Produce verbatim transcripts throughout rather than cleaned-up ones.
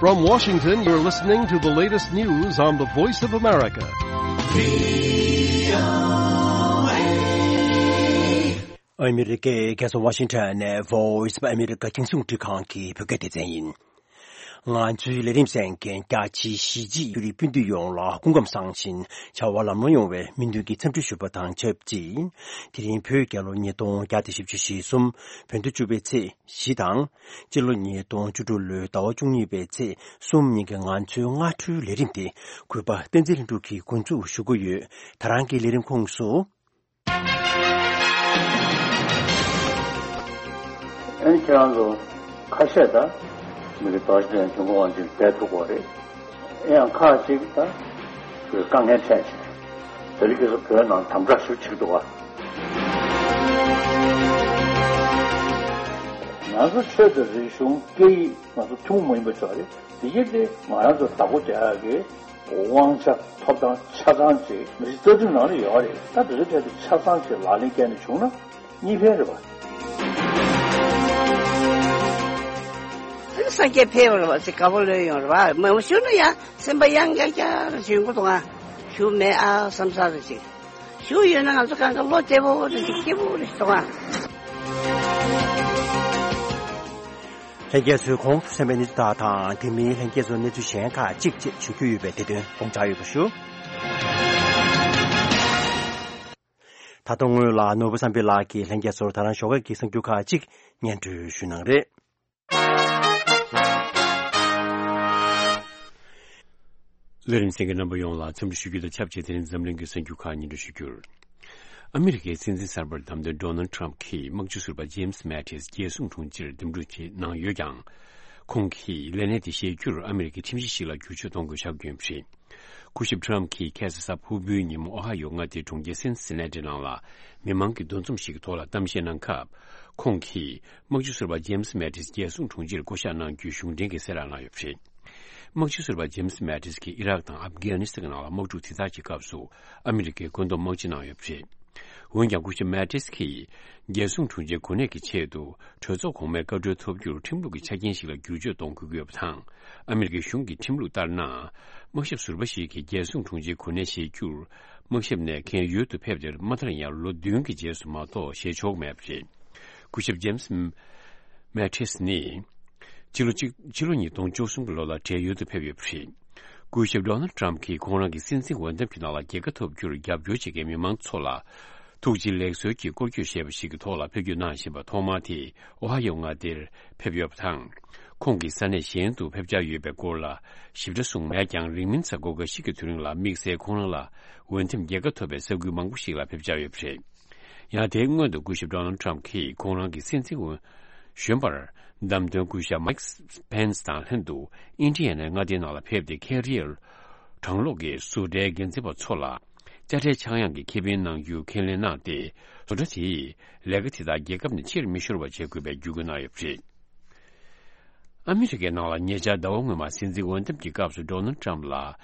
From Washington, you're listening to the latest news on the Voice of America. ཨ་མི་རི་ཀའི་རྒྱལ་ས་ཝ་ཤིང་ཊོན་ནས་Voice of America རྒྱང་སྲིང་རླུང་འཕྲིན་ཁང་གི་བོད་སྐད་སྡེ་ཚན་ཡིན། ང་ཚོའི་ལས་རིམ་གསན་མཁན་རྒྱ་ཆེའི་གཞིས་བྱེས་ཡུལ་སྤུན་མཆེད་ཡོངས་ལ་སྐུ་ཁམས་བཟང་ཞིང་བྱ་བ་ལམ་ལྷོང་ཡོང་བའི་སྨོན་འདུན་གྱི་འཚམས་འདྲི་ཞུ་བ་དང་ཆབས་ཅིག་དེ་རིང་བོད་རྒྱལ་ལོ་ཉིས་སྟོང་བརྒྱ་དང་བཞི་བཅུ་ཞེ་གསུམ་བོད་ཟླ་བཅུ་པའི་ཚེས་བཞི་དང་། སྤྱི་ལོ་ཉིས་སྟོང་བཅུ་དྲུག་ལོའི་ཟླ་བ་བཅུ་གཉིས་པའི་ཚེས་གསུམ་ཉིན་གྱི་ང་ཚོའི་སྔ་དྲོའི་ལས་རིམ་དེ་གུས་པ་བསྟན་འཛིན་ལྷུན་གྲུབ་ཀྱིས་འགོ་འཛུགས་ཞུ་གི་ཡོད། ད་རང་གི་ལས་རིམ་ཁོངས་སུ། ཨ་ནི་ཁྱེད་རང་ཚོ་ཁ་ཤས་ད་མི་རིགས་དོགས་ཞེན་འབྱུང་ཁུངས་དབང་ཆེན་བསྡད་ཐུབ་ཀྱི་རེད། ཨེ་ཡང་ཁག་ཅིག་ད་དཀའ་ངལ་འཕྲད་བྱས། དེ་རིང་ཁ་སང་བོད་ནང་དམ་དྲག་ཤུགས་ཆེ་འདུག་ག་ང་ཚོ་ཆོས་དང་རིག་གཞུང་སྐད་ཡིག་ང་ཚོ་ཐུན་མོང་མ་ཡིན་པ་ཞིག་རེད། དེ་གྱིས་དེ་ང་རང་ཚོ་བདག་པོ་རྒྱག་ཡག་གི་དབང་ཆ་ཐོབ་ཐང་ཆ་ཚང་ཅིག་མི་རིགས་རྩ་ཁྲིམས་ནང་ལ་ཡོད་རེད། ད་དེ་ཚོའི་གྲས་དེ་ཆ་ཚང་ཅིག་ལག་ལེན་བཀལ་ནས་བྱུང་ན་གཉིས་ཕན་རེད་པ། སངས་རྒྱས་ཕེབས་པ་རེད་པ། ཅིག་དགའ་པོ་ལོས་ཡོང་རེད་པ། མ་ཞུ་ན་ཡང་སེམས་པ་ཡང་བསྐྱར་བསྐྱར་ཞུ་གི་འདུག་ང་ཞུ་མེད་ཨ་བསམ་ས་རེད་ཅིག་ཞུ་ཡོད་ན་ང་ཚོ་གང་ག་བློ་བདེ་པོ་རེད་ཅིག་སྐྱིད་པོ་རེད་ཅིག་འདུག་ང་། ལྷན་རྒྱས་ཚོས་གོང་དུ་གསན་པའི་གནས་ཚུལ་དག་དང་དེ་མིན་ལྷན་རྒྱས་ཚོ་གནས་ཚུལ་གཞན་ཁག་ཅིག་བཅས་ཞུ་རྒྱུ་ཡོད་པས་དེ་དོན་དགོངས་འཇགས་ཡོད་པ་ཞུ། ད་དུང་སྔོན་ལ་ནོར་བུ་བསམ་འཕེལ་ལགས་ཀྱིས་ལྷན་རྒྱས་ཚོར་ད་རང་ཞོགས་ཀས་ཀྱི་གསར་འགྱུར་ཁག་ཅིག་སྙན་སྒྲོན་ཞུ་གནང་རེད། ལས་རིམ་གསན་མཁན་རྣམ་པ་ཡོངས་ལ་འཚམས་འདྲི་ཞུ་རྒྱུ་དང་ཆབས་ཅིག་དེ་རིང་འཛམ་གླིང་གི་གསར་འགྱུར་ཁག་སྙན་སྒྲོན་ཞུ་རྒྱུར། ཨ་མི་རི་ཀའི་སྲིད་འཛིན་གསར་པར་བདམས་ཐོན་ཌོ་ནལ་ཊམ་གྱིས་དམག་སྤྱི་ཟུར་པ་ཇེམ་སི་མེ་ཏིས་རྒྱལ་སྲུང་དྲུང་ཆེར་འདེམས་སྒྲུག་བྱེད་གནང་ཡོད་ཀྱང་། ཁོང་གིས་ལས་གནས་དེ་བཞེས་རྒྱུར་ཨ་མི་རི་ཀའི་ཁྲིམས་གཞི་ཞིག་ལ་བསྒྱུར་བཅོས་གཏོང་དགོས་ཆགས་ཀྱི་ཡོད་པ་རེད། སྐུ་ཞབས་ཊམ་གྱིས་ཁ་སང་གཟའ་ཕུར་བུའི་ཉིན་མོ་ཨོ་ཧ་ཡོ་མངའ་སྡེའི་གྲོང་ཁྱེར་སིན་སི་ན་ཏི་ནང་ལ་མི་མང་གི་འདུ་འཛོམས་ཤིག་གི་ཐོག་ལ་གཏམ་བཤད་གནང་སྐབས། ཁོང་གིས་དམག་སྤྱི་ཟུར་པ་ཇེམ་སི་མེ་ཏིས་རྒྱལ་སྲུང་དྲུང་ཆེར་བསྐོ་གཞག་གནང་རྒྱུའི་གཞུང་འབྲེལ་གྱི་གསལ་བསྒྲགས་གནང་ཡོད་པ་རེད། དམག་སྤྱི་ཟུར་པ་ཇེམ་སི་མེ་ཏིས་ཀྱིས་ཨི་རག་དང་ཨབ་གྷ་ནི་སི་ཐན་ནང་ལ་དམག་འཁྲུག་དེ་དག་གི་སྐབས་སུ་ཨ་མི་རི་ཀའི་བཀོད་འདོམས་དམག་སྤྱི་གནང་ཡོད་པ་རེད། འོན་ཀྱང་སྐུ་ཞབས་མེ་ཏིས་ཀྱིས་རྒྱལ་སྲུང་དྲུང་ཆེའི་གོ་གནས་ཀྱི་ཆེད་དུ་གྲོས་ཚོགས་གོང་མའི་བཀའ་འཁྲོལ་ཐོབ་རྒྱུར་ཁྲིམས་ལུགས་ཀྱི་ཆ་རྐྱེན་ཞིག་ལ་བསྒྱུར་བཅོས་གཏོང་དགོས་ཀྱི་ཡོད་པ་དང་། ཨ་མི་རི་ཀའི་གཞུང་གི་ཁྲིམས་ལུགས་ལྟར་ན། དམག་ཞབས་ཟུར་པ་ཞིག་གིས་རྒྱལ་སྲུང་དྲུང་ཆེའི་གོ་གནས་བཞེས་རྒྱུར། དམག་ཞབས་ནས་གན་ཡུལ་དུ་ཕེབས་ཏེ་མ་མཐར་ཡང་ལོ་བདུན་གྱི་རྗེས་སུ་མ་གཏོགས་བཞེས་ཆོག་མེད་པ་རེད། སྐུ་ཞབས་ཇེམ་སི་མེ་ཏིས་ནི། ཕྱི་ལོ་གཅིག་ཕྱི་ལོ་ཉིས་སྟོང་བཅུ་གསུམ་གྱི་ལོ་ལ་བགྲེས་ཡོལ་དུ་ཕེབས་ཡོད་པ་རེད། སྐུ་ཞབས་ཌོ་ནལ་ཊམ་གྱིས་ཁོང་རང་གི་སྲིད་འཛིན་འོས་འདེམས་ཀྱི་ནང་ལ་རྒྱལ་ཁ་ཐོབ་རྒྱུར་རྒྱབ་སྐྱོར་བྱེད་མཁན་མི་མང་ཚོ་ལ། ཐུགས་རྗེ་ལེགས་གསོལ་གྱི་སྐོར་སྐྱོད་ཞེས་པ་ཞིག་གི་ཐོག་ལ་ཕེབས་སྐྱོད་གནང་བཞིན་པ་ཐོག་མ་དེ་ཨོ་ཧ་ཡོ་མངའ་སྡེར་ཕེབས་ཡོད་པ་དང་། ཁོང་གིས་ས་གནས་གཞན་དུ་ཕེབས་འཆར་ཡོད་པའི་སྐོར་ལ་ཞིབ་ཕྲ་གསུངས་མེད་ཀྱང་། རིང་མིན་གཟའ་འཁོར་འགའ་ཞིག་གི་དུས་རིང་ལ་དམིགས་བསལ་ཁོང་རང་ལ་འོས་འདེམས་རྒྱལ་ཁ་ཐོབ་པའི་ས་ཁུལ་མང་པོ་ཞིག་ལ་ཕེབས་འཆར་ཡོད་པ་རེད། ཡང་དེའི་སྔོན་དུ་སྐུ་ཞབས་ཌོ་ནལ་ཊམ་གྱིས་ཁོང་རང་གི་སྲིད་འཛིན་འོས་གཞོན་པར་བདམས་ཐོན་སྐུ་ཞབས་མའིག་པེན་སི་དང་ལྷན་དུ་ཨིན་ཌི་ཡ་ནའི་མངའ་སྡེའི་ནང་ལ་ཕེབས་ཏེ། ཁེ་རི་ཡར་གྲང་གློག་གི་བཟོ་གྲྭའི་འགན་འཛིན་པ་ཚོ་ལ་དཔྱ་ཁྲལ་ཆག་ཡང་གི་ཁེ་ཕན་གནང་རྒྱུ་ཁས་ལེན་གནང་སྟེ། བཟོ་གྲྭ་དེས་ལས་ཀ་དེ་དག་རྒྱལ་ཁབ་ནས་ཕྱིར་མི་ཤོར་བ་བྱེད་དགོས་པའི་བརྒྱུད་སྐུལ་གནང་ཡོད་པ་རེད། ཨ་མི་རི་ཀའི་ནང་ལ་ཉེ་ཆར་ཟླ་བ་སྔོན་མ་སྲིད་འཛིན་འོས་འདེམས་ཀྱི་སྐབས་སུ་ཌོ་ནལ་ཊམ་ལ་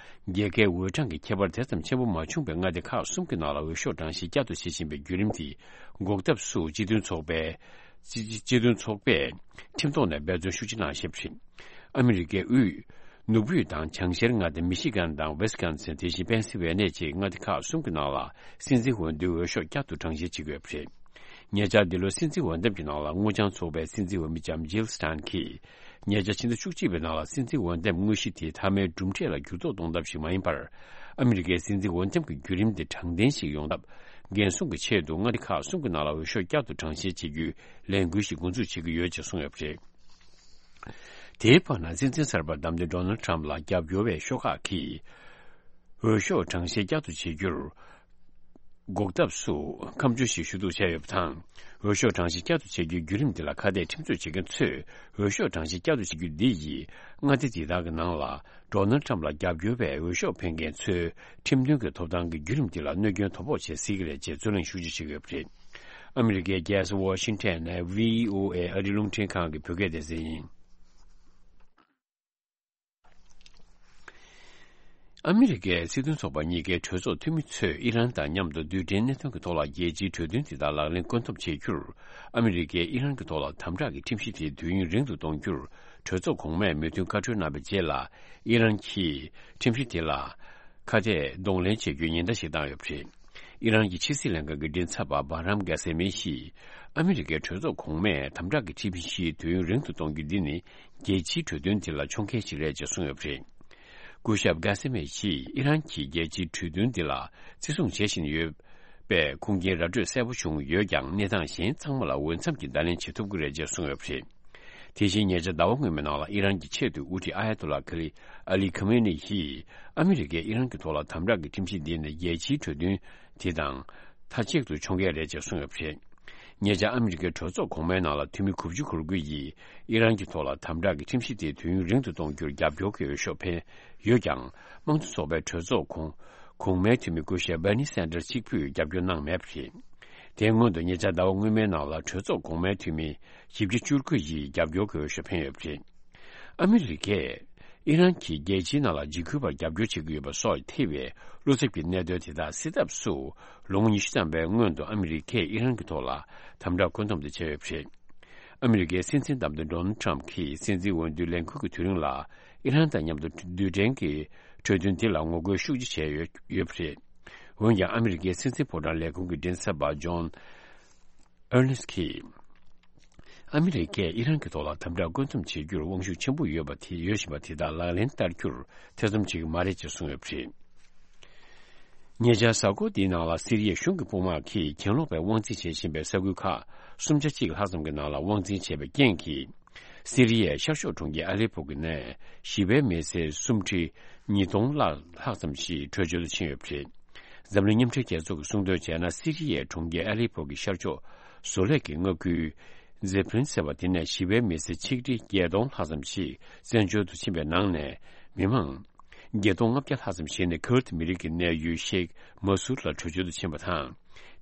རྒྱལ་ཁའི་འོས་གྲངས་ཀྱི་ཁྱད་པར་དེ་ཙམ་ཆེན་པོ་མ་བྱུང་བའི་མངའ་སྡེ་ཁག་གསུམ་གྱི་ནང་ལ་འོས་ཤོག་གྲངས་བཤེར་བསྐྱར་དུ་བྱེད་བཞིན་པའི་བརྒྱུད་རིམ་དེ་འགོག་ཐབས་སུ་སྤྱི་མཐུན་ཚོགས་པའི་སྤྱི་སྤྱི་མཐུན་ཚོགས་པས་ཁྲིམས་ཐོག་ནས་འབད་བརྩོན་ཤུགས་ཆེ་གནང་བཞིན་པ་རེད། ཨ་མི་རི་ཀའི་དབུས་ནུབ་དབུས་དང་བྱང་ཤར་མངའ་སྡེ་མི་ཤི་གན་དང་ཝེ་སི་ཀོན་སིན། དེ་བཞིན་པེན་སི་ཝེ་ནེ་བཅས་མངའ་སྡེ་ཁག་གསུམ་གྱི་ནང་ལ་སྲིད་འཛིན་འོས་བསྡུའི་འོས་ཤོག་བསྐྱར་དུ་གྲངས་བཤེར་བྱེད་ཀྱི་ཡོད་པ་རེད། ཉེ་ཆར་འདི་ལོའི་སྲིད་འཛིན་འོས་འདེམས་ཀྱི་ནང་ལ་སྔོ་ལྗང་ཚོགས་པའི་སྲིད་འཛིན་འོས་མི་ལྕམ་ཇིལ་སི་ཊན་གྱིས། ཉེ་ཆར་ཕྱི་ཟླ་བཅུ་གཅིག་པའི་ནང་ལ་སྲིད་འཛིན་འོས་འདེམས་དངོས་གཞི་དེ་མཐའ་མའི་གྲུབ་འབྲས་ལ་འགྱུར་ལྡོག་གཏོང་ཐབས་ཤིག་མ་ཡིན་པར། ཨ་མི་རི་ཀའི་སྲིད་འཛིན་འོས་འདེམས་ཀྱི་བརྒྱུད་རིམ་དེ་དྲང་བདེན་ཞིག་ཡོང་ཐབས་འགན་སྲུང་གི་ཆེད་དུ་མངའ་སྡེ་ཁག་གསུམ་གྱི་ནང་ལ་འོས་ཤོག་བསྐྱར་དུ་གྲངས་བཤེར་བྱེད་རྒྱུའི་ལས་འགུལ་ཞིག་འགོ་འཛུགས་བྱེད་ཀྱི་ཡོད་ཅེས་གསུངས་ཡོད་པ་རེད། དེའི་བར་ན། སྲིད་འཛིན་གསར་པར་བདམས་ཐོན་ཌོ་ནལ་ཊམ་ལ་རྒྱབ་སྐྱོར་བའི་ཤོག་ཁག་གིས། འོས་ཤོག་གྲངས་བཤེར་བསྐྱར་དུ་བྱེད་རྒྱུར། འགོག་ཐབས་སུ་ཁ་མཆུ་ཞིག་ཞུ་གཏུག་བྱས་ཡོད་པ་དང་། འོས་ཤོག་གྲངས་བཤེར་བསྐྱར་དུ་བྱེད་རྒྱུའི་བརྒྱུད་རིམ་འདི་ལ་ཁ་གཏད་ཁྲིམས་རྩོད་བྱེད་མཁན་ཚོས། འོས་ཤོག་གྲངས་བཤེར་བསྐྱར་དུ་བྱེད་རྒྱུ་འདི་ཡིས་མངའ་སྡེ་འདི་དག་གི་ནང་ལ་ཌོ་ནལ་ཊམ་ལ་རྒྱབ་སྐྱོར་བའི་འོས་ཤོག་འཕེན་མཁན་ཚོའི་ཁྲིམས་མཐུན་གྱི་ཐོབ་ཐང་གི་བརྒྱུད་རིམ་འདི་ལ་གནོད་སྐྱོན་དོ་ཕོག་བྱེད་སྲིད་ཀྱི་རེད་ཅེས་རྩོད་གླེང་ཤུགས་ཆེ་བྱེད་ཀྱི་ཡོད་པ་རེད། ཨ་མི་རི་ཀའི་རྒྱལ་ས་ཝ་ཤིང་ཊོན་ནས་བྷི་ཨོ་ཨེ་ཨ་རིའི་རླུང་འཕྲིན་ཁང་གི་བོད་སྐད་སྡེ་ཚན་ཡིན། ཨ་མི་རི་ཀའི་སྲིད་དོན་ཚོགས་པ་གཉིས་ཀའི་གྲོས་ཚོགས་འཐུས་མི་ཚོས་ཨི་རན་དང་མཉམ་དུ་རྡུལ་ཕྲན་གནད་དོན་གྱི་ཐོག་ལ་རྒྱལ་སྤྱིའི་གྲོས་མཐུན་དེ་དག་ལག་ལེན་བཀོད་འཐོབ་བྱེད་རྒྱུར། ཨ་མི་རི་ཀས་ཨི་རན་གྱི་ཐོག་ལ་དམ་དྲག་གི་ཁྲིམས་གཞི་དེ་དུས་ཡུན་རིང་དུ་གཏོང་རྒྱུར་གྲོས་ཚོགས་གོང་མས་མོས་མཐུན་བཀའ་འཁྲོལ་གནང་བའི་རྗེས་ལ། ཨི་རན་གྱིས་ཁྲིམས་གཞི་དེ་ལ་ཁ་གཏད་གདོང་ལེན་བྱེད་རྒྱུའི་ཉེན་བརྡ་ཞིག་བཏང་ཡོད་པ་རེད། ཨི་རན་གྱི་ཕྱི་སྲིད་ལྷན་ཁང་གི་མགྲིན་ཚབ་པ་བྷ་རམ་གྷ་སེ་མི་ཡིས། ཨ་མི་རི་ཀའི་གྲོས་ཚོགས་གོང་མས་དམ་དྲག་གི་ཁྲིམས་གཞི་དུས་ཡུན་རིང་དུ་གཏོང་རྒྱུ་འདི་ནི་རྒྱལ་སྤྱིའི་གྲོས་མཐུན་དེ་ལ་མཆོང་བརྒལ་ཞིག་རེད་ཅེས་གསུངས་ཡོད་པ་རེད། སྐུ་ཞབས་གྷ་སེ་མི་ཡིས་ཨི་རན་གྱིས་རྒྱལ་སྤྱིའི་གྲོས་མཐུན་འདི་ལ་བརྩི་སྲུང་བྱེད་བཞིན་ཡོད་པས། ཁུངས་སྐྱེལ་ར་སྤྲོད་གསལ་པོ་བྱུང་ཡོད་ཀྱང་། གནས་སྟངས་གཞན་ཚང་མ་ལ་འོས་འཚམ་གྱི་བརྡ་ལན་བྱེད་ཐུབ་ཀྱི་རེད་ཅེས་གསུངས་ཡོད་པ་རེད། དེ་བཞིན་ཉེ་ཆར་ཟླ་བ་སྔོན་མའི་ནང་ལ་ཨི་རན་གྱི་ཆེས་མཐོའི་དབུ་ཁྲིད་ཨ་ཡ་ཏུ་ལ་ཁ་ལི་ཨ་ལི་ཁ་མེ་ནི་ཡིས། ཨ་མི་རི་ཀས་ཨི་རན་གྱི་ཐོག་ལ་དམ་དྲག་གི་ཁྲིམས་གཞི་འདི་ནི་རྒྱལ་སྤྱིའི་གྲོས་མཐུན་དེ་དང་མཐའ་གཅིག་ཏུ་མཆོང་བརྒལ་རེད་ཅེས་གསུངས་ཡོད་པ་རེད། ཉེ་ཆར་ཨ་མི་རི་ཀའི་གྲོས་ཚོགས་གོང་མའི་ནང་ལ་འཐུས་མི་དགུ་བཅུ་གོ་དགུ་ཡིས་ཨི་རན་གྱི་ཐོག་ལ་དམ་དྲག་གི་ཁྲིམས་གཞི་དེ་དུས་ཡུན་རིང་དུ་གཏོང་རྒྱུར་རྒྱབ་སྐྱོར་གྱི་འོས་ཤོག་འཕེན་ཡོད་ཀྱང་། དམངས་གཙོ་ཚོགས་པའི་གྲོས་ཚོགས་གོང་གོང་མའི་འཐུས་མི་སྐུ་ཞབས་བྷར་ནི་སན་ཏར་གཅིག་པུས་རྒྱབ་སྐྱོར་གནང་མེད་པ་རེད། དེའི་སྔོན་དུ་ཉེ་ཆར་ཟླ་བ་སྔོན་མའི་ནང་ལ་གྲོས་ཚོགས་གོང་མའི་འཐུས་མི་བཞི་བཅུ་བཅུ་དགུ་ཡིས་རྒྱབ་སྐྱོར་གྱི་འོས་ཤོག་འཕེན་ཡོད་པ་རེད། ཨ་མི་རི་ཀས་ཨི་རན་གྱིས་རྒྱལ་སྤྱིའི་ནང་ལ་འཇིགས་སྐུལ་བར་རྒྱབ་སྐྱོར་བྱེད་ཀྱི་ཡོད་པ་སོགས་ཐེ་བའི་བློ་འཚབ་ཀྱི་གནད་དོན་དེ་དག་སེལ་ཐབས་སུ། ལོ་ངོ་ཉི་ཤུ་ཙམ་པའི་སྔོན་དུ་ཨ་མི་རི་ཀས་ཨི་རན་གྱི་ཐོག་ལ་དམ་དྲག་བཀོད་འདོམས་དེ་བྱས་ཡོད་པ་རེད། ཨ་མི་རི་ཀའི་སྲིད་འཛིན་བདམས་ཐོན་ཌོ་ནལ་ཊམ་གྱིས་སྲིད་འཛིན་འོས་བསྡུའི་ལས་འགུལ་གྱི་དུས་རིང་ལ། ཨི་རན་དང་མཉམ་དུ་རྡུལ་ཕྲན་གྱི་གྲོས་མཐུན་དེ་ལ་ངོ་རྒོལ་ཤུགས་ཆེ་བྱས་ཡོད་ཡོད་པ་རེད། འོན་ཀྱང་ཨ་མི་རི་ཀའི་སྲིད་འཛིན་ཕོ་བྲང་ལས་ཁུངས་ཀྱི་མགྲིན་ཚབ་པ་ཇོན་ཨར་ནེ་སི་གིས། ཨ་མི་རི་ཀས་ཨི་རན་གྱི་ཐོག་ལ་དམ་དྲག་བཀོད་འདོམས་བྱེད་རྒྱུར་དབང་ཤུགས་ཆེན་པོ་ཡོད་པ་དེ་ཡོད་བཞིན་པ་དེ་དག་ལག་ལེན་བསྟར་རྒྱུར་ཐེ་ཚོམ་བྱེད་ཀྱི་མ་རེད་ཅེས་གསུངས་ཡོད་པ་རེད། ཉེ་ཆར་གཟའ་འཁོར་འདིའི་ནང་ལ་སི་རི་ཡའི་གཞུང་གི་དཔུང་དམག་གིས་གྱེན་ལོག་པའི་དབང་འཛིན་བྱེད་བཞིན་པའི་ས་ཁུལ་ཁག་སུམ་ཆ་གཅིག་ལྷག་ཙམ་གྱི་ནང་ལ་དབང་འཛིན་བྱས་པའི་རྐྱེན་གྱིས། སི་རི་ཡའི་ཤར་ཕྱོགས་གྲོང་ཁྱེར་ཨ་ལེ་པོ་གི་ནས་ཞི་བའི་མི་སེར་སུམ་ཁྲི་ཉིས་སྟོང་ལྷག་ལྷག་ཙམ་ཞིག་བྲོས་བྱོལ་དུ་ཕྱིན་ཡོད་པ་རེད། འཛམ་གླིང་མཉམ་འབྲེལ་རྒྱལ་ཚོགས་ཀྱིས་གསུངས་དོན་བྱས་ན། སི་རི་ཡའི་གྲོང་ཁྱེར་ཨ་ལེ་པོ་གི་ཤར་ཕྱོགས་བཟོ་ལས་ཀྱི་མངའ་ཁུལ་ཛེ་ཕྲིན་ཟེར་བ་དེ་ནས་ཞི་བའི་མི་སེར་ཆིག་ཁྲི་བརྒྱད་སྟོང་ལྷག་ཙམ་ཞིག་བཙན་བྱོལ་དུ་ཕྱིན་པའི་ནང་ནས། མི་མང་བརྒྱད་སྟོང་ལྔ་བརྒྱ་ལྷག་ཙམ་ཞིག་ནི་ཁུར་ཏི་མི་རིགས་ཀྱི་གནས་ཡུལ་ཤེག་མ་སུར་ལ་བྲོས་བྱོལ་དུ་ཕྱིན་པ་དང་།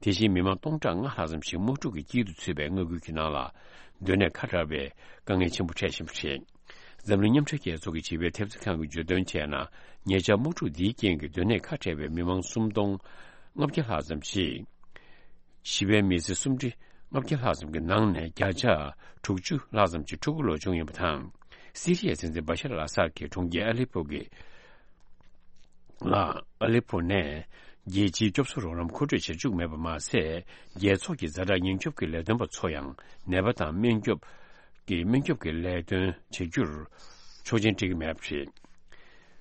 དེ་བཞིན་མི་མང་སྟོང་ཕྲག་ལྔ་ལྷག་ཙམ་ཞིག་དམག་འཁྲུག་གི་དཀྱིལ་དུ་ཚུད་པའི་མངའ་ཁུལ་གྱི་ནང་ལ་སྡོད་གནས་ཁ་བྲལ་བའི་དཀའ་ངལ་ཆེན་པོ་འཕྲད་བཞིན་པ་རེད། འཛམ་གླིང་མཉམ་འབྲེལ་རྒྱལ་ཚོགས་ཀྱི་བྱིས་པའི་ཐེབས་རྩ་ཁང་གིས་བརྗོད་དོན་བྱས་ན། ཉེ་ཆར་དམག་འཁྲུག་འདིའི་རྐྱེན་གྱིས་སྡོད་གནས་ཁ་བྲལ་བའི་མི་མང་སུམ་སྟོང་ལྔ་བརྒྱ་ལྷག་ཙམ་ཞིག་ཞི་བའི་མི་སེར་སུམ་ཁྲི་ལྔ་བརྒྱ་ལྷག་ཙམ་གྱི་ནང་ནས་བརྒྱ་ཆ་དྲུག་ཅུ་ལྷག་ཙམ་གྱིས་ཕྲུ་གུ་ལོ་ཆུང་ཡིན་པ་དང་། སི་རི་ཡའི་སྲིད་འཛིན་བྷ་ཤར་ཨལ་ཨ་སཱད་ཀྱིས་གྲོང་ཁྱེར་ཨ་ལེ་པོ་གི་ལ་ཨ་ལེ་པོ་ནས་རྒྱལ་སྤྱིའི་སྐྱོབ་གསོ་རོགས་རམ་མཁོ་སྤྲོད་བྱེད་བཅུག་མེད་པ་མ་ཟད། རྒྱལ་ཚོགས་ཀྱི་ཛ་དྲག་ཉེན་སྐྱོབ་ཀྱི་ལས་དོན་པ་ཚོ་ཡང་ནད་པ་དང་སྨན་སྐྱོབ་ཀྱི་སྨན་སྐྱོབ་ཀྱི་ལས་དོན་བྱེད་རྒྱུར་ཆོག་མཆན་སྤྲད་ཀྱི་མེད་པ་རེད།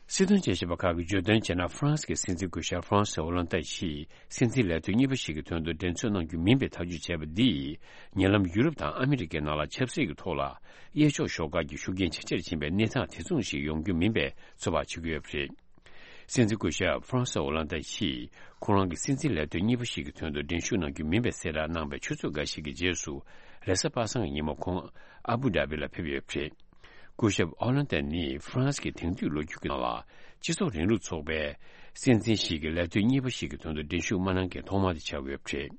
སྲིད་དོན་དཔྱད་ཞིབ་པ་ཁག་གིས་བརྗོད་དོན་བྱས་ན། ཧྥ་རན་སི་གི་སྲིད་འཛིན་སྐུ་ཞབས་ཧྥ་རན་སི་ཨོ་ལན་ཏ་ཡིས་སྲིད་འཛིན་ལས་དོན་གཉིས་པ་ཞིག་གི་དོན་དུ་འགྲན་རྩོད་གནང་རྒྱུ་མིན་པའི་ཐག་གཅོད་བྱས་པ་འདིས། ཉེ་ལམ་ཡུ་རོབ་དང་ཨ་མི་རི་ཀའི་ནང་ལ་ཆབ་སྲིད་ཀྱི་ཐོག་ལ་གཡས་ཕྱོགས་ཤོག་ཁག་གི་ཤུགས་རྐྱེན་ཇེ་ཆེར་ཕྱིན་པའི་གནས་སྟངས་དེ་མཚུངས་ཤིག་ཡོང་རྒྱུ་མིན་པའི་ཚོད་དཔག་བྱེད་ཀྱི་ཡོད་པ་རེད། སྲིད་འཛིན་སྐུ་ཞབས་ཧྥ་རན་སི་ཨོ་ལན་ཏ་ཡིས་ཁོ་རང་གི་སྲིད་འཛིན་ལས་དོན་གཉིས་པ་ཞིག་གི་དོན་དུ་འགྲན་ཞུགས་གནང་རྒྱུ་མིན་པའི་གསལ་བསྒྲགས་གནང་བའི་ཆུ་ཚོད་འགའ་ཞིག་གི་རྗེས་སུ། རེས་གཟའ་པ་སངས་ཀྱི་ཉིན་མོ་ཁོང་ཨ་བུ་དྷ་བི་ལ་ཕེབས་ཡོད་པ་རེད། སྐུ་ཞབས་ཨོ་ལན་ཏན་ནི་ཧྥ་རན་སི་གི་དེང་དུས་ལོ་རྒྱུས་ཀྱི་ནང་ལ་སྤྱི་ཚོགས་རིང་ལུགས་ཚོགས་པའི་སྲིད་འཛིན་ཞིག་གི་ལས་དོན་གཉིས་པ་ཞིག་གི་དོན་དུ་འགྲན་ཞུགས་མ་གནང་མཁན་ཐོག་མ་དེ་ཆགས་ཡོད་པ་རེད།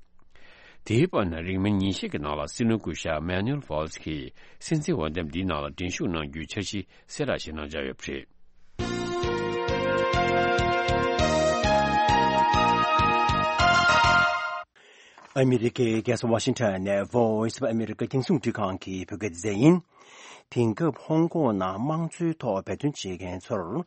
དེའི་བར་ན་རིང་མིན་ཉིན་ཤས་ཀྱི་ནང་ལ་སྲིད་བློན་སྐུ་ཞབས་མེ་ནུ་ཨེལ་ཝཱལ་ཛི་གིས་སྲིད་འཛིན་འོས་འདེམས་འདིའི་ནང་ལ་འགྲན་ཞུགས་གནང་རྒྱུའི་འཆར་གཞི་གསལ་བསྒྲགས་ཤིག་གནང་འཆར་ཡོད་པ་རེད། ཨ་མི་རི་ཀའི་རྒྱལ་ས་ཝ་ཤིང་ཊོན་ནས་Voice of America རྒྱང་སྲིང་རླུང་འཕྲིན་ཁང་གི་བོད་སྐད་སྡེ་ཚན་ཡིན། དེང་སྐབས་ཧོང་ཀོང་ནང་དམངས་གཙོའི་ཐོག་འབད་བརྩོན་བྱེད་མཁན་ཚོར།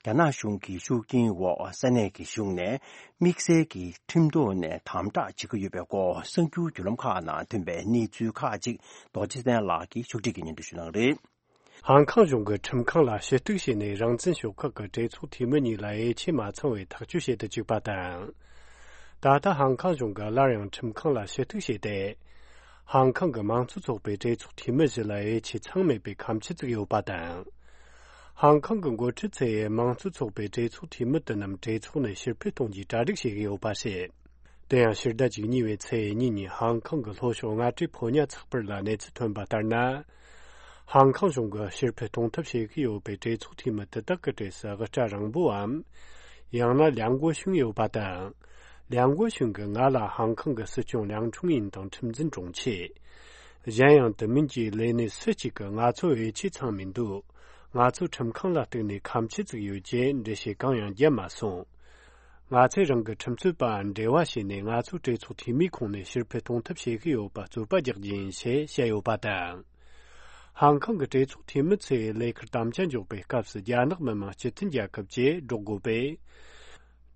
རྒྱ་ནག་གཞུང་གི་ཤུགས་རྐྱེན་འོག་ས་གནས་ཀྱི་གཞུང་ནས་དམིགས་བསལ་གྱི་ཁྲིམས་ཐོག་ནས་དམ་དྲག་བྱེད་ཀྱི་ཡོད་པའི་སྐོར་གསར་འགྱུར་བརྒྱུད་ལམ་ཁག་ནང་ཐོན་པའི་གནས་ཚུལ་ཁག་ཅིག་རྡོ་རྗེ་བཙན་ལགས་ཀྱིས་ཕྱོགས་སྒྲིག་གིས་སྙན་སྒྲོན་ཞུ་གནང་རེད། ཧང་ཀང་གཞུང་གིས་ཁྲིམས་ཁང་ལ་ཞུ་གཏུག་བྱས་ནས་རང་བཙན་ཤོག་ཁག་གི་གྲོས་ཚོགས་འཐུས་མི་གཉིས་ལ་འོས་ཆོས་མ་ཚང་བའི་ཐག་གཅོད་བྱེད་དུ་བཅུག་པ་དང་། ད་ལྟ་ཧང་ཀང་གཞུང་གིས་སླར་ཡང་ཁྲིམས་ཁང་ལ་ཞུ་གཏུག་བྱས་ཏེ། ཧང་ཀང་གི་མང་གཙོ་ཚོགས་པའི་གྲོས་ཚོགས་འཐུས་མི་བཞི་ལ་འོས་ཆོས་ཚང་མེད་པའི་ཁ་མཆུ་བཙུགས་ཡོད་པ་དང་། ཧང་ཀང་གི་འགོ་ཁྲིད་ཚོས་མང་གཙོ་ཚོགས་པའི་གྲོས་ཚོགས་འཐུས་མི་དེ་རྣམས་གྲོས་ཚོགས་ནས་ཕྱིར་འཕུད་གཏོང་རྒྱུའི་གྲ་སྒྲིག་བྱེད་ཀྱི་ཡོད་པ་རེད། དེ་ཡང་ཕྱི་ཟླ་བཅུ་གཉིས་པའི་ཚེས་གཉིས་ཉིན་ཧང་ཀང་གི་ལྷོ་ཕྱོགས་མངའ་སྡེ་ཕོ་ཉ་ཚགས་པར་ལ་གནས་ཚུལ་ཐོན་པ་ལྟར་ན། ཧང་ཀང་གཞུང་གིས་ཕྱིར་འཕུད་གཏོང་ཐབས་བྱེད་ཀྱི་ཡོད་པའི་གྲོས་ཚོགས་འཐུས་མི་དེ་དག་གི་གྲས་སུ་དབུ་སྐྲ་རིང་པོའམ། ཡང་ན་ལིའང་གོ་ཤུན་ཡོད་པ་དང་། ལིའང་གོ་ཤུན་གྱིས་ང་ལ་ཧང་ཀང་གི་སྲིད་སྐྱོང་ལིའང་ཁྲུང་ཡིན་དང་ཁྲིམས་འཛིན་དྲུང་ཆེ། གཞན་ཡང་དེ་མིན་གྱི་ལས་སྣེ་སུ་གཅིག་གིས་ང་ཚོ་འོས་ཆོས་ཚང་མི་འདུག་ང་ཚོ་ཁྲིམས་ཁང་ལ་གཏུགས་ནས་ཁ་མཆུ་བཙུགས་ཡོད་ཅེས་འགྲེལ་བཤད་གང་ཡང་བརྒྱབ་མ་སོང་། ང་ཚོས་རང་གི་ཁྲིམས་རྩོད་པ་འབྲེལ་བ་བྱས་ནས་ང་ཚོའི་གྲོས་ཚོགས་འཐུས་མིའི་ཁོངས་ནས་ཕྱིར་འཕུད་གཏོང་ཐབས་བྱེད་ཀྱི་ཡོད་པ་རྩོད་པ་རྒྱག་རྒྱུ་ཡིན་ཞེས་བཤད་ཡོད་པ་དང་། ཧང་ཁང་གི་གྲོས་ཚོགས་འཐུས་མི་ཚོས་ལས་ཁུར་དམ་བཅའ་འཇོག་པའི་སྐབས་སུ་རྒྱ་ནག་མི་དམངས་སྤྱི་མཐུན་རྒྱལ་ཁབ་ཅེས་སྒྲོག་དགོས་པས།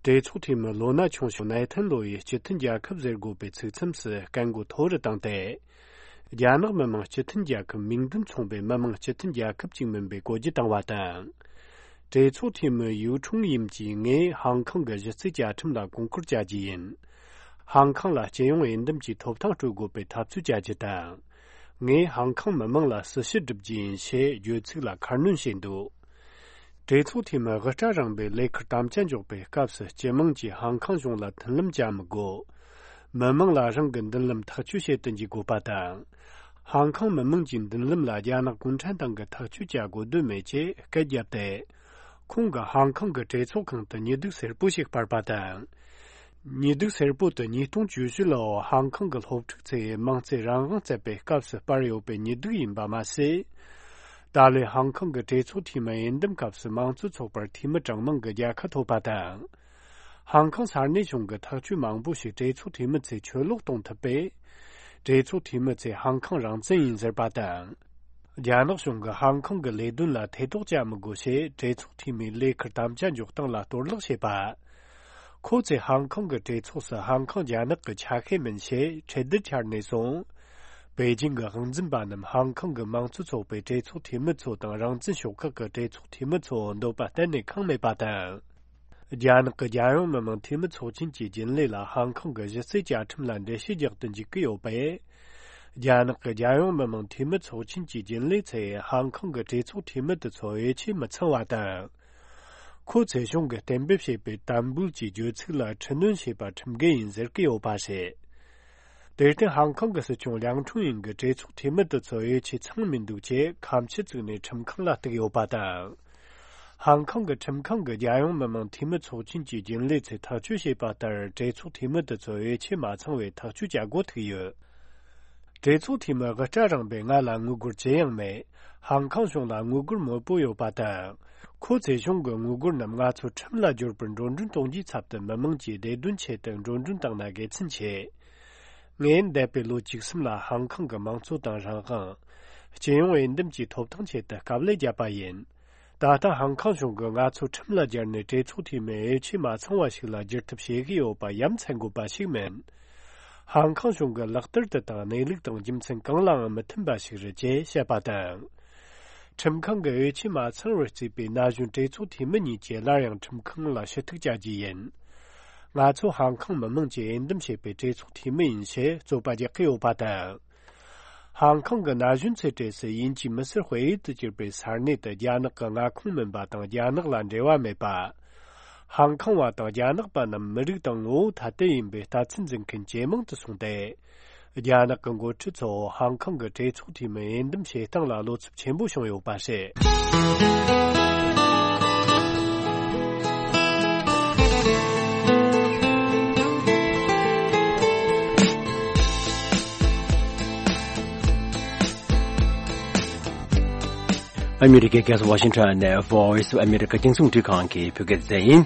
གྲོས་ཚོགས་འཐུས་མི་ལོ་ན་ཆུང་ཤོས་ནེ་ཐན་ལོ་ཡིས་སྤྱི་མཐུན་རྒྱལ་ཁབ་ཟེར་དགོས་པའི་ཚིག་མཚམས་སུ་སྐད་མགོ་མཐོ་རུ་བཏང་སྟེ། རྒྱ་ནག་མི་དམངས་སྤྱི་མཐུན་རྒྱལ་ཁབ་མིང་དོན་མཚུངས་པའི་མི་དམངས་སྤྱི་མཐུན་རྒྱལ་ཁབ་ཅིག་མིན་པའི་བཀོད་རྒྱུ་བཏང་བ་དང་། གྲོས་ཚོགས་འཐུས་མི་ཡུའུ་ཁྲུང་ཡིམ་གྱིས་ངས་ཧང་ཁང་གི་གཞི་རྩའི་བཅའ་ཁྲིམས་ལ་གོང་བཀུར་བྱ་རྒྱུ་ཡིན། ཧང་ཁང་ལ་སྤྱི་ཡོངས་འོས་འདེམས་ཀྱི་ཐོབ་ཐང་སྤྲོད་དགོས་པའི་འཐབ་རྩོད་བྱ་རྒྱུ་དང་། ངས་ཧང་ཁང་མི་དམངས་ལ་སྲི་ཞུ་སྒྲུབ་རྒྱུ་ཡིན་ཞེས་བརྗོད་ཚིག་ལ་ཁ་སྣོན་བྱས་འདུག་གྲོས་ཚོགས་འཐུས་མི་དབུ་སྐྲ་རིང་པོས་ལས་ཁུར་དམ་བཅའ་འཇོག་པའི་སྐབས་སུ་སྤྱི་དམངས་ཀྱིས་ཧང་ཁང་གཞུང་ལ་མཐུན་ལམ་བྱ་མི་དགོས། མི་དམངས་ལ་རང་གི་མདུན་ལམ་ཐག་གཅོད་བྱེད་དུ་འཇུག་དགོས་པ་དང་། ཧང་ཁང་མི་དམངས་ཀྱི་མདུན་ལམ་ལ་རྒྱ་ནག་གུང་ཁྲན་ཏང་གིས་ཐག་གཅོད་བྱ་དགོས་དོན་མེད་ཅེས་སྐད་བརྒྱབ་སྟེ། ཁོང་གིས་ཧང་ཁང་གི་གྲོས་ཚོགས་ཁང་དུ་ཉི་གདུགས་སེར་པོ་ཞིག་སྤར་པ་དང་། ཉི་གདུགས་སེར་པོ་དེ་ཉིས་སྟོང་བཅུ་བཞི་ལོར་ཧང་ཁང་གི་སློབ་ཕྲུག་ཚོས་དམངས་གཙོའི་རང་དབང་བསྩལ་པའི་སྐབས་སུ་སྤར་ཡོད་པའི་ཉི་གདུགས་ཡིན་པ་མ་ཟད། ད་ལོའི་ཧང་ཁང་གི་གྲོས་ཚོགས་འཐུས་མི་འོས་འདེམས་སྐབས་སུ་དམངས་གཙོ་ཚོགས་པར་འཐུས་མི་གྲངས་མང་གི་རྒྱལ་ཁ་ཐོབ་པ་དང་། ཧང་ཁང་ས་གནས་གཞུང་གི་ཐག་གཅོད་མང་པོ་ཞིག་གྲོས་ཚོགས་འཐུས་མི་ཚོས་ཆོས་ལུགས་གཏོང་ཐུབ་པས། གྲོས་ཚོགས་འཐུས་མི་ཚོས་ཧང་ཁང་རང་བཙན་ཡིན་ཟེར་པ་དང་། རྒྱ་ནག་གཞུང་གིས་ཧང་ཁང་གི་ལས་དོན་ལ་ཐེ་གཏོགས་བྱ་མི་དགོས་ཞེས་གྲོས་ཚོགས་འཐུས་མིའི་ལས་ཁུར་དམ་བཅའ་འཇོག་སྟངས་ལ་གཏོར་བརླག་བྱས་པ། ཁོ་ཚོས་ཧང་ཁང་གི་གྲོས་ཚོགས་སུ་ཧང་ཁང་རྒྱ་ནག་གི་ཆ་ཤས་མིན་ཞེས་ཁྲལ་བསྡུར་འཆར་ནས་བཟུང་། པེ་ཅིང་གི་དབང་འཛིན་པ་རྣམས་ཧང་ཁང་གི་དམངས་གཙོ་ཚོགས་པའི་གྲོས་ཚོགས་འཐུས་མི་ཚོ་དང་རང་བཙན་ཤོག་ཁག་གི་གྲོས་ཚོགས་འཐུས་མི་ཚོ་འདོད་པ་གཏན་ནས་ཁེངས་མེད་པ་དང་། རྒྱ་ནག་གི་རྒྱལ་ཡོངས་མི་དམངས་འཐུས་མི་ཚོགས་ཆེན་གྱི་རྒྱུན་ལས་ལ་ཧང་ཁང་གི་གཞི་རྩའི་བཅའ་ཁྲིམས་ལ་འགྲེལ་བཤད་རྒྱག་ཏུ་འཇུག་གི་ཡོད་པས། རྒྱ་ནག་གི་རྒྱལ་ཡོངས་མི་དམངས་འཐུས་མི་ཚོགས་ཆེན་གྱི་རྒྱུན་ལས་ཚོས་ཧང་ཁང་གི་གྲོས་ཚོགས་འཐུས་མི་དེ་ཚོ་འོས་ཆོས་མི་ཚང་བ་དང་། ཁོ་ཚོས་གཞུང་གིས་གཏན་འབེབས་བྱས་པའི་དམ་འབུལ་གྱི་བརྗོད་ཚིག་ལ་འཁྲུལ་སྣོན་བྱས་པ་ཁྲིམས་འགལ་ཡིན་ཟེར་གྱི་ཡོད་པ་རེད། དེར་བརྟེན་ཧང་ཁང་གི་སྲིད་སྐྱོང་ལིའང་ཁྲུང་ཡིན་གྱིས་གྲོས་ཚོགས་འཐུས་མི་དེ་ཚོ་འོས་ཆོས་ཚང་མི་འདུག་ཅེས་ཁ་མཆུ་བཙུགས་ནས་ཁྲིམས་ཁང་ལ་གཏུགས་ཡོད་པ་དང་། ཧང་ཁང་གི་ཁྲིམས་ཁང་གི་རྒྱལ་ཡོངས་མི་དམངས་འཐུས་མི་ཚོགས་ཆེན་གྱི་རྒྱུན་ལས་ཚོས་ཐག་གཅོད་བྱས་པ་ལྟར་གྲོས་ཚོགས་འཐུས་མི་དེ་ཚོ་འོས་ཆོས་མ་ཚང་བའི་ཐག་གཅོད་བྱ་དགོས་ཐུག་ཡོད། གྲོས་ཚོགས་འཐུས་མི་དབུ་སྐྲ་རིང་པོས་ང་ལ་དངུལ་སྒོར་ཅི་ཡང་མེད། ཧང་ཁང་གཞུང་ལ་དངུལ་སྒོར་མང་པོ་ཡོད་པ་དང་། ཁོ་ཚོས་གཞུང་གི་དངུལ་སྒོར་རྣམས་ང་ཚོ་ཁྲིམས་ལ་སྦྱོར་བར་འགྲོ་གྲོན་གཏོང་རྒྱུའི་ཚབ་ཏུ་མི་དམངས་ཀྱི་བདེ་དོན་ཆེད་དུ་འགྲོ་གྲོན་བཏང་ན་དགེ་མཚན་ཆེ། ངས་འདས་པའི་ལོ་བཅུ་གསུམ་ལ་ཧང་ཁང་གི་དམངས་གཙོ་དང་རང་དབང་། སྤྱི་ཡོངས་འོས་འདེམས་ཀྱི་ཐོབ་ཐང་ཆེད་དུ་དཀའ་ལས་བརྒྱབ་པ་ཡིན། ད་ལྟ་ཧང་ཁང་གཞུང་གིས་ང་ཚོ་ཁྲིམས་ལ་སྦྱར་ནས་གྲོས་ཚོགས་འཐུས་མི་འོས་ཆོས་མ་ཚང་བ་ཞིག་ལ་བསྒྱུར་ཐབས་བྱེད་ཀྱི་ཡོད་པ་ཡ་མཚན་དགོས་པ་ཞིག་མིན། ཧང་ཁང་གཞུང་གི་ལག་བསྟར་དེ་དང་གནས་ལུགས་དང་རྒྱུ་མཚན་གང་ལའང་མི་མཐུན་པ་ཞིག་རེད་ཅེས་བཤད་པ་དང་། ཁྲིམས་ཁང་གིས་འོས་ཆོས་མ་ཚང་བར་བརྩིས་པའི་ན་གཞོན་གྲོས་ཚོགས་འཐུས་མི་གཉིས་ཀྱིས་སླར་ཡང་ཁྲིམས་ཁང་ལ་ཞུ་གཏུག་བྱ་རྒྱུ་ཡིན། ང་ཚོ་ཧང་ཁང་མི་དམངས་ཀྱིས་འོས་འདེམས་བྱས་པའི་གྲོས་ཚོགས་འཐུས་མི་ཡིན་ཞེས་རྩོད་པ་རྒྱག་གི་ཡོད་པ་དང་། ཧང་ཁང་གི་ན་གཞོན་ཚོའི་གྲས་སུ་དབྱིན་ཇིའི་མི་སེར་དཔེ་ཡུལ་དུ་གྱུར་པའི་ས་གནས་དེ་རྒྱ་ནག་གི་མངའ་ཁོངས་མིན་པ་དང་རྒྱ་ནག་ལ་འབྲེལ་བ་མེད་པ། ཧང་ཁང་བ་དང་རྒྱ་ནག་པ་རྣམས་མི་རིགས་དང་ངོ་བོ་ཐ་དད་ཡིན་པའི་ལྟ་ཚུལ་འཛིན་མཁན་ཇེ་མང་དུ་སོང་སྟེ། རྒྱ་ནག་གི་འགོ་ཁྲིད་ཚོ་ཧང་ཁང་གི་གྲོས་ཚོགས་འཐུས་མི་འོས་འདེམས་བྱེད་སྟངས་ལ་བློ་འཚབ་ཆེན་པོ་བྱུང་ཡོད་པ་རེད། ཨ་མི་རི་ཀའི་རྒྱལ་ས་ཝ་ཤིང་ཊོན་ནས་Voice of America་རྒྱང་སྲིང་རླུང་འཕྲིན་ཁང་གི་བོད་སྐད་སྡེ་ཚན་ཡིན།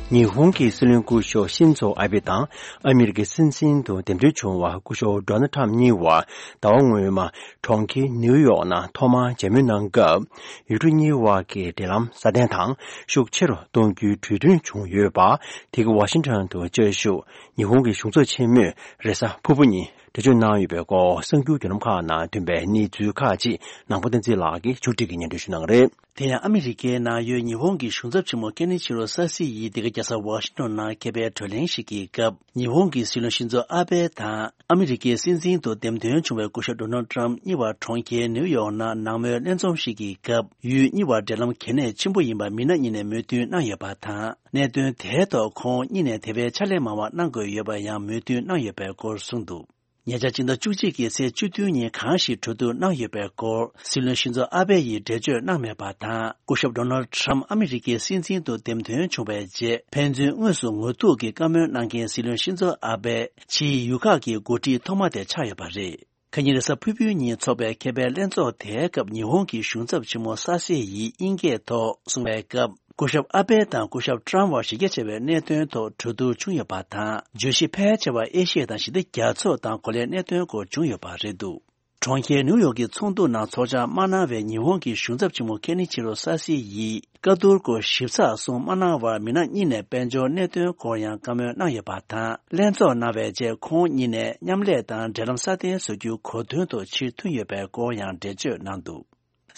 ཉི་ཧོང་གི་སྲིད་བློན་སྐུ་ཞབས་ཤིན་ཛོ་ཨ་བྷེ་དང་ཨ་མི་རི་ཀའི་སྲིད་འཛིན་དུ་འདེམས་ཐོན་བྱུང་བ་སྐུ་ཞབས་ཌོ་ནལ་ཁྲམ་གཉིས་བར་ཟླ་བ་སྔོན་མ་གྲོང་ཁྱེར་ནིའུ་ཡོག་ནང་ཐོག་མར་མཇལ་མོལ་གནང་སྐབས། ཡུལ་གྲུ་གཉིས་བར་གྱི་འབྲེལ་ལམ་སྲ་བརྟན་དང་ཤུགས་ཆེ་རུ་གཏོང་རྒྱུའི་གྲོས་མཐུན་བྱུང་ཡོད་པ། དེ་ག་ཝ་ཤིང་ཊོན་དུ་བཅའ་བཞུགས་ཉི་ཧོང་གི་གཞུང་ཚབ་ཆེན་མོས་རེས་གཟའ་ཕུར་བུ་ཉིན་འགྲེལ་བརྗོད་གནང་ཡོད་པའི་སྐོར་གསར་འགྱུར་བརྒྱུད་ལམ་ཁག་ནང་ཐོན་པའི་གནས་ཚུལ་ཁག་ཅིག་ནང་པ་བསྟན་འཛིན་ལགས་ཀྱིས་མཇུག་སྒྲིལ་གྱིས་སྙན་སྒྲོན་ཞུ་གནང་གི་རེད། དེ་ཡང་ཨ་མི་རི་ཀའི་ནང་ཡོད་ཉི་ཧོང་གི་གཞུང་ཚབ་ཆེན་མོ་ཀེ་ནི་ཆི་རོ་ས་སི་ཡིས་འདི་ག་རྒྱལ་ས་ཝ་ཤིང་ཊོན་ནང་མཁས་པའི་གྲོས་གླེང་ཞིག་གི་སྐབས། ཉི་ཧོང་གི་སྲིད་བློན་ཤིན་ཛོ་ཨ་བྷེ་དང་ཨ་མི་རི་ཀའི་སྲིད་འཛིན་དུ་འདེམས་ཐོན་བྱུང་བའི་སྐུ་ཞབས་ཌོ་ནལ་ཏྲམ་གཉིས་བར་གྲོང་ཁྱེར་ནིའུ་ཡོག་ནང་ནང་མོལ་ལྷན་འཛོམས་ཤིག་གི་སྐབས། ཡུལ་གཉིས་བར་འབྲེལ་ལམ་གལ་གནད་ཆེན་པོ་ཡིན་པ་མི་སྣ་གཉིས་ནས་མོས་མཐུན་གནང་ཡོད་པ་དང་། གནད་དོན་དེའི་ཐོག་ཁོང་གཉིས་ནས་དེ་བས་ཕྱག་ལས་མང་བ་གནང་དགོས་ཡོད་པ་ཡང་མོས་མཐུན་གནང་ཡོད་པའི་སྐོར་གསུངས་འདུག་ཉེ་ཆར་སྤྱི་ཟླ་བཅུ་གཅིག་གི་ཚེས་བཅུ་བདུན་ཉིན་གང་ཞིག་གྲོས་བསྡུར་གནང་ཡོད་པའི་སྐོར་སྲིད་བློན་ཤིན་ཛོ་ཨ་བྷེ་ཡིས་འགྲེལ་བརྗོད་གནང་མེད་པ་དང་། སྐུ་ཞབས་ཌོ་ནལ་ཁྲམ་ཨ་མི་རི་ཀའི་སྲིད་འཛིན་དུ་འདེམས་ཐོན་བྱུང་བའི་རྗེས་ཕན་ཚུན་དངོས་སུ་ངོ་ཐུག་གིས་བཀའ་མོལ་གནང་མཁན་སྲིད་བློན་ཤིན་ཛོ་ཨ་བྷེ་ཕྱིའི་ཡུལ་ཁག་གི་འགོ་ཁྲིད་ཐོག་མ་དེ་ཆགས་ཡོད་པ་རེད། ཁ་ཉིན་རེས་གཟའ་ཕུར་བུའི་ཉིན་འཚོགས་པའི་མཁས་པའི་ལྷན་ཚོགས་དེའི་སྐབས་ཉི་ཧོང་གི་གཞུང་ཚབ་ཆེན་མོ་ས་སེ་ཡིས་དབྱིན་སྐད་ཐོག་གསུངས་པའི་སྐབས། སྐུ་ཞབས་ཨ་བྷེ་དང་སྐུ་ཞབས་ཀྲམ་བར་གཞི་རྒྱ་ཆེ་བའི་གནད་དོན་ཐོག་གྲོས་བསྡུར་བྱུང་ཡོད་པ་དང་། བརྗོད་གཞི་ཕལ་ཆེ་བ་ཨེ་ཤི་ཡ་དང་ཞི་བདེ་རྒྱ་མཚོ་དང་གོ་ལའི་གནད་དོན་སྐོར་བྱུང་ཡོད་པ་རེད་འདུག་གྲོང་ཁྱེར་ནིའུ་ཡོག་གི་ཚོགས་འདུ་ནང་ཚོགས་བཅར་མ་གནང་བའི་ཉི་ཧོང་གི་གཞུང་ཚབ་ཆེན་མོ་ཁེ་ནི་ཆི་རོ་ས་སི་ཡིས་བཀའ་བསྡུར་སྐོར་ཞིབ་ཚགས་གསུང་མ་གནང་བར། མི་སྣ་གཉིས་ནས་དཔལ་འབྱོར་གནད་དོན་སྐོར་ཡང་བཀའ་མོལ་གནང་ཡོད་པ་དང་། ལྷན་ཚོགས་གནང་བའི་རྗེས་ཁོང་གཉིས་ནས་མཉམ་ལས་དང་འབྲེལ་ལམ་སྲ་བརྟན་བཟོ་རྒྱུའི་གོ་དོན་ཐོག་ཕྱིར་ཐོན་ཡོད་པའི་སྐོར་ཡང་འགྲེལ་བརྗོད་གནང་འདུག་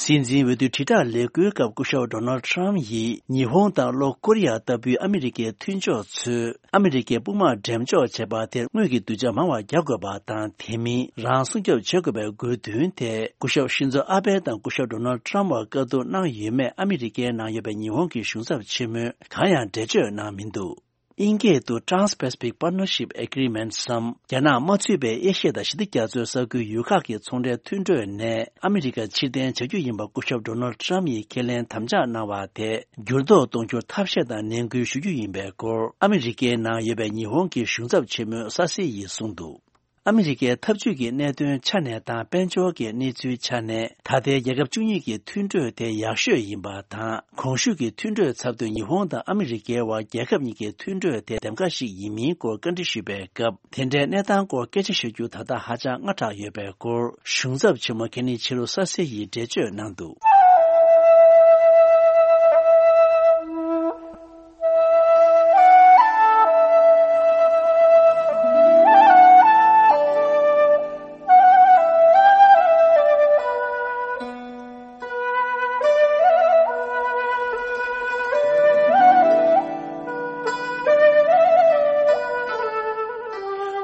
སྲིད་འཛིན་འོས་བསྡུ་དྲིལ་བསྒྲགས་ལས་འགུལ་སྐབས་སྐུ་ཞབས་ཌོ་ནལ་ཊམ་ཡིས་ཉི་ཧོང་དང་ལྷོ་ཀོ་རི་ཡ་ལྟ་བུའི་ཨ་མི་རི་ཀའི་མཐུན་ཕྱོགས་ཚོས་ཨ་མི་རི་ཀའི་དཔུང་དམག་འགྲེམས་འཇོག་བྱེད་པ་དེར་དངུལ་གྱི་གདུལ་བྱ་མང་བ་རྒྱག་དགོས་པ་དང་། དེ་མིན་རང་སྲུང་སྐྱོབ་བྱེད་དགོས་པའི་དགོས་འདུན་དེ་སྐུ་ཞབས་ཤིན་ཛོ་ཨ་བྷེ་དང་སྐུ་ཞབས་ཌོ་ནལ་ཊམ་བར་བཀའ་བསྡུར་གནང་ཡོད་མེད་ཨ་མི་རི་ཀའི་ནང་ཡོད་པའི་ཉི་ཧོང་གི་གཞུང་ཚབ་ཆེན་མོས་གང་ཡང་འགྲེལ་བརྗོད་གནང་མི་འདུག་དབྱིན་སྐད་དུ་Trans-Pacific Partnership Agreement སམ། རྒྱ་ནག་མ་ཚུད་པའི་ཨེ་ཤི་ཡ་དང་ཞི་བདེ་རྒྱ་མཚོའི་ས་ཁུལ་ཡུལ་ཁག་གི་ཚོང་འབྲེལ་མཐུན་གྲོས་ནས་ཨ་མི་རི་ཀར་ཕྱིར་འཐེན་བྱ་རྒྱུ་ཡིན་པ་སྐུ་ཞབས་ཌོ་ནལ་ཊམ་ཡིས་ཁས་ལེན་དམ་བཅའ་གནང་བ་དེ་འགྱུར་ལྡོག་གཏོང་རྒྱུར་ཐབས་ཤེས་དང་ནན་སྐུལ་ཞུ་རྒྱུ་ཡིན་པའི་སྐོར། ཨ་མི་རི་ཀའི་ནང་ཡོད་པའི་ཉི་ཧོང་གི་གཞུང་ཚབ་ཆེན་མོ་ས་སི་ཡིས་གསུངས་འདུག་ཨ་མི་རི་ཀའི་འཐབ་ཇུས་ཀྱི་གནད་དོན་ཆ་ནས་དང་། དཔལ་འབྱོར་གྱི་གནས་ཚུལ་ཆ་ནས་ད་ལྟའི་རྒྱལ་ཁབ་བཅུ་གཉིས་ཀྱི་མཐུན་གྲོས་དེ་ཡག་ཤོས་ཡིན་པ་དང་། གོང་ཞུས་ཀྱི་མཐུན་གྲོས་ཚབ་ཏུ་ཉི་ཧོང་དང་ཨ་མི་རི་ཀའི་དབར་རྒྱལ་ཁབ་གཉིས་ཀྱི་མཐུན་གྲོས་དེ་འདེམས་ཀ་ཞིག་ཡིན་མིན་སྐོར་བཀའ་འདྲི་ཞུས་པའི་སྐབས། དེ་འདྲའི་གནས་སྟངས་སྐོར་སྐད་ཆ་ཤོད་རྒྱུ་ད་ལྟ་ཧ་ཅང་སྔ་དྲགས་ཡོད་པའི་སྐོར། གཞུང་ཚབ་ཆེན་མོ་ཁེ་ནི་ཆི་རོ་ས་སེ་ཡིས་འགྲེལ་བརྗོད་གནང་འདུག་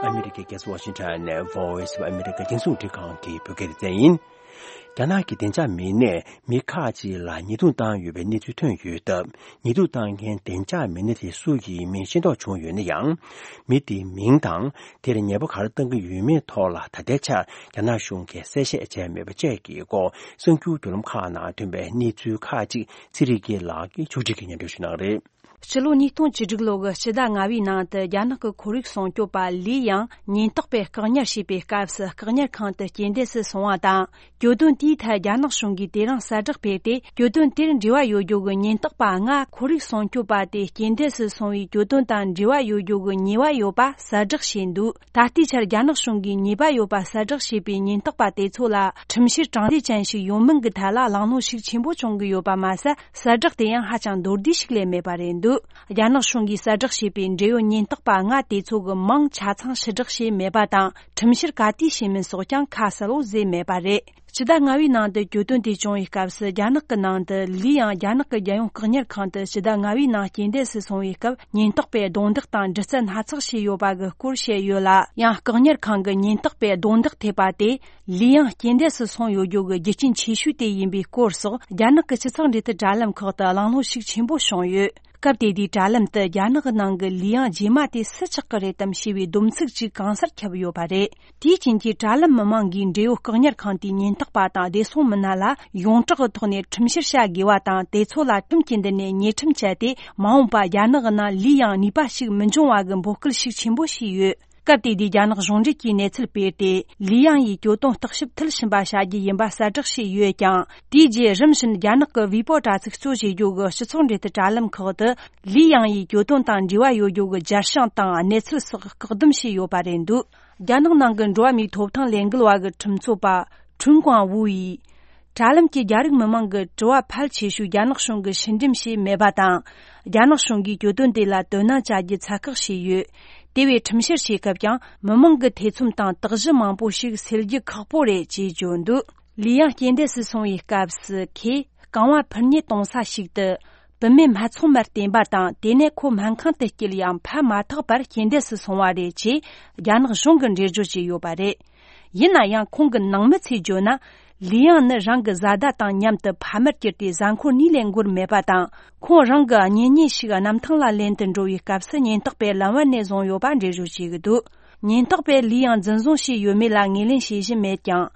ཨ་མི་རི་ཀའི་རྒྱལ་ས་ཝ་ཤིང་ཊོན་ནས་Voice of America རྒྱང་སྲིང་རླུང་འཕྲིན་ཁང་གི་བོད་སྐད་སྡེ་ཚན་ཡིན། རྒྱ་ནག་གི་བདེ་འཇགས་མི་སྣས་མི་ཁག་ཅིག་ལ་ཉེས་རྡུང་བཏང་ཡོད་པའི་གནས་ཚུལ་ཐོན་ཡོད་སྟབས། ཉེས་རྡུང་བཏང་མཁན་བདེ་འཇགས་མི་སྣ་དེ་སུ་ཡིན་མིན་ཤེས་རྟོགས་བྱུང་ཡོད་ན་ཡང་། མི་དེའི་མིང་དང་། དེར་ཉེས་པ་ག་རེ་བཏང་གི་ཡོད་མེད་ཐོག་ལ་ད་ལྟའི་ཆར་རྒྱ་ནག་གཞུང་གིས་གསལ་བཤད་བྱས་མེད་པ་བཅས་ཀྱི་སྐོར། གསར་འགྱུར་བརྒྱུད་ལམ་ཁག་ནང་ཐོན་པའི་གནས་ཚུལ་ཁག་ཅིག་ཚེ་རིང་སྐྱིད་ལགས་ཀྱིས་ཕྱོགས་སྒྲིག་གིས་སྙན་སྒྲོན་ཞུ་གནང་གི་རེད། ཕྱི་ལོ་ཉིས་སྟོང་བཅུ་དྲུག་ལོ་གི་ཕྱི་ཟླ་ལྔ་བའི་ནང་དུ་རྒྱ་ནག་གི་ཁོར་ཡུག་སྲུང་སྐྱོབ་པ་ལི་ཡང་ཉེན་རྟོག་པས་བཀག་ཉར་བྱས་པའི་སྐབས་སུ། བཀག་ཉར་ཁང་དུ་རྐྱེན་འདས་སུ་སོང་བ་དང་། གྱོད་དོན་དེའི་ཐད་རྒྱ་ནག་གཞུང་གིས་དེ་རིང་གསལ་བསྒྲགས་སྤེལ་ཏེ། གྱོད་དོན་དེར་འབྲེལ་བ་ཡོད་རྒྱུ་གི་ཉེན་རྟོག་པ་ལྔ་ཁོར་ཡུག་སྲུང་སྐྱོབ་པ་དེ་རྐྱེན་འདས་སུ་སོང་བའི་གྱོད་དོན་དང་འབྲེལ་བ་ཡོད་རྒྱུ་གི་ཉེས་པ་ཡོད་པ་གསལ་བསྒྲགས་བྱས་འདུག་ད་ལྟའི་ཆར་རྒྱ་ནག་གཞུང་གིས་ཉེས་པ་ཡོད་པ་གསལ་བསྒྲགས་བྱས་པའི་ཉེན་རྟོག་པ་དེ་ཚོ་ལ་ཁྲིམས་བཤེར་དྲང་བདེན་ཅན་ཞིག་ཡོང་མིན་གྱི་ཐད་ལ་གླེང་སློང་ཤུགས་ཆེན་པོ་བྱུང་གི་ཡོད་པ་མ་ཟད། གསལ་བསྒྲགས་དེ་ཡང་ཧ་ཅང་མདོར་བསྡུས་ཤིག་ལས་མེད་པ་རེད་འདུག་རྒྱ་ནག་གཞུང་གིས་གསལ་བསྒྲགས་བྱས་པའི་འབྲེལ་ཡོད་ཉེན་རྟོག་པ་ལྔ་དེ་ཚོ་གི་མིང་ཆ་ཚང་ཕྱིར་བསྒྲགས་བྱས་མེད་པ་དང་། ཁྲིམས་བཤེར་ག་དུས་བྱས་མིན་སོགས་ཀྱང་ཁ་གསལ་བོ་བཟོས་མེད་པ་རེད། ཕྱི་ཟླ་ལྔ་བའི་ནང་དུ་གྱོད་དོན་དེ་བྱུང་བའི་སྐབས་སུ། རྒྱ་ནག་གི་ནང་དུ་ལི་ཡང་རྒྱ་ནག་གི་རྒྱལ་ཡོངས་བཀག་ཉར་ཁང་དུ་ཕྱི་ཟླ་ལྔ་བའི་ནང་རྐྱེན་འདས་སུ་སོང་བའི་སྐབས། ཉེན་རྟོག་པས་རྡུང་རྡེག་དང་འདྲི་རྩད་སྣ་ཚོགས་བྱས་ཡོད་པ་གི་སྐོར་བཤད་ཡོད་ལ། ཡང་བཀག་ཉར་ཁང་གི་ཉེན་རྟོག་པས་རྡུང་རྡེག་ཐེབས་པ་དེ་ལི་ཡང་རྐྱེན་འདས་སུ་སོང་ཡོད་རྒྱུ་གི་རྒྱུ་རྐྱེན་ཆེ་ཤོས་དེ་ཡིན་པའི་སྐོར་སོགས། རྒྱ་ནག་གི་ཕྱི་ཚགས་འབྲེལ་མཐུད་དྲ་ལམ་ཁག་ཏུ་གླེང་སློང་ཤུགས་ཆེན་པོ་བྱུང་ཡོད། སྐབས་དེ་དུས་དྲ་ལམ་དུ་རྒྱ་ནག་གི་ནང་གི་ལི་ཡང་རྗེས་མ་དེ་སུ་ཆགས་ཀྱི་རེད་དམ་ཞེས་པའི་སྡོམ་ཚིག་ཅིག་གང་སར་ཁྱབ་ཡོད་པ་རེད། དེའི་རྐྱེན་གྱིས་དྲ་ལམ་མི་མང་གིས་འབྲེལ་ཡོད་བཀག་ཉར་ཁང་དེའི་ཉེན་རྟོག་པ་དང་བདེ་སྲུང་མི་སྣ་ལ་ཡོངས་གྲགས་ཀྱི་ཐོག་ནས་ཁྲིམས་བཤེར་བྱ་དགོས་པ་དང་། དེ་ཚོ་ལ་ཁྲིམས་ཀྱི་མདུན་ནས་ཉེས་ཁྲིམས་བཅད་དེ། མ་འོངས་པ་རྒྱ་ནག་གི་ནང་ལི་ཡང་ནུས་པ་ཞིག་མི་འབྱུང་བ་གི་འབོད་སྐུལ་ཤུགས་ཆེན་པོ་བྱས་ཡོད། སྐབས་དེ་དུས་རྒྱ་ནག་གཞུང་འབྲེལ་གྱིས་གནས་ཚུལ་སྤེལ་ཏེ། ལི་ཡང་ཡི་གྱོད་དོན་བརྟག་ཞིབ་མཐིལ་ཕྱིན་པ་བྱ་རྒྱུ་ཡིན་པ་གསལ་བསྒྲགས་བྱས་ཡོད་ཀྱང་། དེའི་རྗེས་རིམ་བཞིན་རྒྱ་ནག་གི་ཝི་པོ་དྲ་ཚིགས་གཙོ་བྱེད་རྒྱུ་གི་སྤྱི་ཚོགས་འབྲེལ་མཐུད་དྲ་ལམ་ཁག་ཏུ། ལི་ཡང་ཡི་གྱོད་དོན་དང་འབྲེལ་བ་ཡོད་རྒྱུ་གི་རྒྱལ་བྱང་དང་གནས་ཚུལ་སོགས་བཀག་སྡོམ་བྱས་ཡོད་པ་རེད་འདུག་རྒྱ་ནག་ནང་གི་འགྲོ་བ་མིའི་ཐོབ་ཐང་ལས་འགུལ་བ་གི་ཁྲིམས་རྩོད་པ་ཁྲུན་ཀོང་ཝུ་ཡིས། དྲ་ལམ་གྱི་རྒྱ་རིགས་མི་མང་གི་དྲི་བ་ཕལ་ཆེ་ཤོས་རྒྱ་ནག་གཞུང་གིས་ཕྱིར་འདེམས་བྱས་མེད་པ་དང་། རྒྱ་ནག་གཞུང་གིས་གྱོད་དོན་དེ་ལ་དོ་སྣང་བྱ་རྒྱུ་ཚད་བཀག་བྱས་ཡོད། དེ་བས་ཁྲིམས་བཤེར་བྱེད་སྐབས་ཀྱང་མི་མང་གི་ཐེ་ཚོམ་དང་དག་གཞི་མང་པོ་ཞིག་སེལ་རྒྱུ་ཁག་པོ་རེད་ཅེས་བརྗོད་འདུག་ལི་ཡང་རྐྱེན་འདས་སུ་སོང་བའི་སྐབས་སུ་ཁོས་རྐང་བ་འཕུར་མཉེ་གཏོང་ས་ཞིག་ཏུ་བུད་མེད་སྨད་འཚོང་མར་བསྟེན་པ་དང་། དེ་ནས་ཁོ་སྨན་ཁང་དུ་སྐྱེལ་ཡང་ཕན་མ་ཐོགས་པར་རྐྱེན་འདས་སུ་སོང་བ་རེད་ཅེས་རྒྱ་ནག་གཞུང་གིས་འགྲེལ་བརྗོད་བྱས་ཡོད་པ་རེད། ཡིན་ན་ཡང་ཁོང་གི་ནང་མི་ཚོས་བརྗོད་ན། ལི་ཡང་ནི་རང་གི་བཟའ་ཟླ་དང་མཉམ་དུ་ཕ་མར་གྱུར་ཏེ་གཟའ་འཁོར་གཉིས་ལས་འགོར་མེད་པ་དང་། ཁོང་རང་གི་གཉེན་ཉེ་ཞིག་གནམ་ཐང་ལ་ལེན་དུ་འགྲོ་བའི་སྐབས་སུ་ཉེན་རྟོག་པས་ལམ་བར་ནས་བཟུང་ཡོད་པ་འགྲེལ་བརྗོད་བྱེད་ཀྱི་འདུག་ཉེན་རྟོག་པས་ལི་ཡང་འཛིན་བཟུང་བྱས་ཡོད་མེད་ལ་ངོས་ལེན་བྱེད་བཞིན་མེད་ཀྱང་།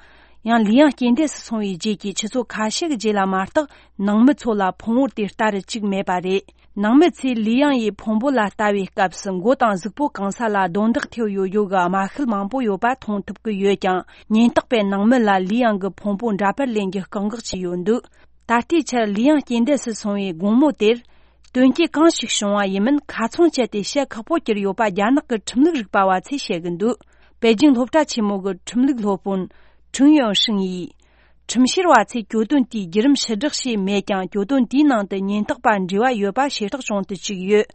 ཡང་ལི་ཡང་རྐྱེན་འདས་སུ་སོང་བའི་རྗེས་ཀྱི་ཆུ་ཚོད་ཁ་ཤས་ཀྱི་རྗེས་ལ་མ་གཏོགས། ནང་མི་ཚོ་ལ་ཕུང་བོ་དེ་ལྟ་རུ་བཅུག་མེད་པ་རེད། ནང་མི་ཚོས་ལི་ཡང་ཡི་ཕུང་པོ་ལ་ལྟ་བའི་སྐབས་སུ། མགོ་དང་གཟུགས་པོ་གང་ས་ལ་རྡུང་རྡེག་ཐེབས་ཡོད་ཡོད་ཀྱི་རྨ་ཤུལ་མང་པོ་ཡོད་པ་མཐོང་ཐུབ་ཀྱི་ཡོད་ཀྱང་། ཉེན་རྟོག་པས་ནང་མི་ལ་ལི་ཡང་གི་ཕུང་པོ་འདྲ་པར་ལེན་རྒྱུ་བཀག་འགོག་བྱས་ཡོད་འདུག་ད་ལྟའི་ཆར་ལི་ཡང་རྐྱེན་འདས་སུ་སོང་བའི་དགོང་མོ་དེར། དོན་རྐྱེན་གང་ཞིག་བྱུང་བ་ཡིན་མིན་ཁ་ཚོན་བཅད་དེ་བཤད་ཁག་པོ་གྱུར་ཡོད་པ་རྒྱ་ནག་གི་ཁྲིམས་ལུགས་རིག་པ་བ་ཚོས་བཤད་ཀྱི་འདུག་པེ་ཅིང་སློབ་གྲྭ་ཆེན་མོ་གི་ཁྲིམས་ལུགས་སློབ་དཔོན་ཁྲུང་ཡོན་ཧྲིང་ཡིས། ཁྲིམས་བཤེར་བ་ཚོས་གྱོད་དོན་དེའི་བརྒྱུད་རིམ་ཕྱིར་བསྒྲགས་བྱས་མེད་ཀྱང་། གྱོད་དོན་དེའི་ནང་དུ་ཉེན་རྟོག་པ་འབྲེལ་བ་ཡོད་པ་ཞེ་དྲག་བྱུང་དུ་བཅུག་ཡོད།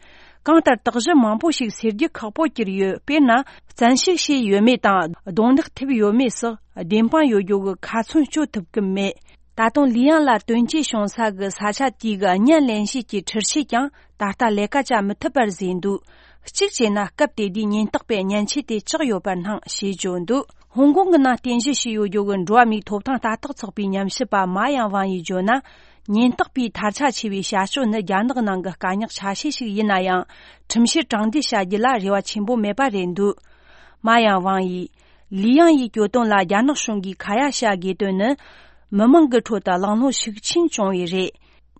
གང་ལྟར་དག་གཞི་མང་པོ་ཞིག་སེལ་རྒྱུ་ཁག་པོ་གྱུར་ཡོད། དཔེར་ན། བཙན་ཤུགས་བྱས་ཡོད་མེད་དང་། རྡུང་རྡེག་ཐེབས་ཡོད་མེད་སོགས་བདེན་དཔང་ཡོད་རྒྱུ་གི་ཁ་ཚོན་གཅོད་ཐུབ་ཀྱི་མེད། ད་དུང་ལི་ཡང་ལ་དོན་རྐྱེན་བྱུང་ས་གི་ས་ཆ་དེའི་གི་བརྙན་ལེན་བྱེད་ཀྱི་འཕྲུལ་ཆས་ཀྱང་ད་ལྟ་ལས་ཀ་བྱ་མི་ཐུབ་པར་བཟོས་འདུག་གཅིག་བྱས་ན། སྐབས་དེ་དུས་ཉེན་རྟོག་པས་མཉེན་ཆས་དེ་བཅག་ཡོད་པར་སྣང་ཞེས་བརྗོད་འདུག་ཧོང་ཀོང་གི་ནང་རྟེན་གཞི་བྱས་ཡོད་རྒྱུ་གི་འགྲོ་བ་མིའི་ཐོབ་ཐང་ལྟ་རྟོག་ཚོགས་པའི་ཉམས་ཞིབ་པ་མ་ཡང་ཝང་ཡིས་བརྗོད་ན། ཉེན་རྟོག་པའི་ཐལ་ཆ་ཆེ་བའི་བྱ་སྤྱོད་ནི་རྒྱ་ནག་ནང་གི་དཀའ་རྙོག་ཆ་ཤས་ཤིག་ཡིན་ན་ཡང་། ཁྲིམས་བཤེར་དྲང་བདེན་བྱ་རྒྱུ་ལ་རེ་བ་ཆེན་པོ་མེད་པ་རེད་འདུག་མ་ཡང་ཝང་ཡིས། ལི་ཡང་ཡི་གྱོད་དོན་ལ་རྒྱ་ནག་གཞུང་གིས་ཁ་ཡ་བྱ་དགོས་དོན་ནི། མི་མང་གི་ཁྲོད་དུ་གླེང་སློང་ཤུགས་ཆེན་བྱུང་བས་རེད།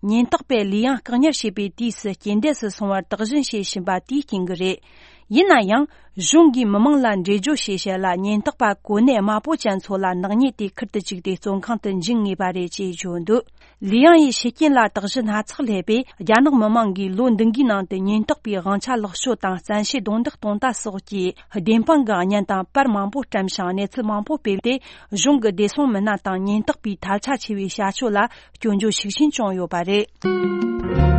ཉེན་རྟོག་པས་ལི་ཡང་བཀག་ཉར་བྱས་པའི་དུས་སུ་རྐྱེན་འདས་སུ་སོང་བར་དོགས་ཟོན་བྱེད་བཞིན་པ་དེའི་རྐྱེན་གྱིས་རེད། ཡིན་ན་ཡང་། གཞུང་གིས་མི་མང་ལ་འགྲེལ་བརྗོད་བྱེད་ཆེད་ལ། ཉེན་རྟོག་པ་གོ་གནས་དམའ་པོ་ཅན་ཚོ་ལ་ནག་ཉེས་དེ་ཁུར་དུ་བཅུག་སྟེ་བཙོན་ཁང་དུ་འཇུག་ངེས་པ་རེད་ཅེས་བརྗོད་འདུག་ལི་ཡང་ཡི་ཤི་རྐྱེན་ལ་དོགས་གཞི་སྣ་ཚོགས་སླེབས་པས། རྒྱ་ནག་མི་མང་གིས་ལོ་འདི་འགའི་ནང་དུ་ཉེན་རྟོག་པའི་དབང་ཆ་ལོག་སྤྱོད་དང་བཙན་ཤེད་རྡུང་རྡེག་གཏོང་ལྟ་སོགས་ཀྱི་བདེན་དཔང་གི་བརྙན་དང་པར་མང་པོ་བཀྲམ་ཞིང་། གནས་ཚུལ་མང་པོ་སྤེལ་ཏེ། གཞུང་གི་བདེ་སྲུང་མི་སྣ་དང་ཉེན་རྟོག་པའི་ཐལ་ཆ་ཆེ་བའི་བྱ་སྤྱོད་ལ་སྐྱོན་བརྗོད་ཤུགས་ཆེན་བྱུང་ཡོད་པ་རེད།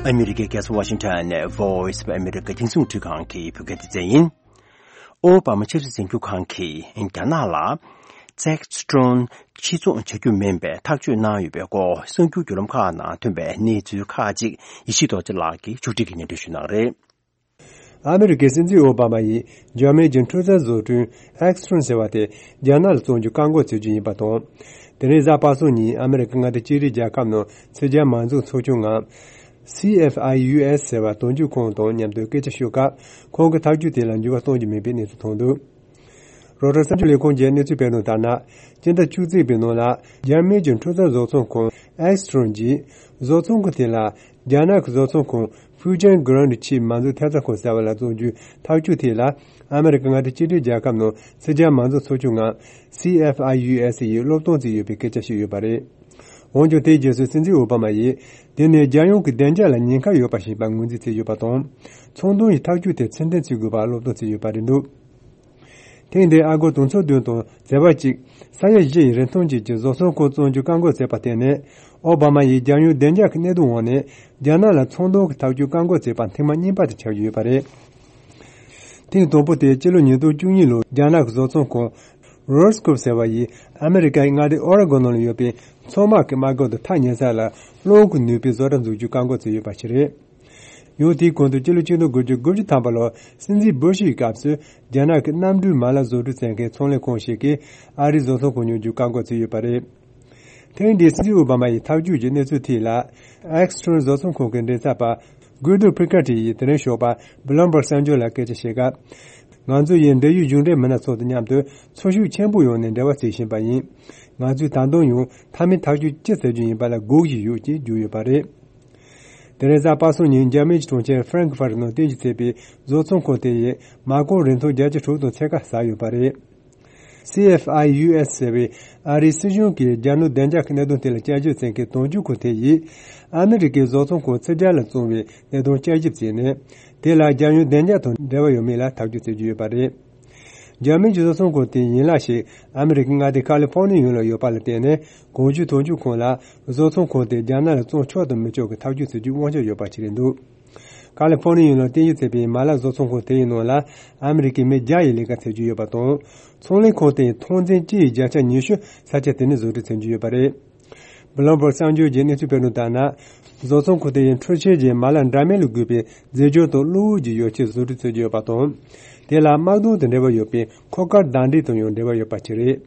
ཨ་མི་རི་ཀའི་རྒྱལ་ས་ཝ་ཤིང་ཊོན་ནས་Voice of America རྒྱང་སྲིང་རླུང་འཕྲིན་ཁང་གི་བོད་སྐད་སྡེ་ཚན་ཡིན། ཨོ་བྷ་མ་ཆབ་སྲིད་འཛིན་སྐྱོང་ཁང་གིས་རྒྱ་ནག་ལ་ཛེག་སི་ཏྲོན་ཕྱིར་ཚོང་བྱ་རྒྱུ་མིན་པའི་ཐག་གཅོད་གནང་ཡོད་པའི་སྐོར་གསར་འགྱུར་བརྒྱུད་ལམ་ཁག་ནང་ཐོན་པའི་གནས་ཚུལ་ཁག་ཅིག་ཡེ་ཤེས་རྡོ་རྗེ་ལགས་ཀྱིས་ཕྱོགས་སྒྲིག་གིས་སྙན་སྒྲོན་ཞུ་གནང་རེད། ཨ་མི་རི་ཀའི་སྲིད་འཛིན་ཨོ་བྷ་མ་ཡིས་འཇར་མན་གྱི་འཕྲུལ་རྩལ་བཟོ་སྐྲུན་ཨེག་སི་ཏྲོན་ཟེར་བ་དེ་རྒྱ་ནག་ལ་བཙོང་རྒྱུ་བཀག་འགོག་བྱེད་རྒྱུ་ཡིན་པ་དང་། དེ་རིང་གཟའ་པ་སངས་ཉིན་ཨ་མི་རི་ཀ་མངའ་སྡེ་གཅིག་སྒྲིལ་རྒྱལ་ཁབ་ནང་ཕྱི་རྒྱལ་མ་འཛུགས་ཚོགས་ཆུང་ངམ། སི་ཨེཕ་ཨའི་ཡུ་ཨེས་ཟེར་བ་དོན་གཅོད་ཁང་དང་མཉམ་དུ་སྐད་ཆ་ཤོད་སྐབས། ཁོང་གིས་ཐག་གཅོད་དེ་ལ་འགྱུར་བ་གཏོང་རྒྱུ་མིན་པའི་གནས་ཚུལ་ཐོན་འདུག་རོའི་ཊར་གསར་འགྱུར་ལས་ཁུངས་ཀྱིས་གནས་ཚུལ་སྤེལ་དོན་ལྟར་ན། སྤྱི་ཟླ་བཅུ་གཅིག་པའི་ནང་ལ་འཇར་མན་གྱི་འཕྲུལ་རྩལ་བཟོ་ཚོང་ཁང་ཨེག་སི་ཏྲོན་གྱིས་བཟོ་ཚོང་ཁང་དེ་ལ་རྒྱ་ནག་གི་བཟོ་ཚོང་ཁང་ཧྥུའུ་ཅན་གྷི་རན་ཆི་མ་འཛུགས་ཐེབས་རྩ་ཁང་ཟེར་བ་ལ་བཙོང་རྒྱུའི་ཐག་གཅོད་དེ་ལ་ཨ་མི་རི་ཀ་མངའ་སྡེ་གཅིག་སྒྲིལ་རྒྱལ་ཁབ་ནང་ཕྱི་རྒྱལ་མ་འཛུགས་ཚོགས་ཆུང་ངམ་སི་ཨེཕ་ཨའི་ཡུ་ཨེས་ཡིས་བློས་གཏོང་བྱས་ཡོད་པའི་སྐད་ཆ་ཞིག་ཡོད་པ་རེད། འོན་ཀྱང་དེའི་རྗེས་སུ་སྲིད་འཛིན་ཨོ་བྷ་མ་ཡིས་དེ་ནི་རྒྱལ་ཡོངས་ཀྱི་བདེ་འཇགས་ལ་ཉེན་ཁ་ཡོད་པ་ཞིག་ཡིན་པར་ངོས་འཛིན་བྱས་ཡོད་པ་དང་། ཚོང་དོན་གྱི་ཐག་གཅོད་དེ་ཕྱིར་འཐེན་བྱེད་དགོས་པར་བློས་གཏོང་བྱས་ཡོད་པ་རེད་འདུག་ཐེངས་འདིའི་ཨ་སྒོར་དུང་ཕྱུར་བདུན་དང་བྱེ་བ་གཅིག་ས་ཡ་བཞི་ཡི་རིན་ཐང་ཅན་གྱི་བཟོ་ཚོང་ཁང་བཙོང་རྒྱུ་བཀག་འགོག་བྱས་པ་དེ་ནི། ཨོ་བྷ་མ་ཡིས་རྒྱལ་ཡོངས་བདེ་འཇགས་ཀྱི་གནད་དོན་འོག་ནས་རྒྱ་ནག་ལ་ཚོང་དོན་གྱི་ཐག་གཅོད་བཀག་འགོག་བྱས་པ་ཐེངས་མ་གཉིས་པ་དེ་ཆགས་ཀྱི་ཡོད་པ་རེད། ཐེངས་དང་པོ་དེ་སྤྱི་ལོ་ཉིས་སྟོང་བཅུ་གཉིས་ལོར་རྒྱ་ནག་གི་བཟོ་ཚོང་ཁང་རོས་ཀོབ་ཟེར་བ་ཡིས་ཨ་མི་རི་ཀའི་མངའ་སྡེ་ཨོ་རེ་གོན་ནང་ལ་ཡོད་པའི་མཚོ་དམག་གི་དམག་སྒར་དུ་ཐག་ཉེ་ས་ལ་རླུང་གི་ནུས་པའི་བཟོ་གྲྭ་འཛུགས་རྒྱུ་བཀག་འགོག་བྱས་ཡོད་པ་ཞིག་རེད། ཡང་དེའི་གོང་དུ་སྤྱི་ལོ་ཆིག་སྟོང་དགུ་བརྒྱ་དགུ་བཅུ་ཐམ་པ་ལོར་སྲིད་འཛིན་སྦུ་ཤི་ཡི་སྐབས་སུ་རྒྱ་ནག་གི་གནམ་གྲུའི་མ་ལག་བཟོ་སྐྲུན་བྱེད་མཁན་ཚོང་ལས་ཁང་ཞིག་གིས་ཨ་རིའི་བཟོ་ཚོང་ཁང་ཉོ་རྒྱུ་བཀག་འགོག་བྱས་ཡོད་པ་རེད། ཐེངས་འདིའི་སྲིད་འཛིན་ཨོ་བྷ་མ་ཡི་ཐག་གཅོད་ཀྱི་གནས་ཚུལ་ཐད་ལ། ཨེག་སི་ཏྲོན་བཟོ་ཚོང་ཁང་གི་མགྲིན་ཚབ་པ་གུ་དོ་ཕི་ཀ་ཏི་ཡིས་དེ་རིང་ཞོགས་པ་བྷི་ལུམ་བྷག་གསར་འགྱུར་ལ་སྐད་ཆ་བཤད་སྐབས། ང་ཚོ་ཡིས་འབྲེལ་ཡོད་གཞུང་འབྲེལ་མི་སྣ་ཚོ་དང་མཉམ་དུ་འཚོ་ཤུགས་ཆེན་པོའི་ངང་ནས་འབྲེལ་བ་བྱེད་བཞིན་པ་ཡིན། ང་ཚོས་ད་དུང་ཡང་མཐའ་མའི་ཐག་གཅོད་ཅི་བྱེད་རྒྱུ་ཡིན་པ་ལ་སྒུག་བཞིན་ཡོད་ཅེས་བརྗོད་ཡོད་པ་རེད། དེ་རིང་གཟའ་པ་སངས་ཉིན་འཇར་མན་གྱི་གྲོང་ཁྱེར་ཧྥ་རན་ཁི་ཧྥར་ནང་རྟེན་གཞི་བྱས་པའི་བཟོ་ཚོང་ཁང་དེ་ཡིས་མ་རྐང་རིན་ཐང་བརྒྱ་ཆ་དྲུག་དང་ཕྱེད་ཀ་ཟ་ཡོད་པ་རེད། སི་ཨེཕ་ཨའི་ཡུ་ཨེས་ཟེར་བའི་ཨ་རིའི་སྲིད་གཞུང་གིས་རྒྱ་ནག་བདེ་འཇགས་ཀྱི་གནད་དོན་དེ་ལ་དཔྱད་ཞིབ་བྱེད་མཁན་དོན་གཅོད་ཁང་དེ་ཡིས་ཨ་མི་རི་ཀའི་བཟོ་ཚོང་ཁང་ཕྱི་རྒྱལ་ལ་བཙོང་བའི་གནད་དོན་དཔྱད་ཞིབ་བྱས་ནས། དེ་ལ་རྒྱལ་ཡོངས་བདེ་འཇགས་དང་འབྲེལ་བ་ཡོད་མེད་ལ་ཐག་གཅོད་བྱེད་རྒྱུ་ཡོད་པ་རེད། འཇར་མན་གྱི་བཟོ་ཚོང་ཁང་དེའི་ཡན་ལག་ཞིག་ཨ་མི་རི་ཀའི་མངའ་སྡེ་ཁ་ལི་ཧྥོ་ནི་ཡ་ཡུལ་ལ་ཡོད་པ་ལ་བརྟེན་ནས། གོང་ཞུས་དོན་གཅོད་ཁང་ལ་བཟོ་ཚོང་ཁང་དེ་རྒྱ་ནག་ལ་བཙོང་ཆོག་དང་མི་ཆོག་གི་ཐག་གཅོད་བྱེད་རྒྱུའི་དབང་ཆ་ཡོད་པ་ཞིག་རེད་འདུག་ཁ་ལི་ཧྥོ་ནི་ཡ་ཡུལ་ལ་རྟེན་གཞི་བྱས་པའི་མ་ལག་བཟོ་ཚོང་ཁང་དེ་ཡི་ནང་ལ་ཨ་མི་རི་ཀའི་མི་བརྒྱ་ཡིས་ལས་ཀ་བྱེད་རྒྱུ་ཡོད་པ་དང་། ཚོང་ལས་ཁང་དེ་ཡི་ཐོན་རྫས་སྤྱི་ཡི་བརྒྱ་ཆ་ཉི་ཤུ་ས་ཆ་དེ་ནས་བཟོ་སྐྲུན་བྱེད་རྒྱུ་ཡོད་པ་རེད། Bloomberg གསར་འགྱུར་གྱི་གནས་ཚུལ་སྤེལ་གནང་ལྟར་ན། བཟོ་ཚོང་ཁང་དེ་ཡི་འཕྲུལ་ཆས་ཀྱི་མ་ལག་འདྲ་མིན་ལ་གུས་པའི་རྫས་སྦྱོར་དང་གློག་འོད་ཀྱི་ཡོ་བྱད་བཟོ་སྐྲུན་བྱེད་ཀྱི་ཡོད་པ་དང་། དེ་ལ་དམག་དོན་དང་འབྲེལ་བ་ཡོད་པའི་འཁོར་སྐར་བདའ་འདེད་དང་ཡང་འབྲེལ་བ་ཡོད་པ་ཞིག་རེད།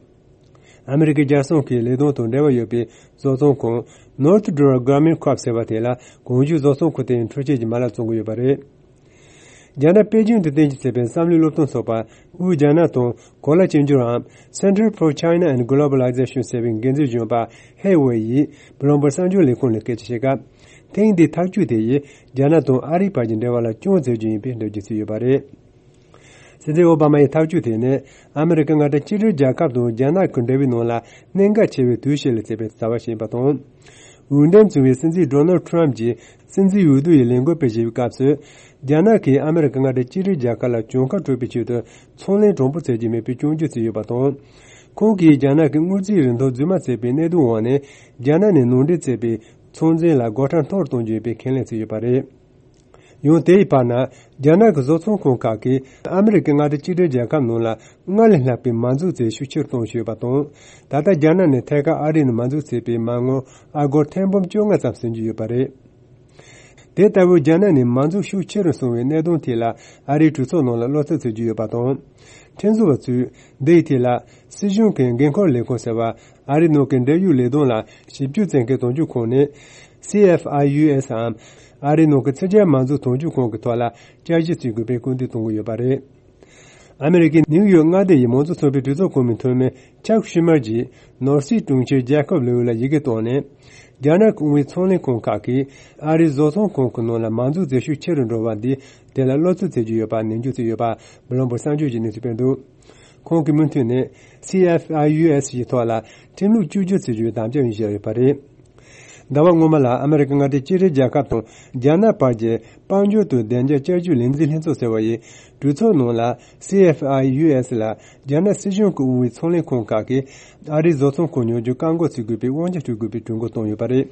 ཨ་མི་རི་ཀའི་རྒྱལ་སྲུང་གི་ལས་དོན་དང་འབྲེལ་བ་ཡོད་པའི་བཟོ་ཚོང་ཁང་Northrop Grumman Corp ཟེར་བ་དེ་ལ་གོང་ཞུས་བཟོ་ཚོང་ཁང་དེ་ཡི་འཕྲུལ་ཆས་ཀྱི་མ་ལག་བཙོང་གི་ཡོད་པ་རེད། རྒྱ་ནག་པེ་ཅིང་དུ་རྟེན་གཞི་བྱས་པའི་བསམ་བློའི་སློབ་སྟོན་ཚོགས་པ་དབུས་རྒྱ་ནག་དང་གོ་ལ་གཅིག་གྱུར་འམ་Center for China and Globalization ཟེར་བའི་འགན་འཛིན་གཞོན་པ་ཧེ་ཝེ་ཡིས་Bloomberg གསར་འགྱུར་ལས་ཁུངས་ལ་སྐད་ཆ་བཤད་སྐབས། ཐེངས་འདིའི་ཐག་གཅོད་དེ་ཡིས་རྒྱ་ནག་དང་ཨ་རིའི་བར་གྱི་འབྲེལ་བ་ལ་སྐྱོན་བཙལ་རྒྱུ་ཡིན་པའི་འགྲེལ་བརྗོད་བྱས་ཡོད་པ་རེད། སྲིད་འཛིན་ཨོ་བྷ་མ་ཡི་ཐག་གཅོད་དེ་ནི་ཨ་མི་རི་ཀ་མངའ་སྡེ་གཅིག་སྒྲིལ་རྒྱལ་ཁབ་དང་རྒྱ་ནག་གི་འབྲེལ་བའི་ནང་ལ་གནད་འགག་ཆེ་བའི་དུས་ཤིག་ལ་བརྩིས་པའི་བྱ་བ་ཞིག་ཡིན་པ་དང་། འོས་འདེམས་བྱུང་བའི་སྲིད་འཛིན་Donald Trump གྱིས་སྲིད་འཛིན་འོས་བསྡུ་ཡི་ལས་འགུལ་སྤེལ་བཞིན་པའི་སྐབས་སུ། རྒྱ་ནག་གིས་ཨ་མི་རི་ཀ་མངའ་སྡེ་གཅིག་སྒྲིལ་རྒྱལ་ཁབ་ལ་གྱོང་ཁ་སྤྲོད་པའི་ཆེད་དུ་ཚོང་ལས་དྲང་པོ་བྱེད་ཀྱི་མེད་པའི་སྐྱོན་བརྗོད་བྱས་ཡོད་པ་དང་། ཁོང་གིས་རྒྱ་ནག་གི་དངུལ་རྩིས་རིན་ཐང་རྫུན་མ་བྱས་པའི་གནད་དོན་འོག་ནས་རྒྱ་ནག་ནས་ནང་འདྲེན་བྱས་པའི་ཚོང་འཛིན་ལ་སྒོ་ཁྲལ་མཐོ་རུ་གཏོང་རྒྱུ་ཡིན་པའི་ཁས་ལེན་བྱས་ཡོད་པ་རེད། ཡང་དེ་ཡི་བར་ན། རྒྱ་ནག་གི་བཟོ་ཚོང་ཁང་ཁག་གིས་ཨ་མི་རི་ཀའི་མངའ་སྡེ་གཅིག་སྒྲིལ་རྒྱལ་ཁབ་ནང་ལ་སྔར་ལས་ལྷག་པའི་མ་འཛུགས་བྱེད་ཤུགས་ཆེ་རུ་གཏོང་བཞིན་ཡོད་པ་དང་། ད་ལྟ་རྒྱ་ནག་ནས་ཐད་ཀར་ཨ་རི་ནང་མ་འཛུགས་བྱས་པའི་མ་དངུལ་ཨ་སྒོར་ཐེར་འབུམ་བཅོ་ལྔ་ཙམ་ཟིན་གྱི་ཡོད་པ་རེད། དེ་ལྟ་བུའི་རྒྱ་ནག་ནས་མ་འཛུགས་ཤུགས་ཆེ་རུ་སོང་བའི་གནད་དོན་ཐད་ལ་ཨ་རིའི་གྲོས་ཚོགས་ནང་ལ་བློ་འཚབ་བྱེད་ཀྱི་ཡོད་པ་དང་། ཁྲིམས་བཟོ་བ་ཚོས་འདི་ཡི་ཐད་ལ་སྲིད་གཞུང་གི་འགན་འཁུར་ལས་ཁུངས་ཟེར་བ་ཨ་རིའི་ནང་གི་འབྲེལ་ཡོད་ལས་དོན་ལ་ཞིབ་དཔྱོད་བྱེད་མཁན་དོན་གཅོད་ཁང་ནས། སི་ཨེཕ་ཨའི་ཡུ་ཨེསམ། ཨ་རིའི་ནང་གི་ཕྱི་རྒྱལ་མ་འཛུགས་དོན་གཅོད་ཁང་གི་ཐོག་ལ་བསྐྱར་ཞིབ་བྱེད་དགོས་པའི་སྐུལ་འདེད་གཏོང་གི་ཡོད་པ་རེད། ཨ་མི་རི་ཀའི་ནིའུ་ཡོག་མངའ་སྡེ་ཡི་མང་གཙོ་ཚོགས་པའི་གྲོས་ཚོགས་གོང་མའི་འཐུས་མི་ཅག་ཤུ་མར་གྱིས་ནོར་སྲིད་དྲུང་ཆེ་ཇེ་ཀོབ་ལེའུ་ལ་ཡི་གེ་བཏང་ནས། རྒྱ་ནག་གི་དབང་བའི་ཚོང་ལས་ཁང་ཁག་གིས་ཨ་རིའི་བཟོ་ཚོང་ཁང་གི་ནང་ལ་མ་འཛུགས་བྱེད་ཤུགས་ཆེ་རུ་འགྲོ་བ་འདིས་དེ་ལ་བློ་འཚབ་བྱེད་ཀྱི་ཡོད་པ་ནན་བརྗོད་བྱས་ཡོད་པ་བྷི་ལོམ་བྷག་གསར་འགྱུར་གྱིས་གནས་ཚུལ་སྤེལ་འདུག་ཁོང་གིས་མུ་མཐུད་ནས་སི་ཨེཕ་ཨའི་ཡུ་ཨེསི་ཡི་ཐོག་ལ་ཁྲིམས་ལུགས་བཅོས་སྒྱུར་བྱེད་རྒྱུའི་དམ་བཅའ་ཡང་བཞག་ཡོད་པ་རེད། ཟླ་བ་སྔོན་མ་ལ་ཨ་མི་རི་ཀ་མངའ་སྡེ་གཅིག་སྒྲིལ་རྒྱལ་ཁབ་དང་རྒྱ་ནག་བར་གྱི་དཔལ་འབྱོར་དང་བདེ་འཇགས་བསྐྱར་ཞིབ་ལས་འཛིན་ལྷན་ཚོགས་ཟེར་བ་ཡི་གྲོས་ཚོགས་ནང་ལ་སི་ཨེཕ་ཨའི་ཡུ་ཨེསི་ལ་རྒྱ་ནག་སྲིད་གཞུང་གི་དབང་བའི་ཚོང་ལས་ཁང་ཁག་གིས་ཨ་རིའི་བཟོ་ཚོང་ཁང་ཉོ་རྒྱུ་བཀག་འགོག་བྱེད་དགོས་པའི་དབང་ཆ་སྤྲོད་དགོས་པའི་གྲོས་འགོ་བཏོན་ཡོད་པ་རེད།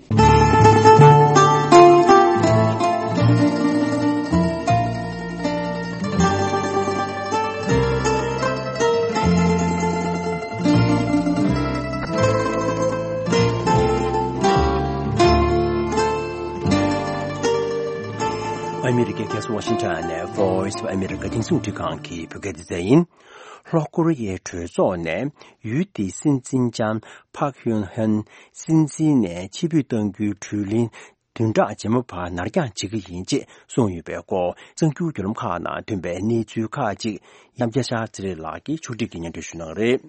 ཨ་མི་རི་ཀའི་རྒྱལ་ས་ཝ་ཤིང་ཊོན་ནས་Voice of America དེང་སང་འབྲི་ཁང་གི་བོད་སྐད་སྡེ་ཚན་ཡིན། ལྷོ་ཀོ་རི་ཡའི་གྲོས་ཚོགས་ནས་ཡུལ་དེའི་སྲིད་འཛིན་ལྕམ་ཕག་ཡོན་ཧན་སྲིད་འཛིན་ནས་ཕྱིར་འབུད་གཏང་རྒྱུའི་གྲོས་གླེང་བདུན་ཕྲག་རྗེས་མ་བར་ནར་འགྱངས་བྱེད་ཀྱི་ཡིན་ཅེས་གསུངས་ཡོད་པའི་སྐོར་གསར་འགྱུར་བརྒྱུད་ལམ་ཁག་ནང་ཐོན་པའི་གནས་ཚུལ་ཁག་ཅིག་ཡང་བསྐྱར་ཤར་ཚེ་རིང་ལགས་ཀྱིས་ཕྱོགས་སྒྲིག་གིས་སྙན་སྒྲོན་ཞུ་གནང་གི་རེད།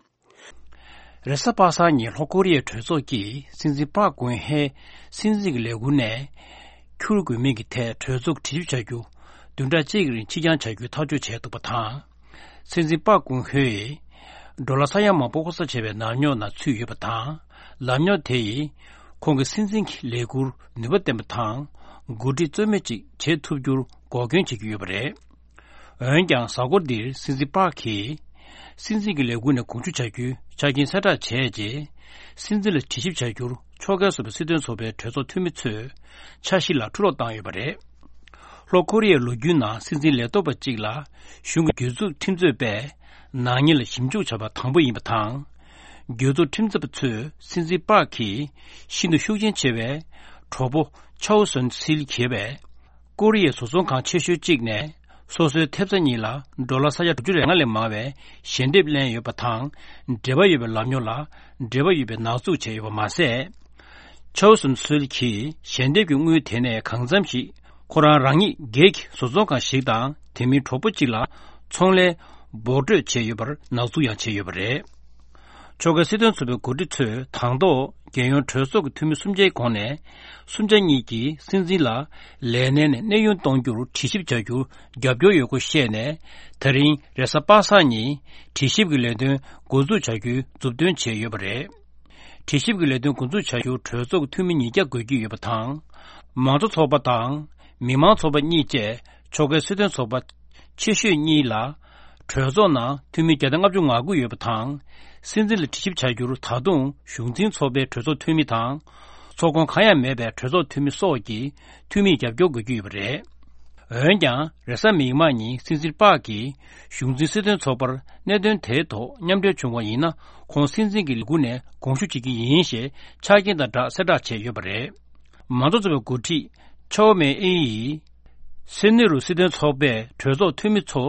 རེས་གཟའ་པ་སངས་ཉིན་ལྷོ་ཀོ་རི་ཡའི་གྲོས་ཚོགས་ཀྱིས་སྲིད་འཛིན་པཱ་ཀུན་ཧེ་སྲིད་འཛིན་གྱི་ལས་ཁུར་ནས་འཁྱུར་དགོས་མིན་གྱི་ཐད་གྲོས་ཚོགས་དྲི་ཞིབ་བྱ་རྒྱུ་བདུན་ཕྲག་གཅིག་རིང་ཕྱིར་འགྱངས་བྱ་རྒྱུའི་ཐག་གཅོད་བྱས་འདུག་པ་དང་། སྲིད་འཛིན་པཱ་ཀུན་ཧེ་ཡིས་ཌོ་ལར་ས་ཡ་མང་པོ་ལྐོག་ཟ་བྱས་པའི་ནག་ཉོག་ནང་ཚུད་ཡོད་པ་དང་། ལག་ཉོག་དེ་ཡིས་ཁོང་གི་སྲིད་འཛིན་གྱི་ལས་ཁུར་ནུས་པ་ལྡན་པ་དང་འགོ་ཁྲིད་རྩོད་མེད་ཅིག་བྱེད་ཐུབ་རྒྱུར་འགོག་རྐྱེན་བྱེད་ཀྱི་ཡོད་པ་རེད། འོན་ཀྱང་གཟའ་འཁོར་འདིར་སྲིད་འཛིན་པཱ་གིས་སྲིད་འཛིན་གྱི་ལས་ཁུངས་ནས་དགོངས་ཞུ་བྱ་རྒྱུའི་ཆ་རྐྱེན་གསལ་བསྒྲགས་བྱས་རྗེས། སྲིད་འཛིན་ལ་དྲི་ཞིབ་བྱ་རྒྱུར་ཕྱོགས་འགལ་སོགས་པའི་སྲིད་དོན་ཚོགས་པའི་གྲོས་ཚོགས་འཐུས་མི་ཚོས་འཆར་གཞི་ལ་འཁྲུ་སློག་བཏང་ཡོད་པ་རེད། ལྷོ་ཀོ་རི་ཡའི་ལོ་རྒྱུས་ནང་སྲིད་འཛིན་ལས་ཐོག་པ་གཅིག་ལ་གཞུང་གི་གྱོད་འཛུགས་ཁྲིམས་རྩོད་པས་ནག་ཉེས་ལ་ཞིབ་འཇུག་བྱ་བ་དང་པོ་ཡིན་པ་དང་། གྱོད་འཛུགས་ཁྲིམས་རྩོད་པ་ཚོས་སྲིད་འཛིན་པཱ་གི་ཤིན་ཏུ་ཤུགས་རྐྱེན་ཆེ་བའི་གྲོགས་པོ་ཆའོ་སོན་སིལ་གྱེས་པའི། ཀོ་རི་ཡའི་བཟོ་ཚོང་ཁང་ཆེ་ཤོས་གཅིག་ནས་སོ་སོའི་ཐེབས་རྩ་གཉིས་ལ་ཌོ་ལར་ས་ཡ་དྲུག་ཅུ་རེ་ལྔ་ལས་མང་བའི་ཞལ་འདེབས་ལེན་ཡོད་པ་དང་། འབྲེལ་བ་ཡོད་པའི་ལམ་རྙོག་ལ་འབྲེལ་བ་ཡོད་པའི་ནག་འཛུགས་བྱས་ཡོད་པ་མ་ཟད། ཆའོ་སུན་སུལ་གྱིས་ཞལ་འདེབས་ཀྱི་དངུལ་དེ་ནས་གང་འཚམ་ཞིག་ཁོ་རང་རང་ཉིད་སྒེར་གྱི་བཟོ་ཚོང་ཁང་ཞིག་དང་དེ་མིན་གྲོགས་པོ་གཅིག་ལ་ཚོང་ལས་འབོར་སྤྲོད་བྱས་ཡོད་པར་ནག་འཛུགས་ཡང་བྱས་ཡོད་པ་རེད། ཕྱོགས་འགལ་སྲིད་དོན་ཚོགས་པའི་འགོ་ཁྲིད་ཚོས་དང་ཐོག་རྒྱལ་ཡོངས་གྲོས་ཚོགས་ཀྱི་འཐུས་མི་སུམ་ཆའི་ཁོངས་ནས་སུམ་ཆ་གཉིས་ཀྱིས་སྲིད་འཛིན་ལ་ལས་གནས་ནས་གནས་དབྱུང་གཏོང་རྒྱུར་དྲི་ཞིབ་བྱ་རྒྱུར་རྒྱབ་སྐྱོར་ཡོད་སྐོར་བཤད་ནས། ད་རིང་རེས་གཟའ་པ་སངས་ཉིན་དྲི་ཞིབ་ཀྱི་ལས་དོན་འགོ་འཛུགས་བྱ་རྒྱུའི་མཛུབ་སྟོན་བྱས་ཡོད་པ་རེད། དྲི་ཞིབ་ཀྱི་ལས་དོན་འགོ་འཛུགས་བྱ་རྒྱུར་གྲོས་ཚོགས་ཀྱི་འཐུས་མི་ཉིས་བརྒྱ་དགོས་ཀྱི་ཡོད་པ་དང་། མང་གཙོ་ཚོགས་པ་དང་མི་མང་ཚོགས་པ་གཉིས་བཅས་ཕྱོགས་འགལ་སྲིད་དོན་ཚོགས་པ་ཆེ་ཤོས་གཉིས་ལ། གྲོས་ཚོགས་ནང་འཐུས་མི་བརྒྱ་དང་ལྔ་བཅུ་ང་དགུ་ཡོད་པ་དང་། སྲིད་འཛིན་ལ་དྲི་ཞིབ་བྱ་རྒྱུར་ད་དུང་གཞུང་འཛིན་ཚོགས་པའི་གྲོས་ཚོགས་འཐུས་མི་དང་། ཚོགས་ཁོངས་གང་ཡང་མེད་པའི་གྲོས་ཚོགས་འཐུས་མི་སོགས་ཀྱི་འཐུས་མིས་རྒྱབ་སྐྱོར་དགོས་ཀྱི་ཡོད་པ་རེད། འོན་ཀྱང་རེས་གཟའ་མིག་དམར་ཉིན་སྲིད་འཛིན་པཱག་གིས་གཞུང་འཛིན་སྲིད་དོན་ཚོགས་པར་གནད་དོན་དེའི་ཐོག་མཉམ་འབྲེལ་བྱུང་བ་ཡིན་ན། ཁོང་སྲིད་འཛིན་གྱི་ལས་འགུལ་ནས་དགོངས་ཞུ་བྱེད་ཀྱི་ཡིན་ཞེས་ཆ་རྐྱེན་དང་སྦྲགས་གསལ་བསྒྲགས་བྱས་ཡོད་པ་རེད། མང་གཙོ་ཚོགས་པའི་འགོ་ཁྲིད་ཆའོ་མེ་ཨིན་ཡིས། སེ་ནེ་རུ་སྲིད་དོན་ཚོགས་པས་གྲོས་ཚོགས་འཐུས་མི་ཚོ་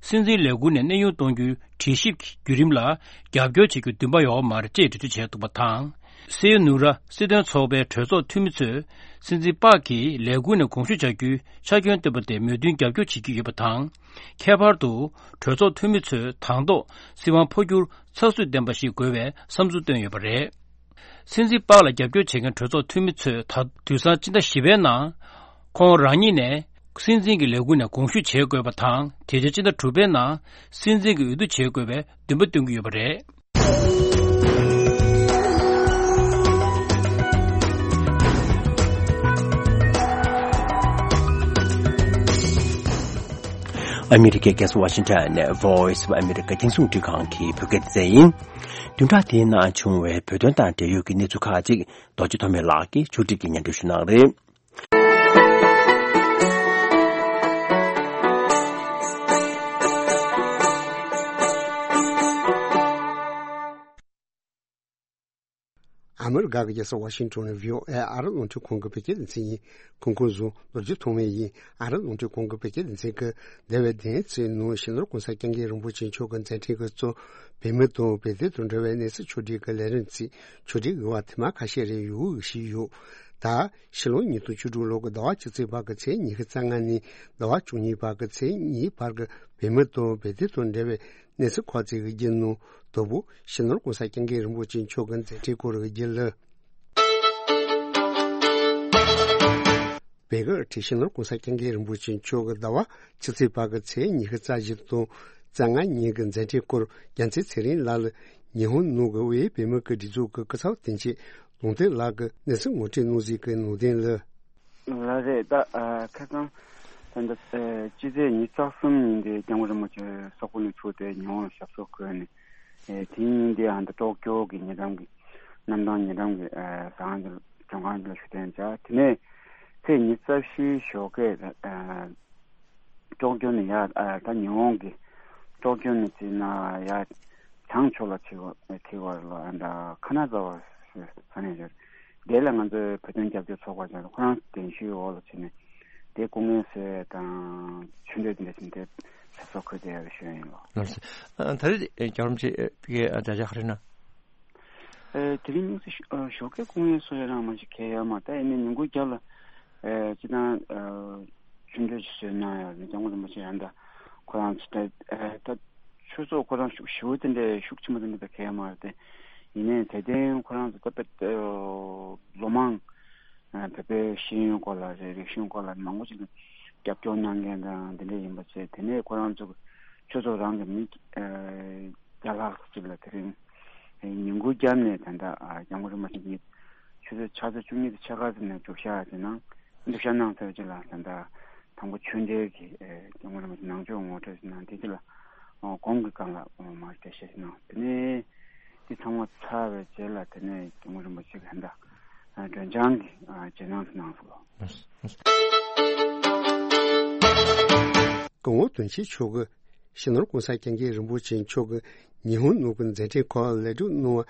སྲིད་འཛིན་ལས་འགུལ་ནས་གནས་དབྱུང་གཏོང་རྒྱུའི་དྲིལ་ཞིབ་བརྒྱུད་རིམ་ལ་རྒྱབ་སྐྱོར་བྱེད་རྒྱུ་འདུན་པ་ཡོད་པ་མ་རེད་ཅེས་འགྲེལ་བརྗོད་བྱས་འདུག་པ་དང་། སེ་ཡོ་ནུ་ར་སྲིད་དོན་ཚོགས་པའི་གྲོས་ཚོགས་འཐུས་མི་ཚོས་སྲིད་འཛིན་པཱག་གིས་ལས་འགུལ་ནས་དགོངས་ཞུ་བྱ་རྒྱུའི་ཆ་རྐྱེན་བཏོན་པ་དེ་མོས་མཐུན་རྒྱབ་སྐྱོར་བྱེད་ཀྱི་ཡོད་པ་དང་། ཁྱད་པར་དུ་གྲོས་ཚོགས་འཐུས་མི་ཚོས་དང་ཐོག་སྲིད་དབང་འཕོ་འགྱུར་ཚགས་ཚུད་ལྡན་པ་ཞིག་དགོས་པའི་བསམ་ཚུལ་བཏོན་ཡོད་པ་རེད། སྲིད་འཛིན་པཱག་ལ་རྒྱབ་སྐྱོར་བྱེད་མཁན་གྲོས་ཚོགས་འཐུས་མི་ཚོས་ད་དུས་སང་སྤྱི་ཟླ་བཞི་པའི་ནང་ཁོང་རང་ཉིད་ནས་སྲིད་འཛིན་གྱི་ལས་འགུལ་ནས་དགོངས་ཞུ་བྱེད་དགོས་པ་དང་། དེ་རྗེས་སྤྱི་ཟླ་དྲུག་པའི་ནང་སྲིད་འཛིན་གྱི་འོས་བསྡུ་བྱེད་དགོས་པའི་འདུན་པ་བཏོན་གྱི་ཡོད་པ་རེད། ཨ་མི་རི་ཀའི་རྒྱལ་ས་ཝ་ཤིང་ཊོན་ནས་Voice of America རྒྱང་སྲིང་རླུང་འཕྲིན་ཁང་གི་བོད་སྐད་སྡེ་ཚན་ཡིན། བདུན་ཕྲག་འདིའི་ནང་བྱུང་བའི་བོད་དོན་དང་འབྲེལ་ཡོད་ཀྱི་གནས་ཚུལ་ཁག་ཅིག་རྡོ་རྗེ་ཐོགས་མེད་ལགས་ཀྱིས་ཕྱོགས་སྒྲིག་གིས་སྙན་སྒྲོན་ཞུ་གནང་རེད། ཨ་མི་རི་ཀ་གི་རྒྱལ་ས་ཝ་ཤིང་ཊོན་ནས་བྷི་ཨོ་ཨེ་ཨ་རི་རླུང་འཕྲིན་ཁང་གི་བོད་སྐད་སྡེ་ཚན་ཡིན། གོང་གོང་བཟོ་རྡོ་རྗེ་ཐོགས་མེད་ཡིན། ཨ་རི་རླུང་འཕྲིན་ཁང་གི་བོད་སྐད་སྡེ་ཚན་གྱི་འདས་པའི་བདུན་ཚིགས་ནང་སྤྱི་ནོར་༸གོང་ས་༸སྐྱབས་མགོན་རིན་པོ་ཆེ་མཆོག་གི་མཛད་འཕྲིན་གྱི་གཙོ་བོད་མི་དང་བོད་དོན་དང་འབྲེལ་བའི་གནས་ཚུལ་ཕྱོགས་སྒྲིག་གི་ལས་རིམ་ཚིག་ཕྱོགས་སྒྲིག་གི་བར་ཐེངས་མ་ཁ་ཤས་རིང་ཡོང་བཞིན་ཡོད། ད་ཕྱི་ལོ་ཉིས་སྟོང་བཅུ་དྲུག་ལོ་གི་ཟླ་བ་བཅུ་གཅིག་བར་གྱི་ཚེས་ཉི་ཤུ་རྩ་ལྔ་ནས་ཟླ་བ་བཅུ་གཉིས་བར་གྱི་ཚེས་གཉིས་བར་གྱི་བོད་མི་དང་བོད་དོན་དང་འབྲེལ་བའི་གནས་ཚུལ་ཁག་ཅིག་གི་རྒྱུད་ནང་དང་པོ་སྤྱི་ནོར་༸གོང་ས་༸སྐྱབས་མགོན་རིན་པོ་ཆེ་མཆོག་གི་མཛད་འཕྲིན་སྐོར་གྱི་རྒྱུད་ལ། བོད་ཀྱི་སྤྱི་ནོར་༸གོང་ས་༸སྐྱབས་མགོན་རིན་པོ་ཆེ་མཆོག་གི་ཟླ་བ་ཕྱི་ཚེས་བར་གྱི་ཚེས་ཉི་ཤུ་རྩ་བཞི་དང་རྩ་ལྔ་ཉིན་གྱི་མཛད་འཕྲིན་སྐོར་རྒྱལ་མཚན་ཚེ་རིང་ལགས་ལ་ཉི་ཧོང་ནང་གི་དབུས་བོད་མི་གི་སྒྲིག་འཛུགས་ཀྱི་སྐུ་ཚབ་དོན་གཅོད་ལུང་བསྟན་ལགས་ཀྱིས་གནས་ཚུལ་ངོ་སྤྲོད་གནང་གཟིགས་ཀྱི་ནང་དོན་ལ། ལགས་རེད། ད་ཨ་ཁ་སང་ད་ལྟ་ཨ་སྤྱི་ཚེས་ཉི་ཤུ་རྩ་གསུམ་ཉིན་དེ་སྐྱབས་མགོན་རིན་པོ་ཆེ་སོག་པོ་ནས་ཚུར་དེ་ཉི་ཧོང་ལ་ཞབས་སོར་འཁོད་ནས། ཨེ་དེ་ཉིན་དེ་ཨ་ད་ཀྲོ་ཀྱོ་གི་ཉེ་འགྲམ་གྱི་གནམ་ཐང་ཉེ་འགྲམ་གྱི་ཨ་ཟ་ཁང་ཅིག་ལ་མགྲོན་ཁང་ཅིག་ལ་བཞུགས་གདན་འཇགས། དེ་ནས་ཚེས་ཉི་ཤུ་རྩ་བཞིའི་ཞོགས་ཀས་ཨ་ཀྲོ་ཀྱོ་ནས་ཡར་ཨ་ད་ཉི་ཧོང་གི་ཀྲོ་ཀྱོ་ནས་བརྩིས་ན་ཡར་བྱང་ཕྱོགས་ལ་ཁྲིད་པ་ཁྲིད་པ་ལ་ཨ་ད་ཁ་ན་ཛ་བ་ཟེར་ས་གནས་ཅིག་དེ་ལ་ང་ཚོའི་བོད་དོན་རྒྱབ་སྐྱོར་ཚོགས་པ་ཅིག་ཁོ་རང་གདན་ཞུའི་འོག་ལ་ཕྱིན་ནས་དེ་སྐུ་ངལ་གསོ་དང་ཆུ་འདྲེན་དེ་འདྲ་ཕྱིན་ཏེ་ཞབས་སོར་འཁོད་བསྡད་ཡོད་པའི་ཞུ་ཡ་ཡིན་ལགས། ལགས་སོ། ཨ་ད་རེས་རྒྱལ་བ་རིན་པོ་ཆེ་གི་བརྗོད་བྱ་ག་རེ་ན། ཨ་དེ་རིང་དམིགས་བསལ་ཞོགས་ཀས་སྐུ་ངལ་གསོ་ཡ་རང་མ་ཞིག་གལ་ཡོད་མ་རེད། ད་ཡིན་ནའི་ཉིན་གུང་རྒྱབ་ལ་ཨ་སྤྱི་བཏང་ཨ་ཆུ་འདྲེན་ཞིག་བཟོས་གནང་ཡ་རེད། སྐྱབས་མགོན་རིན་པོ་ཆེ་ཡང་ད་ཁོ་རང་ཚོ་ད་ཨ་ད། ཆོས་ཚོགས་ཁོ་རང་ཤུགས་ཞེ་པོ་དེ་འདྲའི་ཤུགས་ཆེན་པོ་དེ་འདྲ་ད་གལ་མ་རེད་དེ། ཡིན་ནའི་དེ་ཐེངས་ཁོ་རང་ཚོ་ད་དཔེ་ལོ་མང་བོད་པའི་ཤེས་ཡོན་སྐོར་ལ་རེད། རིག་གཞུང་སྐོར་ལ་མང་པོ་ཞིག་ལ་རྒྱབ་སྐྱོར་གནང་མཁན་དང་དེ་འདྲ་ཡིན་པ་བྱས། དེ་ནས་ཁོ་རང་ཚོ་ཆོས་ཚོགས་རང་གི་མི་བརྒྱ་ལྷག་ཅིག་ལ་དེ་རིང་ཉིན་གུང་རྒྱབ་ནས་ད་ལྟ་སྐྱབས་མགོན་རིན་པོ་ཆེ་གི་ཆུ་ཚོད་ཕྱག་ཚོད་བཅུ་གཉིས་དང་ཕྱེད་ཀ་ཙམ་ནས་བསྒྲུབ་བཞག་དེ་ནང་བསྒྲུབ་བཞག་གནང་ཚར་རྗེས་ལ་ད་ལྟ། དང་པོ་ཆོས་འབྲེལ་གྱི་ཨེ་སྐྱབས་མགོན་རིན་པོ་ཆེ་ནང་ཆོས་ངོ་སྤྲོད་ཞིག་གནང་། དེ་རྗེས་ལ་ཨོ་དགོང་གི་སྒང་ལ་ཨོ་མར་འགྲེལ་བཤད་ཞིག་གནང་། དེ་ནས་དེ་ཚང་མ་ཚར་བའི་རྗེས་ལ་དེ་ནས་སྐྱབས་མགོན་རིན་པོ་ཆེ་གིས་ད་ལྟ་སྒྲོལ་ལྗང་གི་རྗེས་གནང་ཞིག་གནང་སོང་ལགས། སྐུ་ངོ་དོན་གཅོད་མཆོག་གིས་སྤྱི་ནོར་༸གོང་ས་༸སྐྱབས་མགོན་རིན་པོ་ཆེ་མཆོག་གིས་ཉི་ཧོང་ནང་གི་མཛད་འཕྲིན་ཁག་ལེགས་གྲུབ་གནང་བར་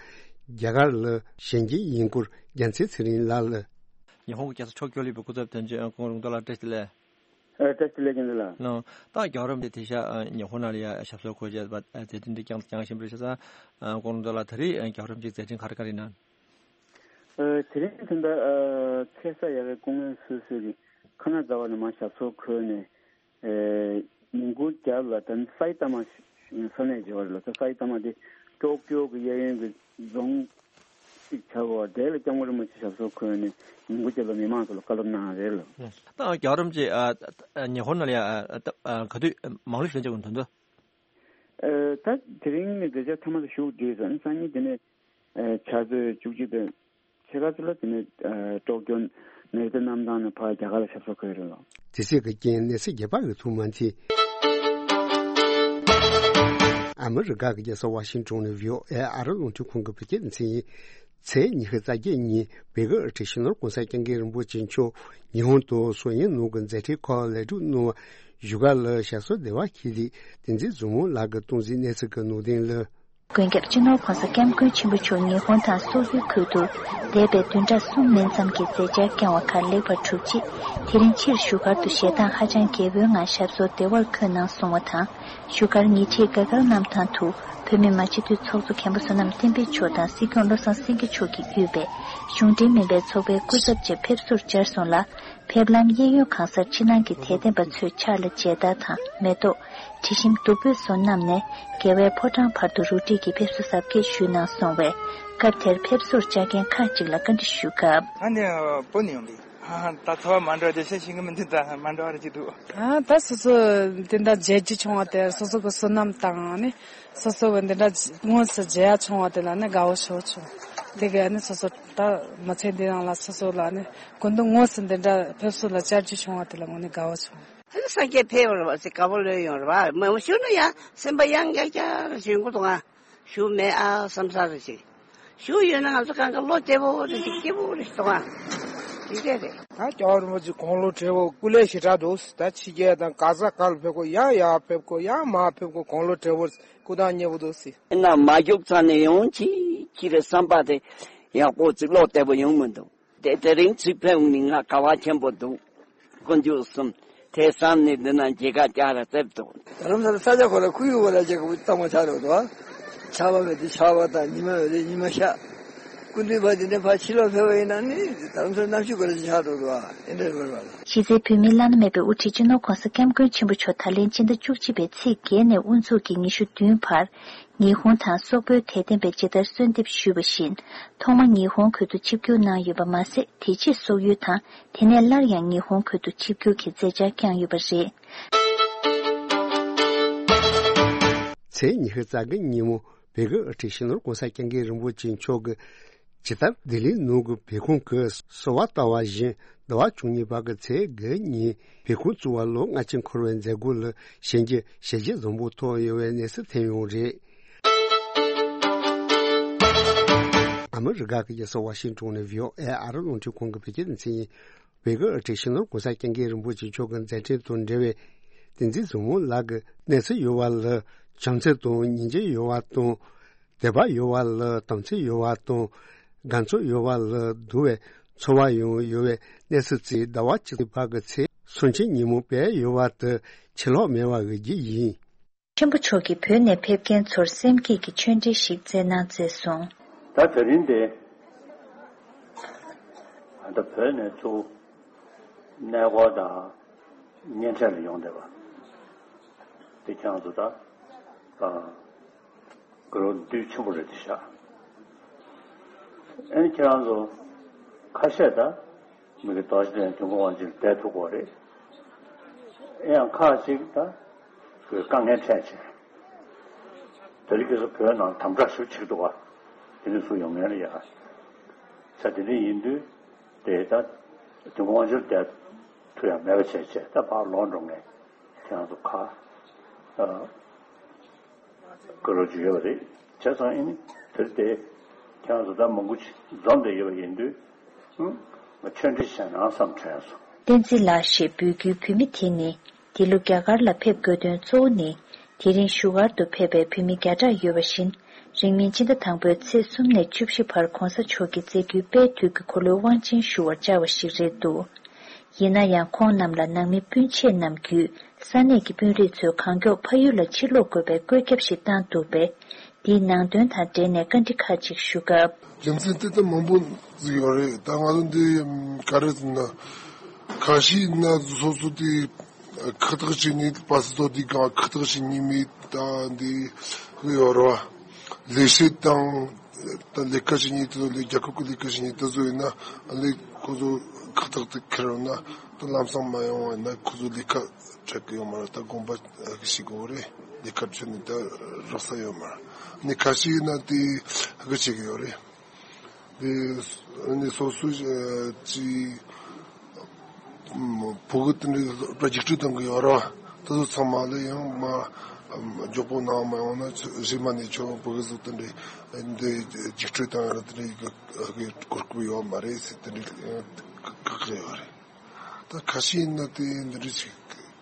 རྒྱ་གར་ལ་ཞལ་མཇལ་ཡིན་སྐོར་རྒྱལ་མཚན་ཚེ་རིང་ལགས་ལ། ཉི་ཧོང་གི་རྒྱལ་ས་ཊོ་ཀྱོ་ལ་ཡོད་པའི་སྐུ་ཚབ་དོན་གཅོད་སྐུ་ངོ་ལུང་རྟོགས་ལགས་བཀྲ་ཤིས་བདེ་ལེགས། ཨ་བཀྲ་ཤིས་བདེ་ལེགས་རྒན་ལགས། ལགས། ད་རྒྱལ་བ་རིན་པོ་ཆེ་དེང་སང་ཉི་ཧོང་ནང་ལ་ཡ་ཞབས་སོར་འཁོད་བྱས་པ་མཛད་འཕྲིན་འདི་བསྐྱངས་བསྐྱངས་བཞིན་པ་རེད་ཤག་ས། སྐུ་ངོ་ལུང་རྟོགས་ལགས་ད་རེས་རྒྱལ་བ་རིན་པོ་ཆེའི་མཛད་འཕྲིན་ག་རེ་ག་རེ་ཡིན་ན། ཨ་དེ་རིང་ད་ལྟ་ཨ་ཚེ་ས་ཡ་གི་སྐུ་ངལ་གསོ་གསོས་ཀྱི་ཁ་ན་ཛ་བ་ནས་མར་ཞབས་སོར་འཁོད་ནས། ཨེ་ཉིན་གུང་རྒྱབ་ལ་ད་ནི་སའི་ཏ་མ་ས་གནས་བརྗེ་བ་རེད་ལ། ད་སའི་ཏ་མ་དེ་ཀྲོ་ཀྱོ་གི་གཡས་གཡོན་གྱི་རྫོང་གཅིག་ཆགས་པ་དེ་ལ་སྐྱབས་མགོན་རིན་པོ་ཆེ་ཞབས་སོར་འཁོད་ནས་ཉིན་གུང་རྒྱབ་ལ་མི་མང་ཚོ་ལ་བཀའ་སློབ་གནང་རེད་ལ། ད་རྒྱལ་བ་རིན་པོ་ཆེ་ཨ་ཨ་ཉི་ཧོང་ནང་ལ་ཡ་ཨ་ཨ་ག་དུས་མང་ལོ་ཞིག་ལ་འཇགས་དགོས་དོན་དུ། ཨེ་ད་དེ་རིང་ནས་མཛད་འཆར་མཐའ་མ་དེ་བཞུགས་བསྡད་ཟིན། སང་ཉིན་དེ་ནས་ཨེ་ཕྱག་ཚོད་བཅུ་གཅིག་དང་། ཕྱེད་ཀ་ཙམ་ལ་དེ་ནས་ཨ་ཀྲོ་ཀྱོ་ནེ་རི་ཏ་གནམ་ཐང་ནས་ཕར་རྒྱ་གར་ལ་ཞབས་སོར་འཁོད་རེད་ལགས། དེ་སྲིད་ཀྱི་རྐྱེན་གནས་ཚུལ་རྒྱས་པ་ཡོད་ཐུབ་མ་མཐོང་། ཨ་མི་རི་ཀ་གི་རྒྱལ་ས་ཝ་ཤིང་ཊོན་ནས་བྷི་ཨོ་ཨེ་ཨ་རི་རླུང་འཕྲིན་ཁང་གི་བོད་སྐད་སྡེ་ཚན་ཡིན། ཚེས་ཉི་ཤུ་རྩ་བརྒྱད་ཉིན་བོད་ཀྱི་དབུ་ཁྲིད་སྤྱི་ནོར་༸གོང་ས་༸སྐྱབས་མགོན་རིན་པོ་ཆེ་མཆོག་ཉི་ཧོང་དུ་སོ་ཡན་ནང་གི་མཛད་འཕྲིན་ཁག་ལེགས་གྲུབ་གནང་བ་བཞུགས་སྒར་ལ་ཞབས་སོར་བདེ་བར་འཁྱིད་དེ་བསྟན་འཛིན་བཟང་མོ་ལགས་ཀྱིས་གཏོང་གཟིགས་གནས་ཚུལ་གྱི་ནང་དོན་ལ། མགོན་སྐྱབས་སྤྱི་ནོར་༸གོང་ས་༸སྐྱབས་མགོན་ཆེན་པོ་མཆོག་ཉི་ཧོང་དང་སོག་པོའི་ཁུལ་དུ་འདས་པའི་བདུན་ཕྲག་གསུམ་མན་ཙམ་གྱི་མཛད་འཆར་བསྐྱངས་པ་ཁག་ལེགས་པར་གྲུབ་རྗེས། དེ་རིང་ཕྱིར་བཞུགས་སྒར་དུ་ཞལ་ཏང་ཧ་ཅང་རྒྱལ་པོའི་ངང་ཞབས་སོར་བདེ་བར་འཁོད་གནང་སོང་བ་དང་། བཞུགས་སྒར་ཉེ་འཁྲིས་དགའ་དཀར་གནམ་ཐང་དུ་བོད་མི་མང་སྤྱི་འཐུས་ཚོགས་གཙོ་མཁན་པོ་བསོད་ནམས་བསྟན་འཕེལ་མཆོག་དང་སྲིད་སྐྱོང་བློ་བཟང་སེང་གེ་མཆོག་གིས་དབུས་པའི་གཞུང་འབྲེལ་མིན་པའི་ཚོགས་པའི་སྐུ་ཚབ་ཆེད་ཕེབས་བསུར་བཅར་སོང་ལ། ཕེབས་ལམ་གཡས་གཡོན་གང་སར་ཕྱི་ནང་གི་དད་ལྡན་པ་ཚོས་ཕྱག་ལ་མཇལ་དར་དང་མེ་ཏོག་དྲི་ཞིམ་བདུག་སྤོས་སོགས་བསྣམས་ནས་རྒྱལ་བའི་ཕོ་བྲང་བར་དུ་རུ་སྒྲིག་གིས་ཕེབས་བསུ་གཟབ་རྒྱས་ཞུས་གནང་སོང་བས། སྐབས་དེར་ཕེབས་བསུར་བཅར་མཁན་ཁག་ཅིག་ལ་བཀའ་འདྲི་ཞུས་སྐབས། ཨ་ནི་བུ་ནི་ཡོང་དུས། ད་ཚོར་བ་མ་འདྲ་བ་དེ་ཤེས་ཤེས་ཀྱི་མི་འདུག་ད་མ་འདྲ་བ་རེ་ཅིག་འདུག་ཨ་ད་སོ་སོ་དེ་འདྲ་མཇལ་རྒྱུ་བྱུང་བ་དེར་སོ་སོ་གི་བསོད་ནམས་དང་ནི་སོ་སོ་གི་འདི་འདྲ་དངོས་སུ་མཇལ་ཡ་བྱུང་བ་དེ་ལ་ནི་དགའ་བོ་ཞེ་པོ་བྱུང་། དེ་གས་ནི་སོ་སོ་ད་མི་ཚེ་འདི་ནང་ལ་སོ་སོ་ལ་ནི་ཀུན་ཏུ་དངོས་སུ་འདི་འདྲ་ཕེབས་བསུ་ལ་བཅར་རྒྱུ་བྱུང་བ་དེ་ལ་དངོས་ནས་དགའ་བོ་བྱུང་། ཨ་ནི་སངས་རྒྱས་ཕེབས་པ་རེད་བ་ཟེར་དགའ་པོ་ལོས་ཡོང་རེད་བ། མ་འོ་ཞུ་ན་ཡང་སེམས་པ་ཡང་རྒྱག་རྒྱག་རེ་ཞུ་གི་འདུག་ཨ། ཞུ་མེད་ཨ་བསམ་ས་རེ་ཞིག་ཞུ་ཡོད་ན་ང་ཚོ་གང་ག་བློ་བདེ་པོ་རེ་ཞིག་སྐྱིད་པོ་རེ་ཞིག་འདུག་ཨ། དེ་འདྲས་རེད། ད་སྐྱབས་རིན་པོ་ཆེ་དགུང་ལོ་བགྲེས་པོ་སྐུ་ལས་ཞེ་དྲག་འདུག་ད་ཕྱི་རྒྱལ་དང་ག་ས་ག་ལ་ཕེབས་དགོས་ཡང་ཡར་ཕེབས་དགོས་ཡང་མར་ཕེབས་དགོས་དགུང་ལོ་བགྲེས་པོ་སྐུ་ཐང་མཉེས་པོ་འདུག་ཟེར། ཡིན་ན་མ་རྒྱུག་ཚར་ནས་ཡོང་ཅི་ཅི་རེད་བསམ་པ་དེ་ཡག་པོ་ཅིག་བློ་བདེ་པོ་ཡོང་མི་འདུག་དེ་དེ་རིང་ཚུར་ཕེབས་ནི་ང་དགའ་བ་ཆེན་པོ་འདུག་དཀོན་མཆོག་གསུམ་དེ་བསམ་ནས་འདི་ན་མཇལ་ཁ་བཅར་ར་བཙལ་འདུག་ད་ལམ་སང་ས་ཆ་ཁོ་ར་ཁོར་ཡུག་ཁོ་ར་ཅིག་གཙང་མ་ཆགས་འགྲོ་འདུག་ཆར་པ་མེད་དུས་ཆར་པ་དང་ཉི་མ་ཡོད་དུས་ཉི་མ་ཤར། སྐུ་མདུན་ཕར་འདི་ནས་ཕར་ཕྱི་ལོགས་ཕེབས་པ་ཡིན་ན་ནི་ད་ལམ་སང་གནམ་གཤིས་ཁོ་ར་ཅིག་ཆགས་འགྲོ་འདུག་ཨེ་འདྲ་རེད་པ། གཞི་རྩའི་བོད་མིའི་བླ་ན་མེད་པའི་དབུ་ཁྲིད་སྤྱི་ནོར་༸གོང་ས་༸སྐྱབས་མགོན་ཆེན་པོ་མཆོག་ད་ལན་སྤྱི་ཟླ་བཅུ་གཅིག་པའི་ཚེས་བརྒྱད་ནས་དབུ་འཛུགས་ཀྱིས་ཉི་ཤུ་བདུན་བར། ཉི་ཧོང་དང་སོག་པོའི་དད་ལྡན་པས་ཇི་ལྟར་གསོལ་འདེབས་ཞུས་པ་བཞིན། ཐོག་མ་ཉི་ཧོང་ཁུལ་དུ་ཆིབས་བསྒྱུར་གནང་ཡོད་པ་མ་ཟད། དེ་རྗེས་སོག་ཡུལ་དང་། དེ་ནས་སླར་ཡང་ཉི་ཧོང་ཁུལ་དུ་ཆིབས་བསྒྱུར་གྱི་མཛད་འཆར་བསྐྱངས་ཡོད་པ་རེད། ཚེས་ཉི་ཤུ་རྩ་དགུ་ཉིན་མོ་བོད་ཀྱི་དབུ་ཁྲིད་སྤྱི་ནོར་༸གོང་ས་༸སྐྱབས་མགོན་རིན་པོ་ཆེ་མཆོག་གིས་ཇི་ལྟར་ལྡི་ལི་ནང་གི་བོད་ཁང་གི་གསོལ་བ་བཏབ་པ་བཞིན། ཟླ་བ་བཅུ་གཉིས་པ་གི་ཚེས་དགུ་ཉིན་བོད་ཁང་བཙུགས་པ་ལོ་ལྔ་བཅུ་འཁོར་བའི་མཛད་སྒོ་ལ་གཞན་གྱི་ཞལ་བཞེས་བཟང་པོ་ཐོབ་ཡོད་པའི་གནས་ཚུལ་ཐོན་ཡོད་རེད། ཨ་མི་རི་ཀ་གི་རྒྱལ་ས་ཝ་ཤིང་ཏོན་ནས་བྷི་ཨོ་ཨེ་ཨ་རི་རླུང་འཕྲིན་ཁང་གི་བོད་སྐད་སྡེ་ཚན་ཡིན། བོད་ཀྱི་དབུ་ཁྲིད་སྤྱི་ནོར་༸གོང་ས་༸སྐྱབས་མགོན་རིན་པོ་ཆེ་མཆོག་གི་མཛད་འཕྲིན་དང་འབྲེལ་བའི་བསྟན་འཛིན་བཟང་མོ་ལགས་ཀྱི་གནས་ཚུལ་ཡོད་པ་ལ་བྱམས་བརྩེ་དང་སྙིང་རྗེ་ཡོད་པ་དང་། དད་པ་ཡོད་པ་ལ་དམ་ཚིག་ཡོད་པ་དང་། དགའ་ཚོར་ཡོད་པ་ལ་འདུལ་བའི་ཚོར་བ་ཡང་ཡོད་པའི་གནས་ཚུལ་བཅས་ཟླ་བ་གཅིག་པ་གི་ཚེས་སུམ་ཅུ་ཉིན་མོ་སྤེལ་ཡོད་པ་དེ་ཕྱིར་ལོག་མེད་པ་འོས་བརྒྱུད་ཡིན། ཆེན་པོ་མཆོག་གིས་བོད་ནས་ཕེབས་མཁན་ཚོར་སེམས་བསྐྱེད་ཀྱི་ཆོས་འབྲེལ་ཞིག་བསྩལ་གནང་མཛད་སོང་། ད་དེ་རིང་འདི་ད་བོད་ནས་ཚུར་གནས་སྐོར་དང་གཉེན་འཕྲད་ལ་ཡོང་བསྡད་པ་འདི་ཁྱེད་རང་ཚོ་ད་ཨ་དགའ་རབ་འདུས་ཆེན་པོ་རེད་དེ་ཤག་ཨ་ནི་ཁྱེད་རང་ཚོ་ཁ་ཤས་ད་མི་གི་རྡོ་རྗེ་གདན་དུས་འཁོར་དབང་ཆེན་བསྡད་ཐུབ་ཀྱི་རེད། ཨེ་ཡང་ཁག་ཅིག་ད་དཀའ་ངལ་འཕྲད་བྱས། དེ་རིང་ཁ་སང་བོད་ནང་དམ་དྲག་ཞེ་པོ་བྱེད་ཀྱི་འདུག་ག་དེ་ནས་ཚུར་ཡོང་མཁན་ལ་ཡ། ས་དེ་འདྲ་ཡིན་དུས་དེ་ད་དུས་འཁོར་དབང་ཆེན་བསྡད་ཐུབ་ཡ་མེད་པ་བྱས་བྱས་ད་ཕར་ལོག་འགྲོ་མཁན་ཁྱེད་རང་ཚོ་ཁ་ཨ། བཀའ་རོགས་ཅིག་ཡོད་པ་རེད། བྱས་ཙང་ཨེ་ནི་དེར་དེ་ཁྱེད་རང་ཚོ་ད་མང་པོ་ཅིག་འཛོམས་བསྡད་ཡོད་པ་ཡིན་དུས་ང་ཆོས་འབྲེལ་བྱས་ན་བསམ་དྲན་སོང་། བསྟན་འཛིན་ལགས་ཞེས་འབོད་རྒྱུའི་བོད་མི་དེ་ནི་འདི་ལོ་རྒྱ་གར་ལ་ཕེབས་དགོས་དོན་གཙོ་བོ་ནི་དེ་རིང་བཞུགས་སྒར་དུ་ཕེབས་པའི་བོད་མི་བརྒྱ་ཕྲག་ཡོད་པ་བཞིན་རིང་མིན་ཕྱི་ཟླ་དང་པོའི་ཚེས་གསུམ་ནས་བཅུ་བཞི་བར་གོང་ས་མཆོག་གིས་མཛད་རྒྱུའི་དཔལ་དུས་ཀྱི་འཁོར་ལོའི་དབང་ཆེན་ཞུ་བར་བཅར་བ་ཞིག་རེད་འདུག་ཡིན་ན་ཡང་ཁོང་རྣམས་ལ་ནང་མི་སྤུན་མཆེད་རྣམས་བརྒྱུད་ས་གནས་ཀྱི་དཔོན་རིགས་ཚོས་གང་མགྱོགས་ཕ་ཡུལ་ལ་ཕྱིར་ལོག་དགོས་པའི་བཀོད་ཁྱབ་ཞིག་བཏང་འདུག་པས། འདིའི་ནང་དོན་དང་འབྲེལ་ནས་བཀའ་འདྲི་ཁག་ཅིག་ཞུ་སྐབས། རྒྱུ་མཚན་དེ་ལྟར་མང་པོ་ཟིག་ཡོད་རེད། ད་ང་ཚོ་འདི་ག་རེ་ཟེར་ན། ཁ་ཤས་ན་སོ་སོ་དེ་ཁག་ཐེག་བྱེད་ནི་པ་སི་ཏོ་དེ་གང་ཁག་ཐེག་བྱེད་ནི་མེད་ད་འདི་ཡོད་རེད་བ། ལས་བྱེད་དང་ད་ལས་ཀ་བྱེད་མཁན་དེ་ཚོ་ལས་རྒྱལ་ཁབ་ཀྱི་ལས་ཀ་བྱེད་མཁན་དེ་ཚོ་ཡིན་ན་ལས་ཁོ་ཚོ་ཁག་ཐེག་དེ་འཁེལ་ཡོང་ན་ད་ལམ་སང་མ་ཡོང་བ་ཡིན་ན་ཁོ་ཚོ་ལས་ཀ་འཕྲད་ཀྱི་ཡོད་མ་རེད། ད་དགོངས་པ་ཞིག་དགོས་རེད། ལས་ཀ་བྱེད་ནི་ད་རག་ས་ཡོད་མ་རེད། ནི་ཁ་ཤས་ཡིན་ན་དེ་ཧ་གོ་བྱེད་ཀྱི་ཡོད་རེད། དེ་ནི་སོ་སོ་ཅི་བོད་གི་དེ་འདྲའི་རྒྱུགས་སྤྲོད་གཏོང་གི་ཡོད་རེད་བ། དེ་ཚོ་ཚང་མ་ལ་ཡང་མ། མགྱོགས་པོ་གནང་མ་ཡོང་ན་རྗེས་མ་ནས་ཁྱོད་བོད་ཟོ་དེ་འདྲའི་འདི་རྒྱུགས་སྤྲོད་བཏང་ཡ་ར་དེ་འདྲའི་གོ་སྐབས་ཡོད་མ་རེད་ཟེར་དེ་འདྲའི་བཀག་གི་ཡོད་རེད། ད་ཁ་ཤས་ཡིན་ན་དེ་འདི་འདྲ་ཞིག་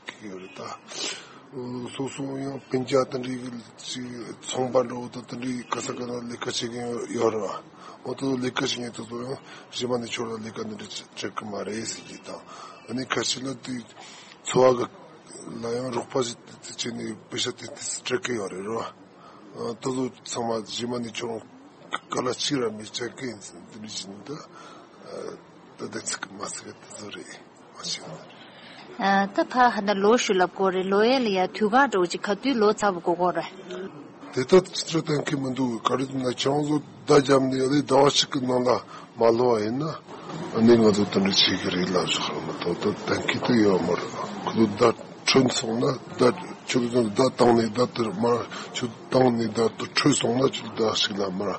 གི་ཡོད་རེད་ད། སོ་སོ་ཡང་སྤུན་ཀྱག་དེ་འདྲའི་ཞིག་ཚོང་པ་འགྲོ་དང་དེ་འདྲའི་ག་ས་ག་ན་ལས་ཀ་བྱེད་མཁན་ཡོད་རེད་བ། འོ་དེ་ཚོ་ལས་ཀ་བྱེད་མཁན་དེ་ཚོ་ཡང་གཞན་པ་ནས་ཁྱོད་ལ་ལས་ཀ་འདི་འདྲ་བྱེད་གི་མ་རེད་ཟེར་གྱི་དང་། ཨ་ནི་ཁ་ཤས་ལ་དེ་འཚོ་བ་གི་ལ་ཡང་རོགས་པ་ཞིག་བྱས་ནས་པེ་ཤ་དེ་དེ་སྤྲད་གི་ཡོད་རེད་རོ། དེ་ཚོ་ཚང་མ་གཞན་མ་ནས་ཁྱོད་ག་ལ་གཅིག་ར་མི་བྱེད་གི་ཡིན་ཟེར་དེ་འདྲ་བྱས་ནས་ད་ད་དེ་ཚིག་མ་ཟེར་གི་དེ་ཚོ་རེད། ཨ་ད་ཕ་ཧ་ན་ལོ་ཞུ་ལབ་དགོས་རེད། ལོ་ཡན་ལ་ཡ་དུས་ག་འགྲོ་ཅིག་ག་དུས་ལོ་ཚ་བ་དགོས་དགོས་རེད། དེ་ལྟར་ཅི་ཚོད་གཏན་འཁེལ་མི་འདུག་ག་རེ་ཟེར་ན་ཁྱེད་རང་ཚོ་བརྡ་བརྒྱབ་ནས་ཨ་ནི་ཟླ་བ་གཅིག་གི་ནང་ལ་མ་ལོ་བ་ཡིན་ན་ཨ་ནི་ང་ཚོ་དེ་འདྲ་བྱེད་ཀྱི་རེད་ལབ་ཞོག་ར་མ་གཏོགས་ད་གཏན་འཁེལ་དུ་ཡོད་མ་རེད། ཁོ་ཚོ་བརྡ་འཕྲོད་སོང་ན་བརྡ་ཁྱོད་ཚོ་བརྡ་བཏང་ནས་བརྡ་དེ་མར་ཁྱོད་བཏང་ནས་བརྡ་དེ་འཕྲོད་སོང་ན་ཁྱོད་ཟླ་གཅིག་ལ་མར་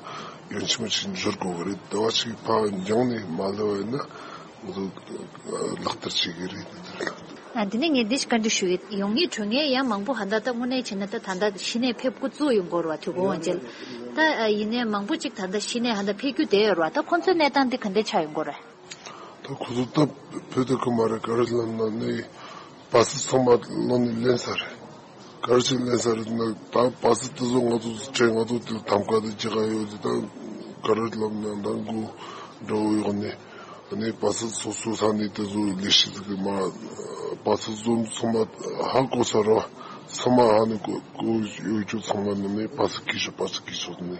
ཡོན་ཆེན་མོ་ཞིག་འབྱོར་དགོས་གི་རེད། ཟླ་བ་གཅིག་ཕར་འགྱངས་ནས་མ་ལོ་བ་ཡིན་ན། ང་ཚོ་ལག་བསྟར་བྱེད་ཀྱི་རེད། ཨ་འདི་ནས་ངས་འདི་ཞིག་བཀའ་འདྲི་ཞུ་ཡི་ཡོང་ངེས་གྲོན་ངེས་ཡང་མང་པོ་ཧ་ད་ལྟ་དངོས་གནས་བྱས་ན་ད་ད་ལྟ་གཞི་ནས་ཕེབས་འགོ་བཙུགས་ཡོང་གོ་ར་བ་དུས་གོ་འོང་ཅེས། ད་ཡིན་ནའི་མང་པོ་ཅིག་ད་ལྟ་གཞི་ནས་ཧ་ད་ཕེབས་རྒྱུ་བསྡད་ཡོད་ར་བ། ད་ཁོང་ཚོའི་གནས་སྟངས་འདི་ག་འདྲས་ཆགས་ཡོང་གོ་ར། ད་ཁོ་ཚོ་ད་བོད་དུ་ཁུ་མ་རེད་ག་རེ་ལབ་ན་ནི་བ་སི་ཚང་མ་ལོ་ནས་ལེན་ས་རེད། ག་རེ་བྱས་ལེན་ས་རེད་ན་ད་བ་སི་དེ་ཚོ་ང་ཚོ་ཁྲལ་ང་ཚོ་དེ་ཐམ་ཀ་དེ་ཅི་ག་ཡོད་དེ་ད་ག་རེ་ལབ་ན་ད་མགོ་འགྲོ་ཡོག་ནས་ཨ་ནི་བ་སི་སོ་སོ་ས་ནས་དེ་ཚོ་ལས་གཞི་དེ་གི་མ་བ་སི་བཟོ་ཚང་མ་ཧ་གོ་ས་ར་ཚང་མ་ཧ་ནི་གོ་གོ་ཡོད་རྒྱུ་ཚང་མ་ནི་ནི་བ་སི་གི་ཤོག་བ་སི་གི་ཤོག་ནི་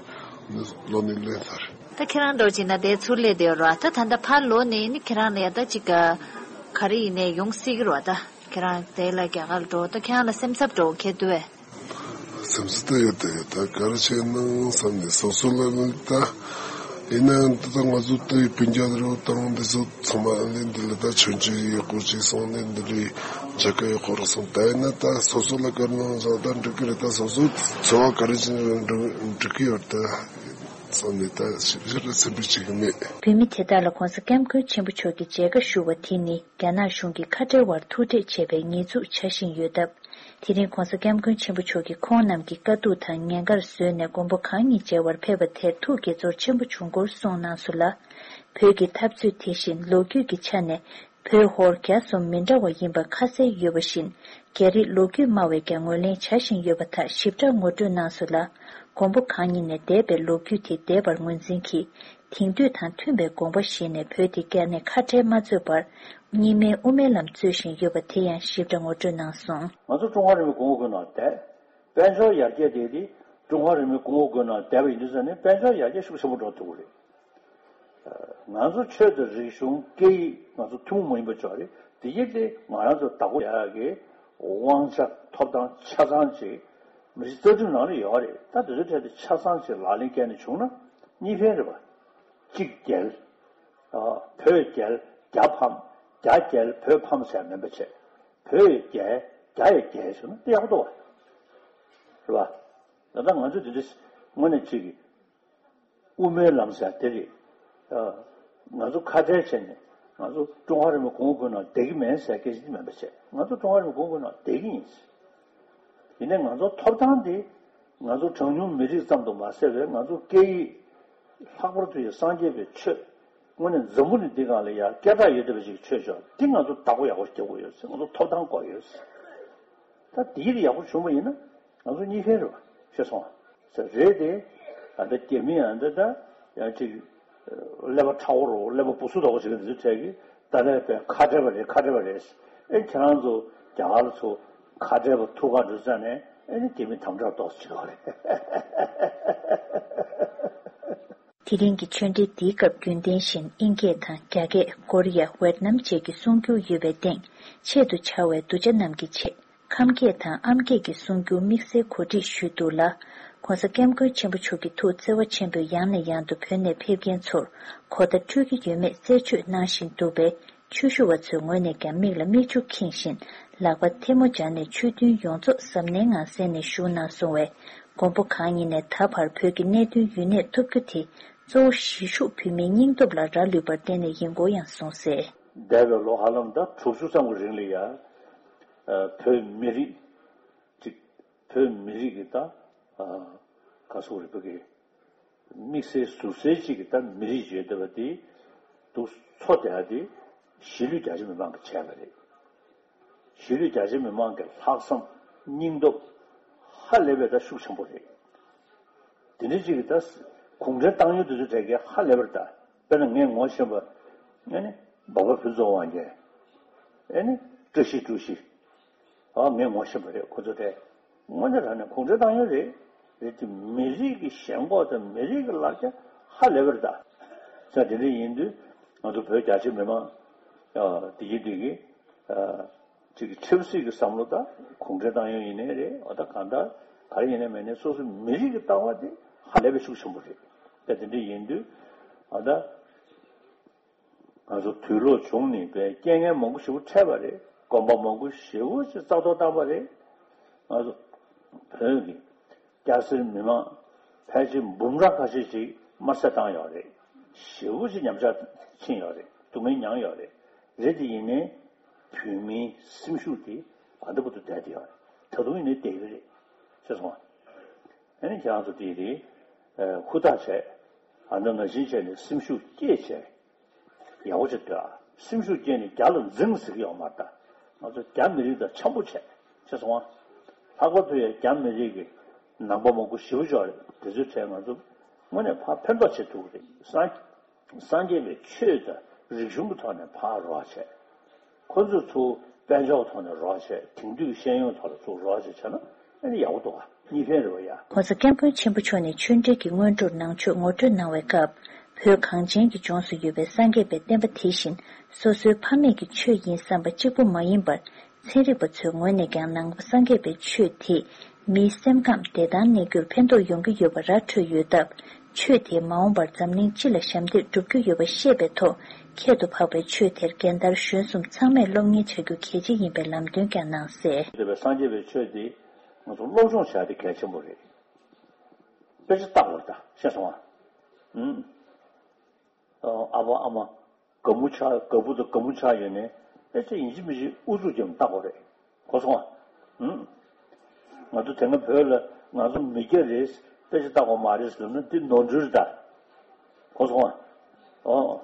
ནི་ལོ་ནས་ལེན་ས་རེད། ད་ཁྱེད་རང་འགྲོ་བྱས་ན་དེ་ཚུར་སླེབས་བསྡད་ཡོད་ར། ད་ད་ལྟ་ཕར་ལོག་ནས་ནི་ཁྱེད་རང་ལ་ཡ་ད་ཅིག་ག་ག་རེ་ཡིན་ནའི་ཡོང་སྲིད་ཀྱི་ར་བ། ད་ཁྱེད་རང་དེ་ལ་རྒྱ་གར་འགྲོ་ད་ཁྱེད་རང་ལ་སེམས་འཚབ་འགྲོ་ཁྱེད་དུ་བས། སེམས་འཚབ་ད་ཡོད་ད་ཡོད་ད་ག་རེ་བྱས་ན་བསམ་ནས་སོ་སོ་ལ་ནི་ད་ཡིན་ན་ད་ང་ཚོ་ད་སྤུན་ཀྱག་རེ་བ་དང་འདི་ཚོ་ཚང་མ་ཨ་ནི་འདི་ལ་ད་མཆོད་མཇལ་ཡག་པོ་ཅིག་སོང་ནས་འདི་ལས་མཇལ་ཁ་ཡག་པོ་རག་སོང་ད་ཡིན་ན་ད་སོ་སོ་ལ་ག་རེ་གནང་བཞག་ད་འགྲིག་གི་རེད། ད་སོ་སོ་འཚོ་བ་ག་རེ་བྱས་ན་འགྲིག་གི་ཡོད་ད། སོང་ནས་ད་ཞིབ་ཞིབ་ལ་སེམས་ཁུར་བྱེད་ཀྱི་མེད། བོད་མི་དེ་དག་ལ་༧གོང་ས་༧སྐྱབས་མགོན་ཆེན་པོ་མཆོག་གི་མཇལ་ཁ་ཞུ་བ་དེ་ནི་རྒྱ་ནག་གཞུང་གིས་ཁ་བྲལ་བར་ཐུག་འཕྲད་བྱས་པའི་ཉེས་འཛུགས་བྱ་བཞིན་ཡོད་སྟབས། དེ་རིང་༧གོང་ས་༧སྐྱབས་མགོན་ཆེན་པོ་མཆོག་གིས་ཁོང་རྣམས་ཀྱི་དཀའ་སྡུག་དང་ཉེན་ཁར་བཟོས་ནས་མགོན་པོ་གང་ཉིད་མཇལ་བར་ཕེབས་པ་དེར་ཐུགས་དགྱེས་ཚོར་ཆེན་པོ་བྱུང་སྐོར་གསུངས་གནང་སོང་ལ། བོད་ཀྱི་འཐབ་རྩོད་དེ་བཞིན་ལོ་རྒྱུས་ཀྱི་ཆ་ནས། བོད་ཧོར་རྒྱ་གསུམ་མི་འདྲ་བ་ཡིན་པ་ཁ་གསལ་ཡོད་པ་བཞིན། རྒྱ་རིགས་ལོ་རྒྱུས་སྨྲ་བས་ཀྱང་ངོས་ལེན་བྱ་བཞིན་ཡོད་པ་དག་ཞིབ་ཕྲ་ངོ་སྤྲོད་གནང་སོང་ལ། མགོན་པོ་གང་ཉིད་ནས་འདས་པའི་ལོ་རྒྱུས་དེ་འདས་པར་ངོས་འཛིན་གྱིས། དེང་དུས་དང་མཐུན་པའི་དགོངས་པ་བཞེས་ནས་བོད་དེ་བསྐྱར་ནས་ཁ་བྲལ་མ་བཟོས་པར། གཉིས་སྨན་དབུ་མའི་ལམ་རྩོད་བཞིན་ཡོད་པ་དེ་ཡང་ཞིབ་ཕྲ་ངོ་སྤྲོད་གནང་སོང་། ང་ཚོ་ཀྲུང་ཧྭ་རེན་མོའི་གོང་འོག་ཁུལ་ནང་བསྡད། དཔལ་འབྱོར་ཡར་རྒྱས་དེ་དེ་ཀྲུང་ཧྭ་རེན་མོའི་གོང་འོག་ཁུལ་ནང་བསྡད་པ་ཡིན་དུས་ཙང་ནས་དཔལ་འབྱོར་ཡར་རྒྱས་ཤུགས་ཆེན་པོ་འགྲོ་ཐུབ་ཀྱི་རེད། ང་ཚོ་ཆོས་དང་རིག་གཞུང་སྐད་ཡིག་ང་ཚོ་ཐུན་མོང་མ་ཡིན་པ་ཅིག་རེད། དེ་གྱིས་དེ་ང་རང་ཚོ་བདག་པོ་ཡག་གི་དབང་ཆ་ཐོབ་ཐང་ཆ་ཚང་ཅིག་མི་རིགས་རྩ་ཁྲིམས་ནང་ལ་ཡོད་རེད། ད་དེ་ཚོའི་གྲས་དེ་ཆ་ཚང་ཅིག་ལག་ལེན་བཀལ་ནས་བྱུང་ན་གཉིས་ཕན་རེད་པ། གཅིག་རྒྱལ། བོད་རྒྱལ་རྒྱ་ཕམ། རྒྱ་རྒྱལ་བོད་ཕམ་ཟེར་མིན་པ་བྱས། བོད་ཡི་རྒྱལ་རྒྱ་ཡི་རྒྱལ་ཟེར་ན་དེ་ཡག་པོ་འདུག་བ། རེད་པ། ད་ལྟ་ང་ཚོ་དེ་འདྲ་དངོས་གནས་གཅིག་གི་དབུ་མའི་ལམ་ཟེར་དེ་རེད། ཨ། ང་ཚོ་ཁ་བྲལ་བྱས་ནས་ང་ཚོ་ཀྲུང་ཧྭ་རེན་མོའི་གོང་འོག་ཁུལ་ནང་བསྡད་ཀྱི་མིན་ཟེར་སྐད་ཆ་དེ་མིན་པ་བྱས། ང་ཚོ་ཀྲུང་ཧྭ་རེན་མོའི་གོང་འོག་ཁུལ་ནང་བསྡད་ཀྱི་ཡིན། ཡིན་ནའི་ང་ཚོ་ཐོབ་ཐང་དེ་ང་ཚོ་གྲངས་ཉུང་མི་རིགས་ཙམ་དུ་མ་ཟད་པའི་ང་ཚོ་སྐད་ཡིག་ལྷག་པར་དུ་ཡང་སངས་རྒྱས་པའི་ཆོས་དངོས་གནས་འཛམ་བུ་གླིང་འདི་སྒང་ལ་ཡང་སྐད་གྲགས་ཡོད་བསྡད་པ་ཞིག་གི་ཆོས་ཕྱོགས་འདི་ང་ཚོ་བདག་པོ་ཡག་པོ་རྒྱག་དགོས་ཡོད་ཟེར། ང་ཚོ་ཐོབ་ཐང་དགོས་ཡོད་ཟེར། ད་དེ་ཡིད་ཡག་པོ་བྱུང་བ་ཡིན་ན་ང་ཚོ་གཉིས་ཕན་རེད་པ། ཤེས་སོང་ཨ། ཟེར་རེད་དེ། ཨ་ད་རྒྱ་མི་ཨ་ད་ད་ཡང་ཅིག་ཀླད་པ་ཁྲ་བོ་རོ་ཀླད་པ་སྦུ་སུ་དོག་པོ་ཞིག་གི་འདི་ཚོ་གྲས་ཀྱིས་ད་ལས་པའི་ཁ་བྲལ་བ་རེད་ཁ་བྲལ་བ་རེད། ཨེ་ཁྱེད་རང་ཚོ་རྒྱ་གར་ཚོ་ཁ་བྲལ་བ་ཐུག་ག་འགྲོ་ཙང་ནས་ཨེ་ནི་རྒྱ་མི་དམ་དྲག་ཏོག་ཙམ་བྱེད་དགོས་རེད། དེ་རིང་གི་ཆོས་འབྲེལ་འདིའི་སྐབས་རྒྱུན་ལྡན་བཞིན་དབྱིན་སྐད་དང་རྒྱ་སྐད། ཀོ་རི་ཡ། ཝེད་ནམ་བཅས་ཀྱི་གསུང་སྒྱུར་ཡོད་པའི་སྟེང་ཆེད་དུ་བྱ་བའི་གདུལ་བྱ་རྣམས་ཀྱི་ཆེད། ཁམས་སྐད་དང་ཨམ་སྐད་ཀྱི་གསུང་སྒྱུར་དམིགས་བསལ་གོ་སྒྲིག་ཞུས་འདུག་ལ། ༸གོང་ས་༸སྐྱབས་མགོན་ཆེན་པོ་མཆོག་གི་ཐུགས་བརྩེ་བ་ཆེན་པོས་ཡང་ནས་ཡང་དུ་བོད་ནས་ཕེབས་མཁན་ཚོར་གོ་བརྡ་འཕྲོད་ཀྱི་ཡོད་མེད་རྩད་གཅོད་གནང་བཞིན་འདུག་པས། ཆོས་ཞུ་བ་ཚོའི་ངོས་ནས་ཀྱང་མིག་ལ་མིག་ཆུ་ཁེངས་བཞིན་ལག་པ་ཐལ་མོ་སྦྱར་ནས་ཆོས་མཐུན་ཡོངས་རྫོགས་གཟབ་ནན་ངང་གསན་ནས་བཞུགས་གནང་སོང་བས། མགོན་པོ་གང་ཉིད་ནས་ད་བར་བོད་ཀྱི་གནད་དོན་ཡུན་གནས་ཐུབ་རྒྱུ་དེ་གཙོ་བོ་གཞིས་བཞུགས་བོད་མིའི་སྙིང་སྟོབས་ལ་རག་ལུས་པར་བརྟེན་ནས་ཡིན་སྐོར་ཡང་གསུངས་གསལ། འདས་པའི་ལོ་ཧ་ལམ་ད་དྲུག་ཅུ་ཙམ་གྱི་རིང་ལ་ཡ། ཨ། བོད་མི་རིགས་ཅིག་ བོད་མི་རིགས་ཀྱི་ད་ག་སོག་རིག་པ་གི་དམིགས་བསལ་ཟུར་གསལ་གཅིག་གི་ད་མི་རིགས་བརྗོད་བསྡད་པ་དེ་འདུག་འཚོ་བསྡད་ཡ་དེ་གཞིས་ལུས་རྒྱ་ཆེ་མི་མང་གིས་བྱས་པ་རེད། གཞིས་ལུས་རྒྱ་ཆེ་མི་མང་གི་ལྷག་བསམ་སྙིང་སྟོབས་ཧ་ལས་པའི་ད་ཤུགས་ཆེན་པོ་རེད། དེ་འདྲ་གཅིག་གི་ད་གུང་ཁྲན་ཏང་ཡོན་དེ་ཚོ་གྲས་ཀྱིས་ཧ་ལས་པར་ད་དཔེར་ན་ངས་ངོ་ཤེས་པ་ཨ་ནི་འབའ་པ་ཕུན་ཚོགས་དབང་རྒྱལ། ཨ་ནི་བཀྲ་ཤིས་བཀྲ་ཤིས། ཨ་ངས་ངོ་ཤེས་པ་རེད་ཁོ་ཚོ་གྲས། དངོས་གནས་དྲང་གནས་གུང་ཁྲན་ཏང་ཡོན་རེད། རེད་དེ་མི་རིགས་ཀྱི་ཞེན་ཁོག་དང་མི་རིགས་ཀྱི་ལ་རྒྱ་ཧ་ལས་པར་ད། ས་དེ་འདྲ་ཡིན་དུས་ང་ཚོ་བོད་རྒྱ་ཆེ་མི་མང་ཨ་དེ་གི་དེ་གི་ཨ་ཅིག་གི་ཆབ་སྲིད་ཀྱི་བསམ་བློ་དང་གུང་ཁྲན་ཏང་ཡོན་ཡིན་ནའི་རེད། འོ་ད་གང་ལྟར་ག་རེ་ཡིན་ནའི་མིན་ནའི་སོ་སོའི་མི་རིགས་ཀྱི་ལྟ་བ་དེ་ཧ་ལས་པའི་ཤུགས་ཆེན་པོ་རེད། ད་དེ་འདྲ་ཡིན་དུས་ཨ་ད། ང་ཚོ་དུས་ལོག་བྱུང་ནས་པའི་རྐྱེན་ངན་མང་པོ་ཞེ་པོ་འཕྲད་པ་རེད། གོམ་པ་མང་པོ་ཞེ་པོ་ཅིག་རྩ་གཏོར་བཏང་པ་རེད། ང་ཚོ་བོད་ཀྱི་སྐྱ་སེར་མི་མང་ཕལ་ཆེར་འབུམ་ཕྲག་ཁ་ཤས་ཤིག་དམར་བསད་བཏང་ཡོད་རེད། ཞེ་པོ་ཅིག་ཉམས་ཆག་ཕྱིན་ཡོད་རེད། སྡུག་བསྔལ་མྱངས་ཡོད་རེད། རེད་དེ་ཡིན་ནའི་བོད་མིའི་སེམས་ཤུགས་དེ་ག་འདྲ་པོ་དུ་བསྡད་དེ་ཡོད་རེད། ད་དུང་ཡིན་ནའི་བསྡད་ཡོད་རེད། ཤེས་སོང་ཨ། ཨ་ནི་ཁྱེད་རང་ཚོ་དེ་རེད། ཨ་ཧུར་ཐག་བྱས། ཨ་ན་ན་བཞིན་བྱས་ནས་སེམས་ཤུགས་བསྐྱེད་བྱས། ཡག་པོ་བྱེད་དགོས་ཨ། སེམས་ཤུགས་བསྐྱེད་ནས་རྒྱ་ལ་འཛིང་ཟེར་གྱི་ཡོད་མ་རེད་ད། ང་ཚོ་རྒྱ་མི་རིགས་དང་འཆམ་པོ་བྱས། ཤེས་སོང་ཨ། ལྷག་པར་དུ་ཡང་རྒྱ་མི་རིགས་ཀྱི་ནང་པ་མང་པོ་ཞེ་པོ་ཅིག་ཡོད་རེད། དེ་ཚོའི་གྲས་ང་ཚོ་དངོས་གནས་ཕར་ཕན་ཐོགས་བྱེད་ཐུབ་ཀྱི་རེད། སངས་སངས་རྒྱས་པའི་ཆོས་དང་རིག་གཞུང་གི་ཐོག་ནས་ཕར་རོགས་བྱས། ཁོ་ཚོས་ཚུར་དཔལ་འབྱོར་ཐོག་ནས་རོགས་བྱས། དེང་དུས་ཤེས་ཡོན་ཐོག་ལ་ཚུར་རོགས་བྱས་བྱས་ན་ཨ་ནི་ཡག་པོ་འདུག་ག་གཉིས་ཕན་རེད་བ་ཡ། ྋགོང་ས་ྋསྐྱབས་མགོན་ཆེན་པོ་མཆོག་ནས་ཆོས་འབྲེལ་གྱི་སྔོན་འགྲོར་ནང་ཆོས་ངོ་སྤྲོད་གནང་བའི་སྐབས། བོད་གངས་ཅན་གྱི་ལྗོངས་སུ་ཡོད་པའི་སངས་རྒྱས་པའི་བསྟན་པ་དེ་བཞིན་སོ་སོའི་ཕ་མེས་ཀྱི་ཆོས་ཡིན་བསམ་པ་གཅིག་པུ་མ་ཡིན་པར། ཚན་རིག་པ་ཚོའི་ངོས་ནས་ཀྱང་ནང་པ་སངས་རྒྱས་པའི་ཆོས་དེས་མིའི་སེམས་ཁམས་བདེ་ཐང་གནས་རྒྱུར་ཕན་ཐོགས་ཡོང་གི་ཡོད་པ་ར་འཕྲོད་ཡོད་སྟབས། ཆོས་དེས་མ་འོངས་པར་འཛམ་གླིང་སྤྱི་ལ་ཞབས་འདེགས་སྒྲུབ་རྒྱུ་ཡོད་པ་ཤེས་པའི་ཐོག་ཁྱད་དུ་འཕགས་པའི་ཆོས་དེར་རྒན་དར་གཞོན་གསུམ་ཚང་མས་སློབ་གཉེར་བྱ་རྒྱུ་གལ་ཆེ་ཡིན་པའི་ལམ་སྟོན་ཀྱང་གནང་གསལ། འདོད་པའི་སངས་རྒྱས་པའི་ཆོས་འདི་ང་ཚོ་སློབ་སྦྱོང་བྱ་དེ་གལ་ཆེན་པོ་རེད། དཔེ་ཆ་ལྟ་དགོས་རེད་ད་ཤེས་སོང་ཨ། ཨུམ། ཨ་ཕ་ཨ་མ་དགའ་མོ་ཆགས་དགའ་བུ་དང་དགའ་མོ་ཆགས་ཡོད་ནས་དཔེ་ཆ་ཡིན་གཅིག་མིན་གཅིག་ཨུ་ཚུགས་ཀྱིས་ལྟ་དགོས་རེད། གོ་སོང་ཨ། ཨུམ། ང་ཚོ་དེ་སྔ་བོད་ལ་ང་ཚོ་མི་སྐྱ་རེད་དཔེ་ཆ་ལྟ་དགོས་མ་རེད་ཟེར་ན་འདི་ནོར་འཁྲུལ་རེད་ད། གོ་སོང་ཨ། ཨོ།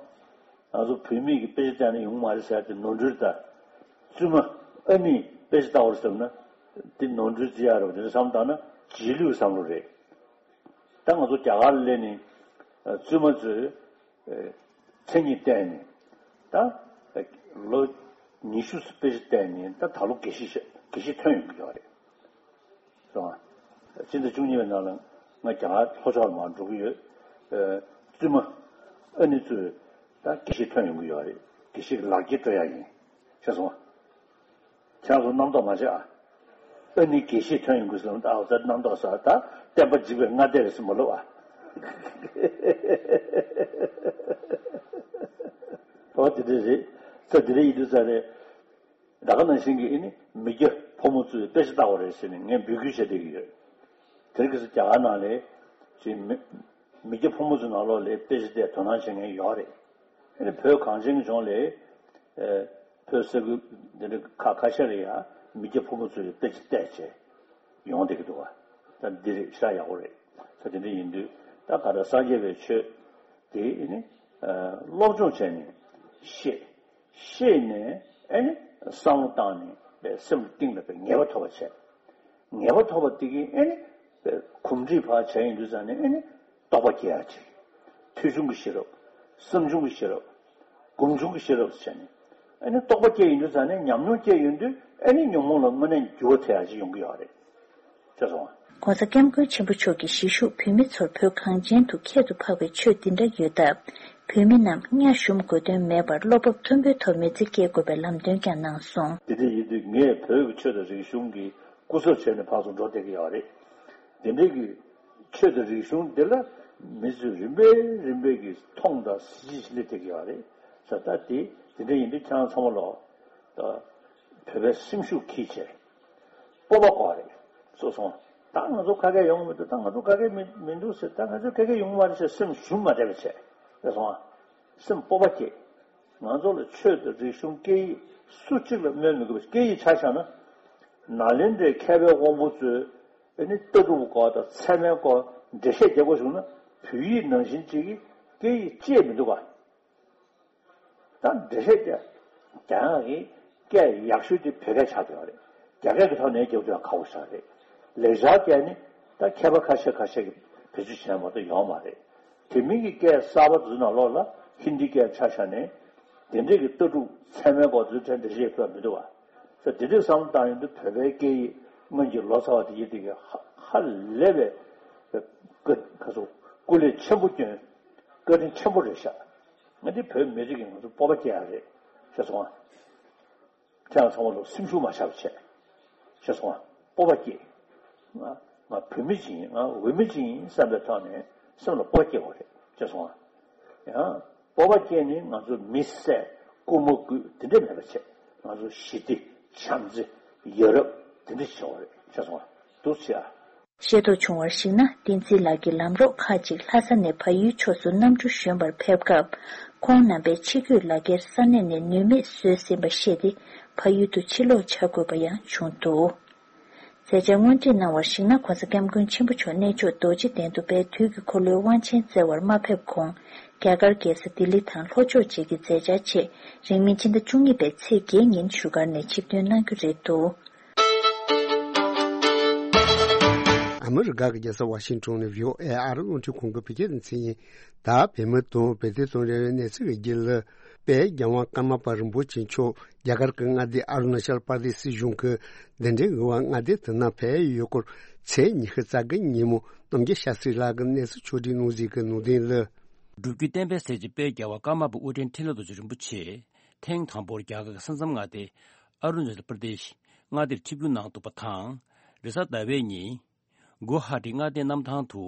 ང་ཚོ་བོད་མི་གི་དཔེ་ཆ་བལྟས་ན་ཡོང་མ་རེད་ཟེར་ཏེ་ནོར་འཁྲུལ་དང་། བཙུན་མ་ཨ་ནི་དཔེ་ཆ་ལྟ་བར་བསམ་ན་འདི་ནོར་འཁྲུལ་བརྩི་ཡག་རེད་པ། དེ་འདྲ་བསམ་བཏང་ན་རྗེས་ལུས་བསམ་བློ་རེད། ད་ང་ཚོ་རྒྱ་གར་ལ་སླེབས་ནས་བཙུན་མ་ཚོས་མཚན་ཉིད་བལྟས་ནས་ད་ལོ་ཉི་ཤུ་དཔེ་ཆ་བལྟས་ནས་ད་ད་ལོ་དགེ་བཤེས་དགེ་བཤེས་ཐོན་ཡོང་གི་ཡོད་རེད། སོང་ང་། སྤྱི་ཟླ་བཅུ་གཉིས་པའི་ནང་ལ་ང་རྒྱ་གར་ལྷོ་ཕྱོགས་ལ་མར་འགྲོ་གི་ཡོད། ཨ། བཙུན་མ་ཨ་ནི་ཚོས་ད་དགེ་བཤེས་ཐོན་ཡོང་གི་ཡོད་རེད། དགེ་བཤེས་ཀྱི་ལག་འཁྱེར་སྤྲོད་ཡག་ཡིན། ཤེས་སོང་ང་། ཁྱེད་རང་ཚོ་རྣམ་རྟོག་མ་བྱེད་ཨ། ཨ་ནི་དགེ་བཤེས་ཐོན་ཡོང་གི་ཟེར་ན་ད་ཨ་ཙི་རྣམ་རྟོག་ཟ། ད་བསྟན་པ་འཇིག་པའི་སྔ་ལྟས་རེད་ཟེར་མ་ལབ་ཨ། ཨོ་དེ་འདྲ་རེད། ས་དེ་འདྲ་ཡིན་དུས་ཙང་རེད། ད་ག་ནང་བཞིན་གྱི་ཨེ་ནི་མི་སྐྱ་ཕོ་མོ་ཚོས་དཔེ་ཆ་ལྟ་བ་རེད་ཟེར་ནས་ངས་འབོད་སྐུལ་བྱེད་བསྡད་ཀྱི་ཡོད། དེ་རིང་ཁ་སང་རྒྱ་གར་ནང་ལ་ཅིག་མི་མི་སྐྱ་ཕོ་མོ་ཚོའི་ནང་ལོགས་ལ་དཔེ་ཆ་བལྟས་དོ་སྣང་བྱེད་མཁན་ཡོད་རེད། ཨེ་ནི་བོད་གངས་ཅན་གྱི་ལྗོངས་ལ་ཨེ་བོད་ས་ཁུལ་འདི་འདྲ་ཁ་ཁ་ཤས་ལ་ཡང་མི་སྐྱ་ཕོ་མོ་ཚོས་དཔེ་ཆ་བལྟས་བྱས་ཡོང་བསྡད་ཀྱི་འདུག་བ། ད་འདི་རེད་ཤ་ཡག་པོ་རེད། ད་དེ་འདྲ་ཡིན་དུས་ད་ག་ད་སངས་རྒྱས་པའི་ཆོས་དེ་ཨེ་ནི་སློབ་སྦྱོང་བྱས་ནས་ཤེས། ཤེས་ནས་ཨེ་ནི་བསམ་བློ་བཏང་ནས་པའི་སེམས་གཏིང་ལ་པའི་ངེས་པ་ཐོབ་པ་བྱས། ངེས་པ་ཐོབ་པ་དེ་གིས་ཨེ་ནི་པའི་གོམས་འདྲིས་ཕར་བྱས་ཡིན་དུས་ཙང་ནས་ཨེ་ནི་རྟོགས་པ་སྐྱེ་ཡག་ཅིག་ཐོས་བྱུང་གི་ཤེས་རབ། བསམ་བྱུང་གི་ཤེས་རབ། སྒོམ་བྱུང་གི་ཤེས་རབ་བྱས་ནས་ཨེ་ནི་རྟོགས་པ་སྐྱེ་ཡིན་དུས་ཙང་ནས་ཉམས་མྱོང་སྐྱེ་ཡོང་དུས་ཨེ་ནི་ཉོན་མོངས་ལ་དངོས་གནས་འགྱུར་བ་ཐེབས་ཡག་ཅིག་ཡོང་གི་ཡོད་རེད། ཤེས་སོང་ང་། ྋགོང་ས་ྋསྐྱབས་མགོན་ཆེན་པོ་མཆོག་གིས་གཞིས་བཞུགས་བོད་མི་ཚོར་བོད་གངས་ཅན་དུ་ཁྱད་དུ་འཕགས་པའི་ཆོས་འདི་འདྲ་ཡོད་སྟབས། བོད་མི་རྣམས་གཉའ་ཞུམ་དགོས་དོན་མེད་པར་བློ་སྤོབས་མཐོན་པོའི་ཐོག་མི་ཚེ་སྐྱེལ་དགོས་པའི་ལམ་སྟོན་ཀྱང་གནང་སོང་། དེ་འདྲ་ཡིན་དུས་ངས་བོད་ཀྱི་ཆོས་དང་རིག་གཞུང་གི་སྐུ་ཚབ་བྱས་ནས་ཕར་ཚུར་འགྲོ་བསྡད་ཀྱི་ཡོད་རེད། དེ་འདྲའི་གི་ཆོས་དང་རིག་གཞུང་འདི་ལ་མི་ཚོས་རིམ་པས་རིམ་པས་ཀྱིས་མཐོང་དང་གཟི་བརྗིད་ཆེ་སླེབས་བསྡད་ཀྱི་ཡོད་རེད། ས་ད་དེ་དེ་འདྲ་ཡིན་དུས་ཁྱེད་རང་ཚང་མ་ལོག་ད་བོད་པའི་སེམས་ཤུགས་འཁྱེར་བྱས། སྤོབས་པ་དགོས་རེད། སོ་སོ། ད་ང་ཚོ་ཁ་སྐད་ཡོང་གི་མི་འདུག་ད་ང་ཚོ་ཁ་སྐད་མི་མི་འདུག་ཟེར། ད་ང་ཚོ་ཁ་སྐད་ཡོང་གི་མ་རེད་ཟེར་སེམས་ཞུམ་མ་བསྡད་པ་བྱས། རེད་སོང་ཨ། སེམས་སྤོབས་པ་སྐྱེ། ང་ཚོ་ལ་ཆོས་དང་རིག་གཞུང་སྐད་ཡིག་སུ་གཅིག་ལ་སྨོན་མི་དགོས་པ། སྐད་ཡིག་ཆ་བཞག་ན། ནཱ་ལེནྡྲའི་མཁས་པའི་དབང་པོ་ཚོས་ ཨ་ནི་ལྟ་གྲུབ་སྐོར་དང་ཚད་མའི་སྐོར་འགྲེལ་བཤད་རྒྱག་དགོས་བྱུང་ན། བོད་ཡིག་ནང་བཞིན་ཅིག་གིས་སྐད་ཡིག་ཅེས་མི་འདུག་ག་ད་འགྲེལ་བཤད་རྒྱག་རྒྱག་ཡག་གི་སྐད་ཡག་ཤོས་དེ་བོད་སྐད་ཆགས་བསྡད་པ་རེད། རྒྱ་སྐད་ཀྱི་ཐོག་ནས་རྒྱག་རྒྱུ་ཡང་ཁག་པོ་ཆགས་རེད། ལེགས་སྦྱར་སྐད་ནི་ད་མཁས་པ་ཁ་ཤས་ཁ་ཤས་ཀྱིས་བེད་སྤྱོད་བྱས་མ་གཏོགས་ཡོད་མ་རེད། དེ་མིན་གྱི་སྐད་གསར་པ་དེ་ཚོ་ནང་ལོགས་ལ་ཧིན་དི་སྐད་ཆ་བཞག་ནས་དེ་འདྲས་ཀྱི་ལྟ་གྲུབ་ཚད་མའི་སྐོར་དེ་ཚོ་འགྲེལ་བཤད་ཕུལ་བ་མི་འདུག་བ། ས་དེ་འདྲས་བསམ་བློ་བཏང་ཡོང་དུས་བོད་པའི་སྐད་ཡིག་སྔོན་གྱི་ལོ་ཙཱ་བ་དེ་ཡིན་དེ་གའི་ཧ་ཧ་ལས་པའི་ཀ་ཁ་སོ་སྐུ་ལས་ཆེན་པོ་བསྐྱོན། བཀའ་དྲིན་ཆེན་པོ་རེད་ཤག་ང་འདི་བོད་མི་རིགས་ཀྱི་ང་ཚོ་སྤོབས་པ་སྐྱེ་ཡ་རེད། ཤེས་སོང་ང་། ཁྱེད་རང་ཚང་མ་ལོ་སེམས་ཤུགས་མ་ཆག་པ་བྱས། ཤེས་སོང་ང་། སྤོབས་པ་སྐྱེ། ང་ང་བོད་མི་ཅིག་ཡིན། ང་འོས་མི་ཅིག་ཡིན་བསམ་པའི་ཐོག་ནས་སེམས་ལ་སྤོབས་པ་སྐྱེ་དགོས་རེད། ཤེས་སོང་ང་། ཡང་སྤོབས་པ་སྐྱེ་ནས་ང་ཚོ་མི་བསད་རྐུ་མ་རྐུ་དེ་འདྲས་མེད་པ་བྱས། ང་ཚོ་ཞི་བདེ་བྱམས་བརྩེ་ཡ་རབས་དེ་འདྲས་བྱེད་དགོས་རེད། ཤེས་སོང་ང་། འདུག་བྱས་ཨ། ཤེས་རྟོགས་བྱུང་བར་གཞིགས་ན། བསྟན་འཛིན་ལགས་ཀྱི་ལམ་གྲོགས་ཁག་ཅིག་ལྷ་ས་ནས་བལ་ཡུལ་ཕྱོགས་སུ་གནམ་གྲུ་བཞོན་པར་ཕེབས་སྐབས། ཁོང་རྣམ་པས་ཕྱི་སྐྱོད་ལག་འཁྱེར་ས་གནས་ནས་ནུས་མེད་བཟོས་ཟིན་པ་ཤེས་ཏེ། བལ་ཡུལ་དུ་ཕྱིར་ལོག་བྱ་དགོས་པ་ཡང་བྱུང་འདུག་མཛད་འཆར་སྔོན་ཁྲིད་གནང་བར་གཞིགས་ན། ྋགོང་ས་ྋསྐྱབས་མགོན་ཆེན་པོ་མཆོག་གནས་མཆོག་རྡོ་རྗེ་གདན་དུ་དཔལ་དུས་ཀྱི་འཁོར་ལོའི་དབང་ཆེན་བསྩལ་བར་མ་ཕེབས་གོང་། རྒྱ་གར་རྒྱལ་ས་ལྡི་ལི་དང་ལྷོ་ཕྱོགས་བཅས་ཀྱི་མཛད་འཆར་ཆེད། རིང་མིན་ཕྱི་ཟླ་བཅུ་གཉིས་པའི་ཚེས་བརྒྱད་ཉིན་བཞུགས་སྒར་ནས་ཆིབས་ཐོན་གནང་རྒྱུ་རེད་འདུག་ཨ་མི་རི་ཀ་གི་རྒྱལ་ས་ཝ་ཤིང་ཊོན་ནས་བྷི་ཨོ་ཨེ་ཨ་རི་རླུང་འཕྲིན་ཁང་གི་བོད་སྐད་སྡེ་ཚན་ཡིན། ད་བོད་མི་དང་བོད་དོན་དང་འབྲེལ་བའི་གནས་ཚུལ་གྱི་རྒྱུད་ལ། དཔལ་རྒྱལ་དབང་ཀརྨ་པ་རིན་པོ་ཆེ་མཆོག་རྒྱ་གར་གྱི་མངའ་སྡེ་ཨ་རུ་ན་ཅལ་པར་དེ་སི་གཞུང་གི་གདན་འདྲེན་འོག་མངའ་སྡེ་དེ་ནང་ཕེབས་ཡོད་སྐོར། ཚེས་ཉི་ཤུ་རྩ་དགུ་ཉིན་མོ་རྣམ་རྒྱལ་ཤཱ་སྟྲི་ལགས་ཀྱིས་གནས་ཚུལ་ཕྱོགས་སྒྲིག་གནང་ཟིན་གྱི་ནང་དོན་ལ། སྒྲུབ་བརྒྱུད་བསྟན་པའི་གསལ་བྱེད་དཔལ་རྒྱལ་བ་ཀརྨ་པ་དབུ་ལྡན་འཕྲིན་ལས་རྡོ་རྗེ་རིན་པོ་ཆེ་ཐེངས་དང་པོར་རྒྱ་གར་གྱི་ས་མཚམས་མངའ་སྡེ་ཨ་རུ་ན་ཅལ་པར་དེ་ཤི་མངའ་སྡེར་ཆིབས་བསྒྱུར་གནང་འདུག་པ་དང་། རེས་གཟའ་ཟླ་བའི་ཉིན་གུ་ཧ་ཊི་མངའ་སྡེའི་གནམ་ཐང་དུ་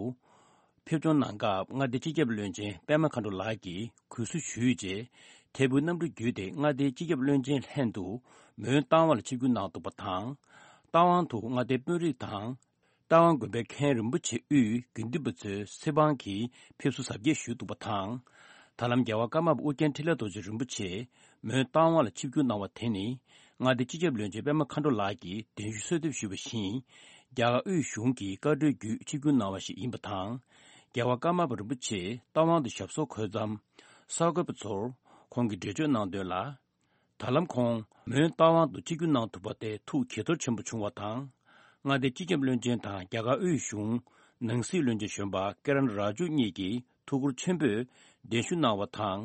ཕེབས་སྐྱོང་གནང་སྐབས། མངའ་སྡེའི་སྤྱི་ཁྱབ་བློན་ཆེན་པད་མ་མཁའ་འགྲོ་ལགས་ཀྱིས་གུས་བསུ་ཞུས་རྗེས། ཐད་འཕུར་གནམ་གྲུ་བརྒྱུད་དེ་མངའ་སྡེའི་སྤྱི་ཁྱབ་བློན་ཆེན་ལྷན་དུ་མོན་རྟ་དབང་ལ་ཆིབས་བསྒྱུར་གནང་འདུག་པ་དང་། རྟ་དབང་དུ་མངའ་སྡེའི་དཔོན་རིགས་དང་། རྟ་དབང་དགོན་པའི་མཁན་རིན་པོ་ཆེ་དབུས་དགེ་འདུན་པ་ཚོའི་ཚེ་དབང་གིས་ཕེབས་བསུ་གཟབ་རྒྱས་ཞུས་འདུག་པ་དང་། ད་ལམ་རྒྱལ་བ་ཀརྨ་པ་ཨུ་རྒྱན་འཕྲིན་ལས་རྡོ་རྗེ་རིན་པོ་ཆེ་མོན་རྟ་དབང་ལ་ཆིབས་བསྒྱུར་གནང་བ་དེ་ནི། མངའ་སྡེའི་སྤྱི་ཁྱབ་བློན་ཆེན་པད་མ་མཁའ་འགྲོ་ལགས་ཀྱིས་གདན་ཞུ་གསོལ་འདེབས་ཞུས་པ་བཞིན། རྒྱ་གར་དབུས་གཞུང་གི་བཀའ་འཁྲོལ་བརྒྱུད་ཆིབས་བསྒྱུར་གནང་བ་ཞིག་ཡིན་པ་དང་། རྒྱལ་བ་ཀརྨ་པ་རིན་པོ་ཆེ་རྟ་དབང་དུ་ཞབས་སོར་འཁོད་མཚམས། གསར་འགོད་པ་ཚོར་ཁོང་གིས་འགྲེལ་བརྗོད་གནང་དོན་ལ། ད་ལམ་ཁོང་མོན་རྟ་དབང་དུ་ཆིབས་བསྒྱུར་གནང་ཐུབ་པ་དེ་ཐུགས་དགྱེས་ཚོར་ཆེན་པོ་བྱུང་བ་དང་། མངའ་སྡེའི་སྤྱི་ཁྱབ་བློན་ཆེན་དང་རྒྱ་གར་དབུས་གཞུང་ནང་སྲིད་བློན་ཆེན་གཞོན་པ་ཀི་རན་ར་ཇུ་གཉིས་ཀྱིས་ཐུགས་ཁུར་ཆེན་པོས་གདན་ཞུ་གནང་བ་དང་།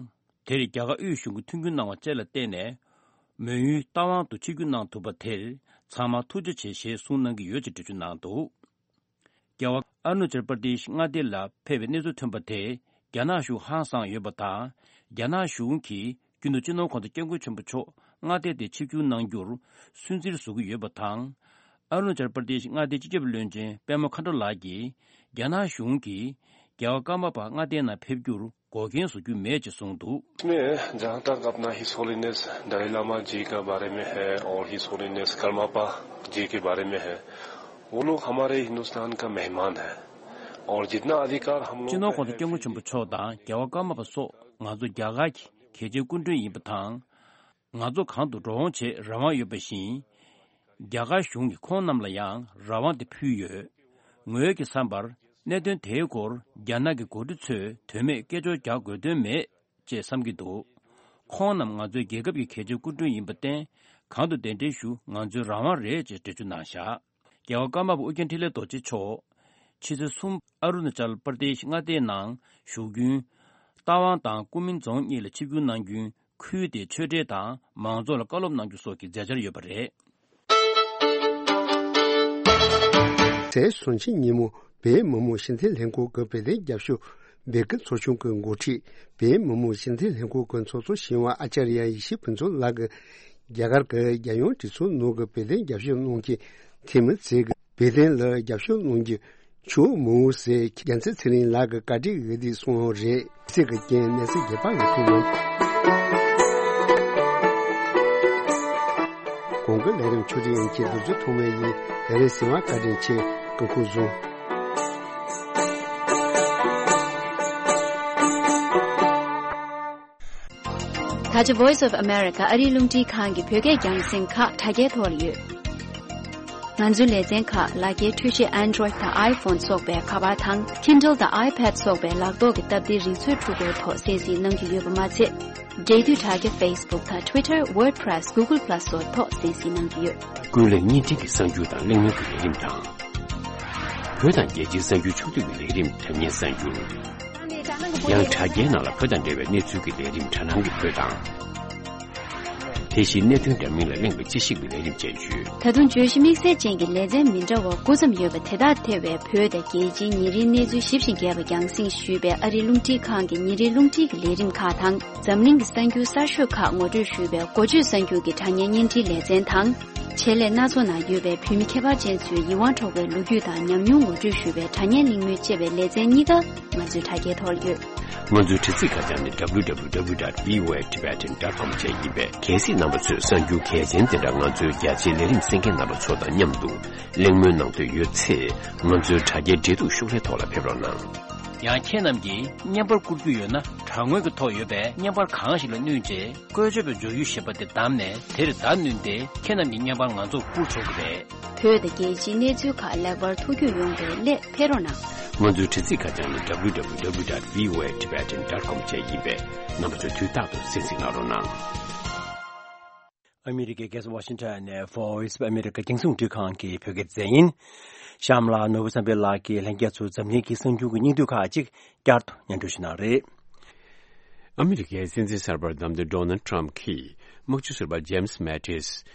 དེར་རྒྱ་གར་དབུས་གཞུང་གིས་མཐུན་འགྱུར་གནང་བ་བཅས་ལ་བརྟེན་ནས། མོན་ཡུལ་རྟ་དབང་དུ་ཆིབས་བསྒྱུར་གནང་ཐུབ་པ་དེར་ཚང་མ་ཐུགས་རྗེ་ཆེ་ཞེས་གསུངས་གནང་གི་ཡོད་ཅེས་འགྲེལ་བརྗོད་གནང་འདུག་རྒྱལ་བ་ཨ་རུ་ན་ཅལ་པར་དེ་ཤི་མངའ་སྡེ་ལ་ཕེབས་པའི་གནས་ཚུལ་ཐོན་པ་དེས་རྒྱ་ནག་གཞུང་ཧང་སངས་ཡོད་པ་དང་། རྒྱ་ནག་གཞུང་གིས་རྒྱུན་དུ་སྤྱི་ནོར་ྋགོང་ས་ྋསྐྱབས་མགོན་ཆེན་པོ་མཆོག་མངའ་སྡེ་དེར་ཆིབས་བསྒྱུར་གནང་རྒྱུར་སུན་གཙེར་བཟོ་གི་ཡོད་པ་དང་། ཨ་རུ་ན་ཅལ་པར་དེ་ཤི་མངའ་སྡེའི་སྤྱི་ཁྱབ་བློན་ཆེན་པད་མ་མཁའ་འགྲོ་ལགས་ཀྱིས་རྒྱ་ནག་གཞུང་གིས་རྒྱལ་བ་ཀརྨ་པ་མངའ་སྡེའི་ནང་ཕེབས་རྒྱུར་འགོག་རྐྱེན་བཟོ་རྒྱུ་མེད་ཅེས་གསུངས་འདུག། इसमें जहाँ तक अपना his holiness Dalai लामा जी का बारे में है और his holiness Karmapa जी के बारे में है, वो लोग हमारे हिंदुस्तान का मेहमान है और जितना अधिकार हम लोग སྤྱི་ནོར་ྋགོང་ས་ྋསྐྱབས་མགོན་ཆེན་པོ་མཆོག་དང་རྒྱལ་བ་ཀརྨ་པ་སོགས་ང་ཚོ་རྒྱ་གར་གྱི་གལ་ཆེའི་སྐུ་མགྲོན་ཡིན་པ་དང་། ང་ཚོ་གང་དུ་འགྲོ་འོང་བྱེད་རང་དབང་ཡོད་པ་བཞིན། རྒྱ་གར་གཞུང་གིས་ཁོང་རྣམས་ལ་ཡང་རང་དབང་དེ་ཕུལ་ཡོད། ངོས་ཀྱི་བསམ་པར་གནད་དོན་དེའི་སྐོར་རྒྱ་ནག་གི་འགོ་ཁྲིད་ཚོས་དོན་མེད་སྐད་ཅོར་རྒྱག་དགོས་དོན་མེད་ཅེས་བསམ་གྱི་འདུག། ཁོང་རྣམས་ང་ཚོའི་རྒྱལ་ཁབ་ཀྱི་གལ་ཆེའི་སྐུ་མགྲོན་ཡིན་པར་བརྟེན། གང་དུ་གདན་འདྲེན་ཞུ་ང་ཚོའི་རང་དབང་རེད་ཅེས་འགྲེལ་བརྗོད་གནང་བཞག། རྒྱལ་བ་ཀརྨ་པ་ཨོ་རྒྱན་འཕྲིན་ལས་རྡོ་རྗེ་མཆོག་ཕྱི་ཚེས་གསུམ་ཨ་རུ་ན་ཅལ་པར་དེ་ཤི་མངའ་སྡེའི་ནང་བཞུགས་རྒྱུན། རྟ་དབང་དང་ཀུན་མིང་རྫོང་གཉིས་ལ་ཆིབས་བསྒྱུར་གནང་རྒྱུན། ཁུལ་དེའི་ཆོས་འབྲེལ་དང་མང་ཚོགས་ལ་བཀའ་སློབ་གནང་རྒྱུ་སོགས་ཀྱི་མཛད་འཆར་ཡོད་པ་རེད། ཚེས་སུམ་ཅུ་ཉིན་མོ་བོད་མི་མང་སྤྱི་འཐུས་ལྷན་ཁང་གི་བོད་དོན་རྒྱབ་སྐྱོར་སྦེལ་ཀོབ་ཚོགས་ཆུང་གི་འགོ་ཁྲིད། བོད་མི་མང་སྤྱི་འཐུས་ལྷན་ཁང་གི་ཚོགས་གཙོ་ཞི་བ་ཨ་ཙརྱ་ཡེ་ཤེས་ཕུན་ཚོགས་ལགས་ཀྱིས་རྒྱ་གར་གྱི་རྒྱལ་ཡོངས་གྲོས་ཚོགས་ནང་གི་བོད་དོན་རྒྱབ་སྐྱོར་གནང་མཁན་འཐུས་མི་ཚོས་བོད་དོན་ལ་རྒྱབ་སྐྱོར་གནང་རྒྱུ་ཆོག་མོད་ཟེར། རྒྱལ་མཚན་ཚེ་རིང་ལགས་ཀྱིས་བཀའ་འདྲི་འོས་བསྡུ་གསུངས་ཡོད་རེད། ཚིག་གི་རྐྱེན་གནས་ཚུལ་རྒྱས་པ་ཡོད་ཐུབ་མིན། གོང་གི་ལས་རིམ་ཆུ་རིན་གྱི་བསྡུ་རྩོད་ཐོག་མའི་ཡིན། ལས་རིམ་གསན་པར་བཀའ་དྲིན་ཆེ། སྐུ་ཁམས་བཟང་། ད་ཆ་Voice of America ཨ་རིའི་རླུང་འཕྲིན་ཁང་གི་བོད་སྐད་རྒྱང་སྲིང་ཁག་དྲ་རྒྱའི་ཐོག་ལ་ཡོད། ང་ཚོའི་ལེ་ཚན་ཁག་ལག་འཁྱེར་འཕྲུལ་ཆས་Android་དང་iPhone་སོགས་པའི་ཁ་པར་དང་Kindle་དང་iPad་སོགས་པའི་ལག་ཐོག་གི་སྟབས་བདེའི་རིག་མཛོད་འཕྲུལ་འཁོར་ཐོག་གསན་གཟིགས་གནང་རྒྱུ་ཡོད་པ་མ་ཚད། འབྲེལ་མཐུད་དྲ་རྒྱ་Facebook་དང་Twitter WordPress Google Plus སོགས་ཐོག་གསན་གཟིགས་གནང་རྒྱུ་ཡོད། ཀུན་གླེང་བརྙན་འཕྲིན་གྱི་གསར་འགྱུར་དང་གླེང་མོལ་གྱི་ལས་རིམ་དང་། བོད་དང་རྒྱལ་སྤྱིའི་གསར་འགྱུར་ཕྱོགས་བསྡུས་ཀྱི་ལས་རིམ་དྲ་བརྙན་གསར་འགྱུར། ཡང་དྲ་རྒྱའི་ནང་ལ་བོད་དང་འབྲེལ་བའི་གནས་ཚུལ་གྱི་ལས་རིམ་དྲ་སྣང་གི་བོད་དང་། དེ་བཞིན་གནད་དོན་འདྲ་མིན་ལ་གླེང་བའི་དཔྱད་ཞིབ་ཀྱི་ལས་རིམ་བཅས་ཡོད། ད་དུང་བརྗོད་གཞི་དམིགས་བསལ་ཅན་གྱི་ལེ་ཚན་མི་འདྲ་བ་དགུ་ཙམ་ཡོད་པ་དེ་དག་ཐེ་བའི་བོད་དང་རྒྱལ་སྤྱིའི་ཉིན་རེའི་གནས་ཚུལ་ཞིབ་ཅིང་རྒྱས་པ་རྒྱང་སྲིང་ཞུས་པའི་ཨ་རིའི་རླུང་འཕྲིན་ཁང་གི་ཉིན་རེའི་རླུང་འཕྲིན་གྱི་ལས་རིམ་ཁག་དང་། འཛམ་གླིང་གི་གསར་འགྱུར་གསར་ཤོས་ཁག་ངོ་སྤྲོད་ཞུས་པའི་འགོ་བརྗོད་གསར་འགྱུར་གྱི་དྲ་བརྙན་བརྙན་འཕྲིན་ལེ་ཚན་དང་། ཆེད་ལས་སྣ་ཚོགས་ནང་ཡོད་པའི་བོད་མི་ཁྱད་པར་ཅན་ཚོའི་ཡིད་དབང་འཕྲོག་པའི་ལོ་རྒྱུས་དང་ཉམས་མྱོང་ངོ་སྤྲོད་ཞུས་པའི་དྲ་བརྙན་གླེང་མོལ་བཅས་པའི་ལེ་ཚན་གཉིས་ཀ་ང་ཚོའི་དྲ་རྒྱའི་ཐོག་ཡོད། ང་ཚོའི་དྲ་ཚིགས་ཁ་བྱང་ནི་W W W dot V O A Tibetan dot com བཅས་ཡིན་པས། གལ་སྲིད་རྣམ་པ་ཚོས་གསར་འགྱུར་གལ་ཆེན་དེ་འདྲ་ང་ཚོའི་རྒྱ་ཆེའི་ལས་རིམ་གསན་མཁན་རྣམ་པ་ཚོ་དང་མཉམ་དུ་གླེང་མོལ་གནང་འདོད་ཡོད་ཚེ། ང་ཚོའི་དྲ་རྒྱའི་འབྲེལ་གཏུག་ཤོག་ལྷེ་ཐོག་ལ་ཕེབས་རོགས་གནང་། ཡང་ཁྱེད་རྣམས་ཀྱིས་བརྙན་པར་བསྐུར་རྒྱུ་ཡོད་ན། དྲ་ངོས་ཀྱི་ཐོག་ཡོད་པའི་བརྙན་པར་གང་ཞིག་ལ་བསྣུན་རྗེས། བཀོལ་སྤྱོད་པའི་སྦྱོར་ཡུལ་ཞེས་པ་དེ་བདམས་ནས། དེར་བརྡ་བསྣུན་ཏེ། ཁྱེད་རྣམས་ཀྱི་བརྙན་པར་ང་ཚོར་བསྐུར་ཆོག་གི་རེད། བོད་དང་རྒྱལ་སྤྱིའི་གནས་ཚུལ་ཁག་ལེགས་པར་ཐུགས་རྒྱུས་ཡོང་བའི་སླད་ཕེབས་རོགས་གནང་། ང་ཚོའི་དྲ་ཚིགས་ཁ་བྱང་ནི་W W W dot V O A Tibetan dot com བཅས་ཡིན་པས། རྣམ་པ་ཚོས་དུས་རྟག་ཏུ་གསན་གཟིགས་གནང་རོགས་གནང་། ཨ་མི་རི་ཀའི་རྒྱལ་ས་ཝ་ཤིང་ཊོན་ནས་Voice of America རྒྱང་སྲིང་རླུང་འཕྲིན་ཁང་གི་བོད་སྐད་སྡེ་ཚན་ཡིན། གཤམ་ལ་ནོར་བུ་བསམ་འཕེལ་ལགས་ཀྱིས་ལྷན་རྒྱས་ཚོར་འཛམ་གླིང་གི་གསར་འགྱུར་གྱི་སྙིང་བསྡུས་ཁག་ཅིག་བསྐྱར་དུ་སྙན་སྒྲོན་ཞུ་གནང་རེད། ཨ་མི་རི་ཀའི་སྲིད་འཛིན་གསར་པར་བདམས་ཏེ་ཌོ་ནལ་ཊམ་གྱིས་དམག་སྤྱི་ཟུར་པ་ཇེམ་སི་མེ་ཏིས་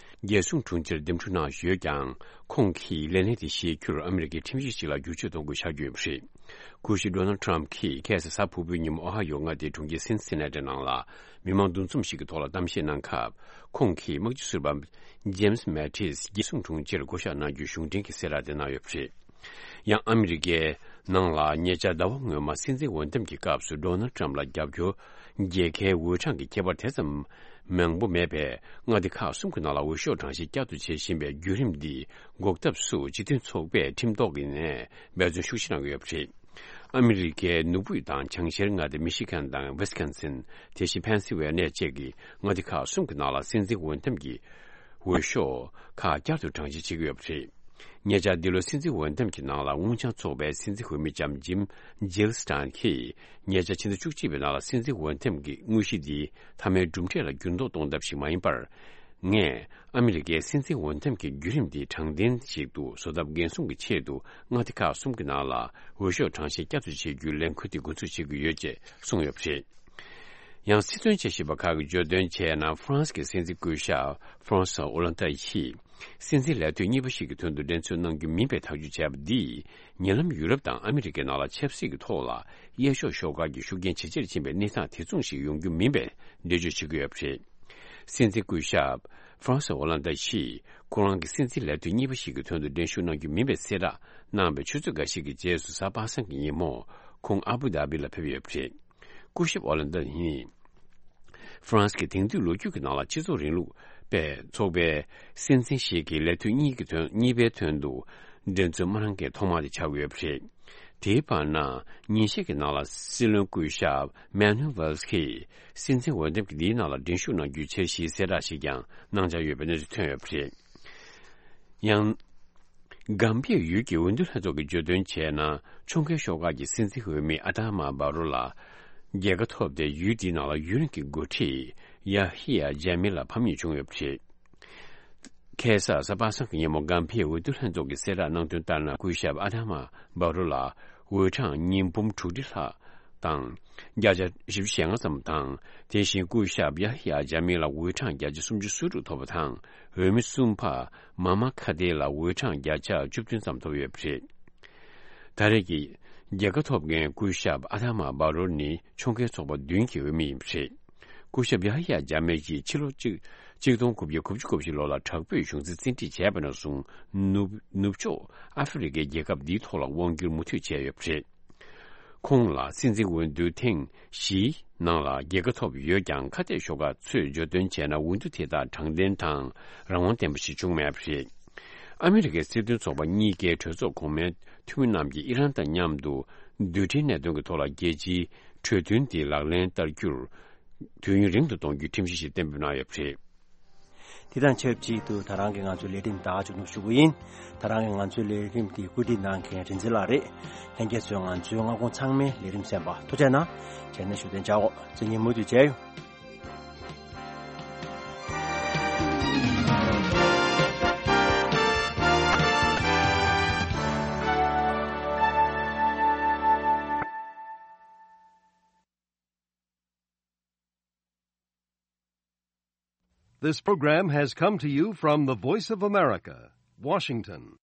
རྒྱལ་སྲུང་དྲུང་ཆེར་འདེམས་སྒྲུག་གནང་ཡོད་ཀྱང་། ཁོང་གིས་ལས་གནས་དེ་བཞེས་རྒྱུར་ཨ་མི་རི་ཀའི་ཁྲིམས་གཞི་ཞིག་ལ་བསྒྱུར་བཅོས་གཏོང་དགོས་ཆགས་ཀྱི་ཡོད་པ་རེད། སྐུ་ཞབས་ཌོ་ནལ་ཊམ་གྱིས་ཁ་སང་གཟའ་ཕུར་བུའི་ཉིན་མོ་ཨོ་ཧ་ཡོ་མངའ་སྡེའི་གྲོང་ཁྱེར་སིན་སི་ན་ཊི་ནང་ལ་མི་མང་འདུ་འཛོམས་ཤིག་གི་ཐོག་ལ་གཏམ་བཤད་གནང་སྐབས། ཁོང་གིས་དམག་སྤྱི་ཟུར་པ་ཇེམ་སི་མེ་ཏིས་རྒྱལ་སྲུང་དྲུང་ཆེར་བསྐོ་གཞག་གནང་རྒྱུའི་གཞུང་འབྲེལ་གྱི་གསལ་བསྒྲགས་དེ་གནང་ཡོད་པ་རེད། ཡང་ཨ་མི་རི་ཀའི་ནང་ལ་ཉེ་ཆར་ཟླ་བ་སྔོན་མ་སྲིད་འཛིན་འོས་འདེམས་ཀྱི་སྐབས་སུ་ཌོ་ནལ་ཊམ་ལ་རྒྱབ་སྐྱོར་རྒྱལ་ཁའི་འོས་གྲངས་ཀྱི་ཁྱད་པར་དེ་ཙམ་མང་པོ་མེད་པས། མངའ་སྡེ་ཁག་གསུམ་གྱི་ནང་ལ་འོས་ཤོག་གྲངས་བཤེར་བསྐྱར་དུ་བྱེད་བཞིན་པའི་བརྒྱུད་རིམ་འདི་འགོག་ཐབས་སུ་སྤྱི་མཐུན་ཚོགས་པས་ཁྲིམས་ཐོག་གི་ནས་འབད་བརྩོན་ཤུགས་ཆེ་གནང་གི་ཡོད་པ་རེད། ཨ་མི་རི་ཀའི་ནུབ་དབུས་དང་བྱང་ཤར་མངའ་སྡེ་མི་ཤི་གན་དང་ཝི་སི་ཀོན་སིན། དེ་བཞིན་ཕེན་སི་ཝེ་ནེ་བཅས་ཀྱི་མངའ་སྡེ་ཁག་གསུམ་གྱི་ནང་ལ་སྲིད་འཛིན་འོས་འདེམས་ཀྱི་འོས་ཤོག་ཁག་བསྐྱར་དུ་གྲངས་བཤེར་བྱེད་ཀྱི་ཡོད་པ་རེད། ཉེ་ཆར་འདི་ལོའི་སྲིད་འཛིན་འོས་འདེམས་ཀྱི་ནང་ལ་སྔོན་བྱང་ཚོགས་པའི་སྲིད་འཛིན་འོས་མི་ལྕམ་ཇིམ་ཇིལ་སི་ཊན་གྱིས། ཉེ་ཆར་ཕྱི་ཟླ་བཅུ་གཅིག་པའི་ནང་ལ་སྲིད་འཛིན་འོས་འདེམས་ཀྱི་དངོས་གཞི་འདི་མཐའ་མའི་གྲུབ་འབྲས་ལ་འགྱུར་ལྡོག་གཏོང་ཐབས་ཤིག་མ་ཡིན་པར། ངས་ཨ་མི་རི་ཀའི་སྲིད་འཛིན་འོས་འདེམས་ཀྱི་བརྒྱུད་རིམ་འདི་དྲང་བདེན་ཞིག་ཏུ་བཟོ་ཐབས་འགན་སྲུང་གི་ཆེད་དུ། མངའ་སྡེ་ཁག་གསུམ་གྱི་ནང་ལ་འོས་ཤོག་གྲངས་བཤེར་བསྐྱར་དུ་བྱེད་རྒྱུའི་ལས་འགུལ་དེ་འགོ་འཛུགས་བྱེད་ཀྱི་ཡོད་ཅེས་གསུངས་ཡོད་པ་རེད། ཡང་སྲིད་དོན་དཔྱད་ཞིབ་པ་ཁག་གིས་བརྗོད་དོན་བྱས་ན། ཧྥ་རན་སི་གི་སྲིད་འཛིན་སྐུ་ཞབས་ཧྥ་རན་སུ་ཨོ་ལན་ཏ་ཡིས། སྲིད་འཛིན་ལས་དུས་གཉིས་པ་ཞིག་གི་དོན་དུ་འགྲན་རྩོད་གནང་རྒྱུ་མིན་པའི་ཐག་གཅོད་བྱས་པ་འདིས། ཉེ་ལམ་ཡུ་རོབ་དང་ཨ་མི་རི་ཀའི་ནང་ལ་ཆབ་སྲིད་ཀྱི་ཐོག་ལ་གཡས་ཕྱོགས་ཤོག་ཁག་གི་ཤུགས་རྐྱེན་ཇེ་ཆེར་ཕྱིན་པའི་གནས་སྟངས་དེ་མཚུངས་ཤིག་ཡོང་རྒྱུ་མིན་པའི་འགྲེལ་བརྗོད་བྱེད་ཀྱི་ཡོད་པ་རེད། སྲིད་འཛིན་སྐུ་ཞབས་ཧྥ་རན་སུ་ཨོ་ལན་ཏ་ཡིས། ཁོ་རང་གིས་སྲིད་འཛིན་ལས་དུས་གཉིས་པ་ཞིག་གི་དོན་དུ་འགྲན་ཞུགས་གནང་རྒྱུ་མིན་པའི་གསལ་བསྒྲགས་གནང་བའི་ཆུ་ཚོད་འགའ་ཞིག་གི་རྗེས་སུ། གཟའ་པ་སངས་ཀྱི་ཉིན་མོ། ཁོང་ཨ་བུ་དྷ་བི་ལ་ཕེབས་ཡོད་པ་རེད། སྐུ་ཞབས་ཨོ་ལན་ཏ་ནི། ཧྥ་རན་སི་གི་དེང་དུས་ལོ་རྒྱུས་ཀྱི་ནང་ལ་སྤྱི་ཚོགས་རིང་ལུགས་པའི་ཚོགས་པའི་སྲིད་འཛིན་ཞིག་གིས་ལས་དུས་གཉིས་ཀྱི་དོན། གཉིས་པའི་དོན་དུ་འགྲན་རྩོད་མ་གནང་མཁན་ཐོག་མ་དེ་ཆགས་ཡོད་པ་རེད། དེའི་བར་ན། ཉིན་ཤས་ཀྱི་ནང་ལ་སྲིད་བློན་སྐུ་ཞབས་མེ་ནུ་ཝེལ་སི་གིས་སྲིད་འཛིན་འོས་འདེམས་ཀྱི་འདིའི་ནང་ལ་འགྲན་ཞུགས་གནང་རྒྱུའི་འཆར་གཞིའི་གསལ་བསྒྲགས་ཤིག་ཀྱང་གནང་འཆར་ཡོད་པའི་གནས་ཚུལ་ཐོན་ཡོད་པ་རེད། ཡང་། གམ་པའི་ཡུལ་གྱི་འོས་བསྡུ་ལྷན་ཚོགས་ཀྱིས་བརྗོད་དོན་བྱས་ན། ཁྲོམ་སྐོར་ཤོག་ཁག་གི་སྲིད་འཛིན་འོས་མི་ཨ་དྷ་མ་བྷ་རོ་ལ་རྒྱལ་ཁ་ཐོབ་སྟེ། ཡུལ་དེའི་ནང་ལ་ཡུན་རིང་གི་འགོ་ཁྲིད་ཡ་ཧི་ཡ་ཇཱ་མི་ལ་ཕམ་ཉེས་བྱུང་ཡོད་པ་རེད། ཁ་སང་གཟའ་པ་སངས་ཀྱི་ཉིན་མོ་གམ་པའི་འོས་བསྡུ་ལྷན་ཚོགས་ཀྱིས་གསལ་བསྒྲགས་གནང་དོན་ལྟར་ན། སྐུ་ཞབས་ཨ་དྷ་མ་བྷ་རོ་ལ་འོས་གྲངས་ཉིས་འབུམ་དྲུག་ཁྲི་ལྷག་དང་བརྒྱ་ཆ་བཞི་བཅུ་ཞེ་ལྔ་ཙམ་དང་། དེ་བཞིན་སྐུ་ཞབས་ཡ་ཧི་ཡ་ཇཱ་མི་ལ་འོས་གྲངས་བརྒྱ་ཆ་སུམ་ཅུ་སོ་དྲུག་ཐོབ་པ་དང་། འོས་མི་གསུམ་པ་མ་མ་ཁ་ཏེ་ལ་འོས་གྲངས་བརྒྱ་ཆ་བཅུ་བདུན་ཙམ་ཐོབ་ཡོད་པ་རེད། ད་རེས་ཀྱི་རྒྱལ་ཁ་ཐོབ་མཁན་སྐུ་ཞབས་ཨ་དྷ་མ་བྷ་རོ་ནི་ཁྲོམ་སྐོར་ཚོགས་པ་བདུན་གྱི་འོས་མི་ཡིན་པ་རེད། སྐུ་ཞབས་ཡ་ཧི་ཡ་ཇཱ་མི་ཡིས་ཕྱི་ལོ་གཅིག་གཅིག་སྟོང་དགུ་བརྒྱ་དགུ་བཅུ་གོ་བཞི་ལོ་ལ་དྲག་པོའི་གཞུང་འཛིན་བཙན་ཁྲིད་བྱས་པ་ནས་བཟུང་། ནུབ་ནུབ་ཕྱོགས་ཨ་ཧྥེ་རི་ཁའི་རྒྱལ་ཁབ་འདིའི་ཐོག་ལ་དབང་བསྒྱུར་མུ་མཐུད་བྱས་ཡོད་པ་རེད། ཁོང་ལ་སྲིད་འཛིན་འོས་བསྡུ་ཐེངས་བཞིའི་ནང་ལ་རྒྱལ་ཁ་ཐོབ་ཡོད་ཀྱང་། ཁ་གཏད་ཤོག་ཁག་ཚོས་བརྗོད་དོན་བྱས་ན། འོས་བསྡུ་དེ་དག་དྲང་བདེན་དང་རང་དབང་ལྡན་པ་ཞིག་བྱུང་མེད་པ་རེད། ཨ་མི་རི་ཀའི་སྲིད་དོན་ཚོགས་པ་གཉིས་ཀའི་གྲོས་ཚོགས་གོང་མའི་འཐུས་མི་རྣམས་ཀྱིས་ཨི་རན་དང་མཉམ་དུ་རྡུལ་ཕྲན་གནད་དོན་གྱི་ཐོག་ལ་རྒྱལ་སྤྱིའི་གྲོས་མཐུན་དེ་ལག་ལེན་བསྟར་རྒྱུར་དུས་ཡུན་རིང་དུ་གཏོང་རྒྱུའི་ཁྲིམས་གཞི་ཞིག་གཏན་འབེབས་གནང་ཡོད་པ་རེད། དེ་དང་ཆབས་ཅིག་ཏུ་ད་རང་གི་ང་ཚོའི་ལས་རིམ་ད་མཇུག་བསྡོམས་ཞུ་གི་ཡིན། ད་རང་གི་ང་ཚོའི་ལས་རིམ་འདི་བཀོད་སྒྲིག་གནང་མཁན་རིན་འཛིན་ལགས་རེད། ལྷན་རྒྱས་ཚོས་ང་ཚོའི་སྔ་དགོང་ཚང་མའི་ལས་རིམ་གསན་པ་ཐུགས་རྗེ་གནང་། བྱས་ན་ཞུ་དོན་བྱའོ། མཚན་ཉིན་མུ་མཐུད་མཇལ་ཡོང་། This program has come to you from the Voice of America, Washington.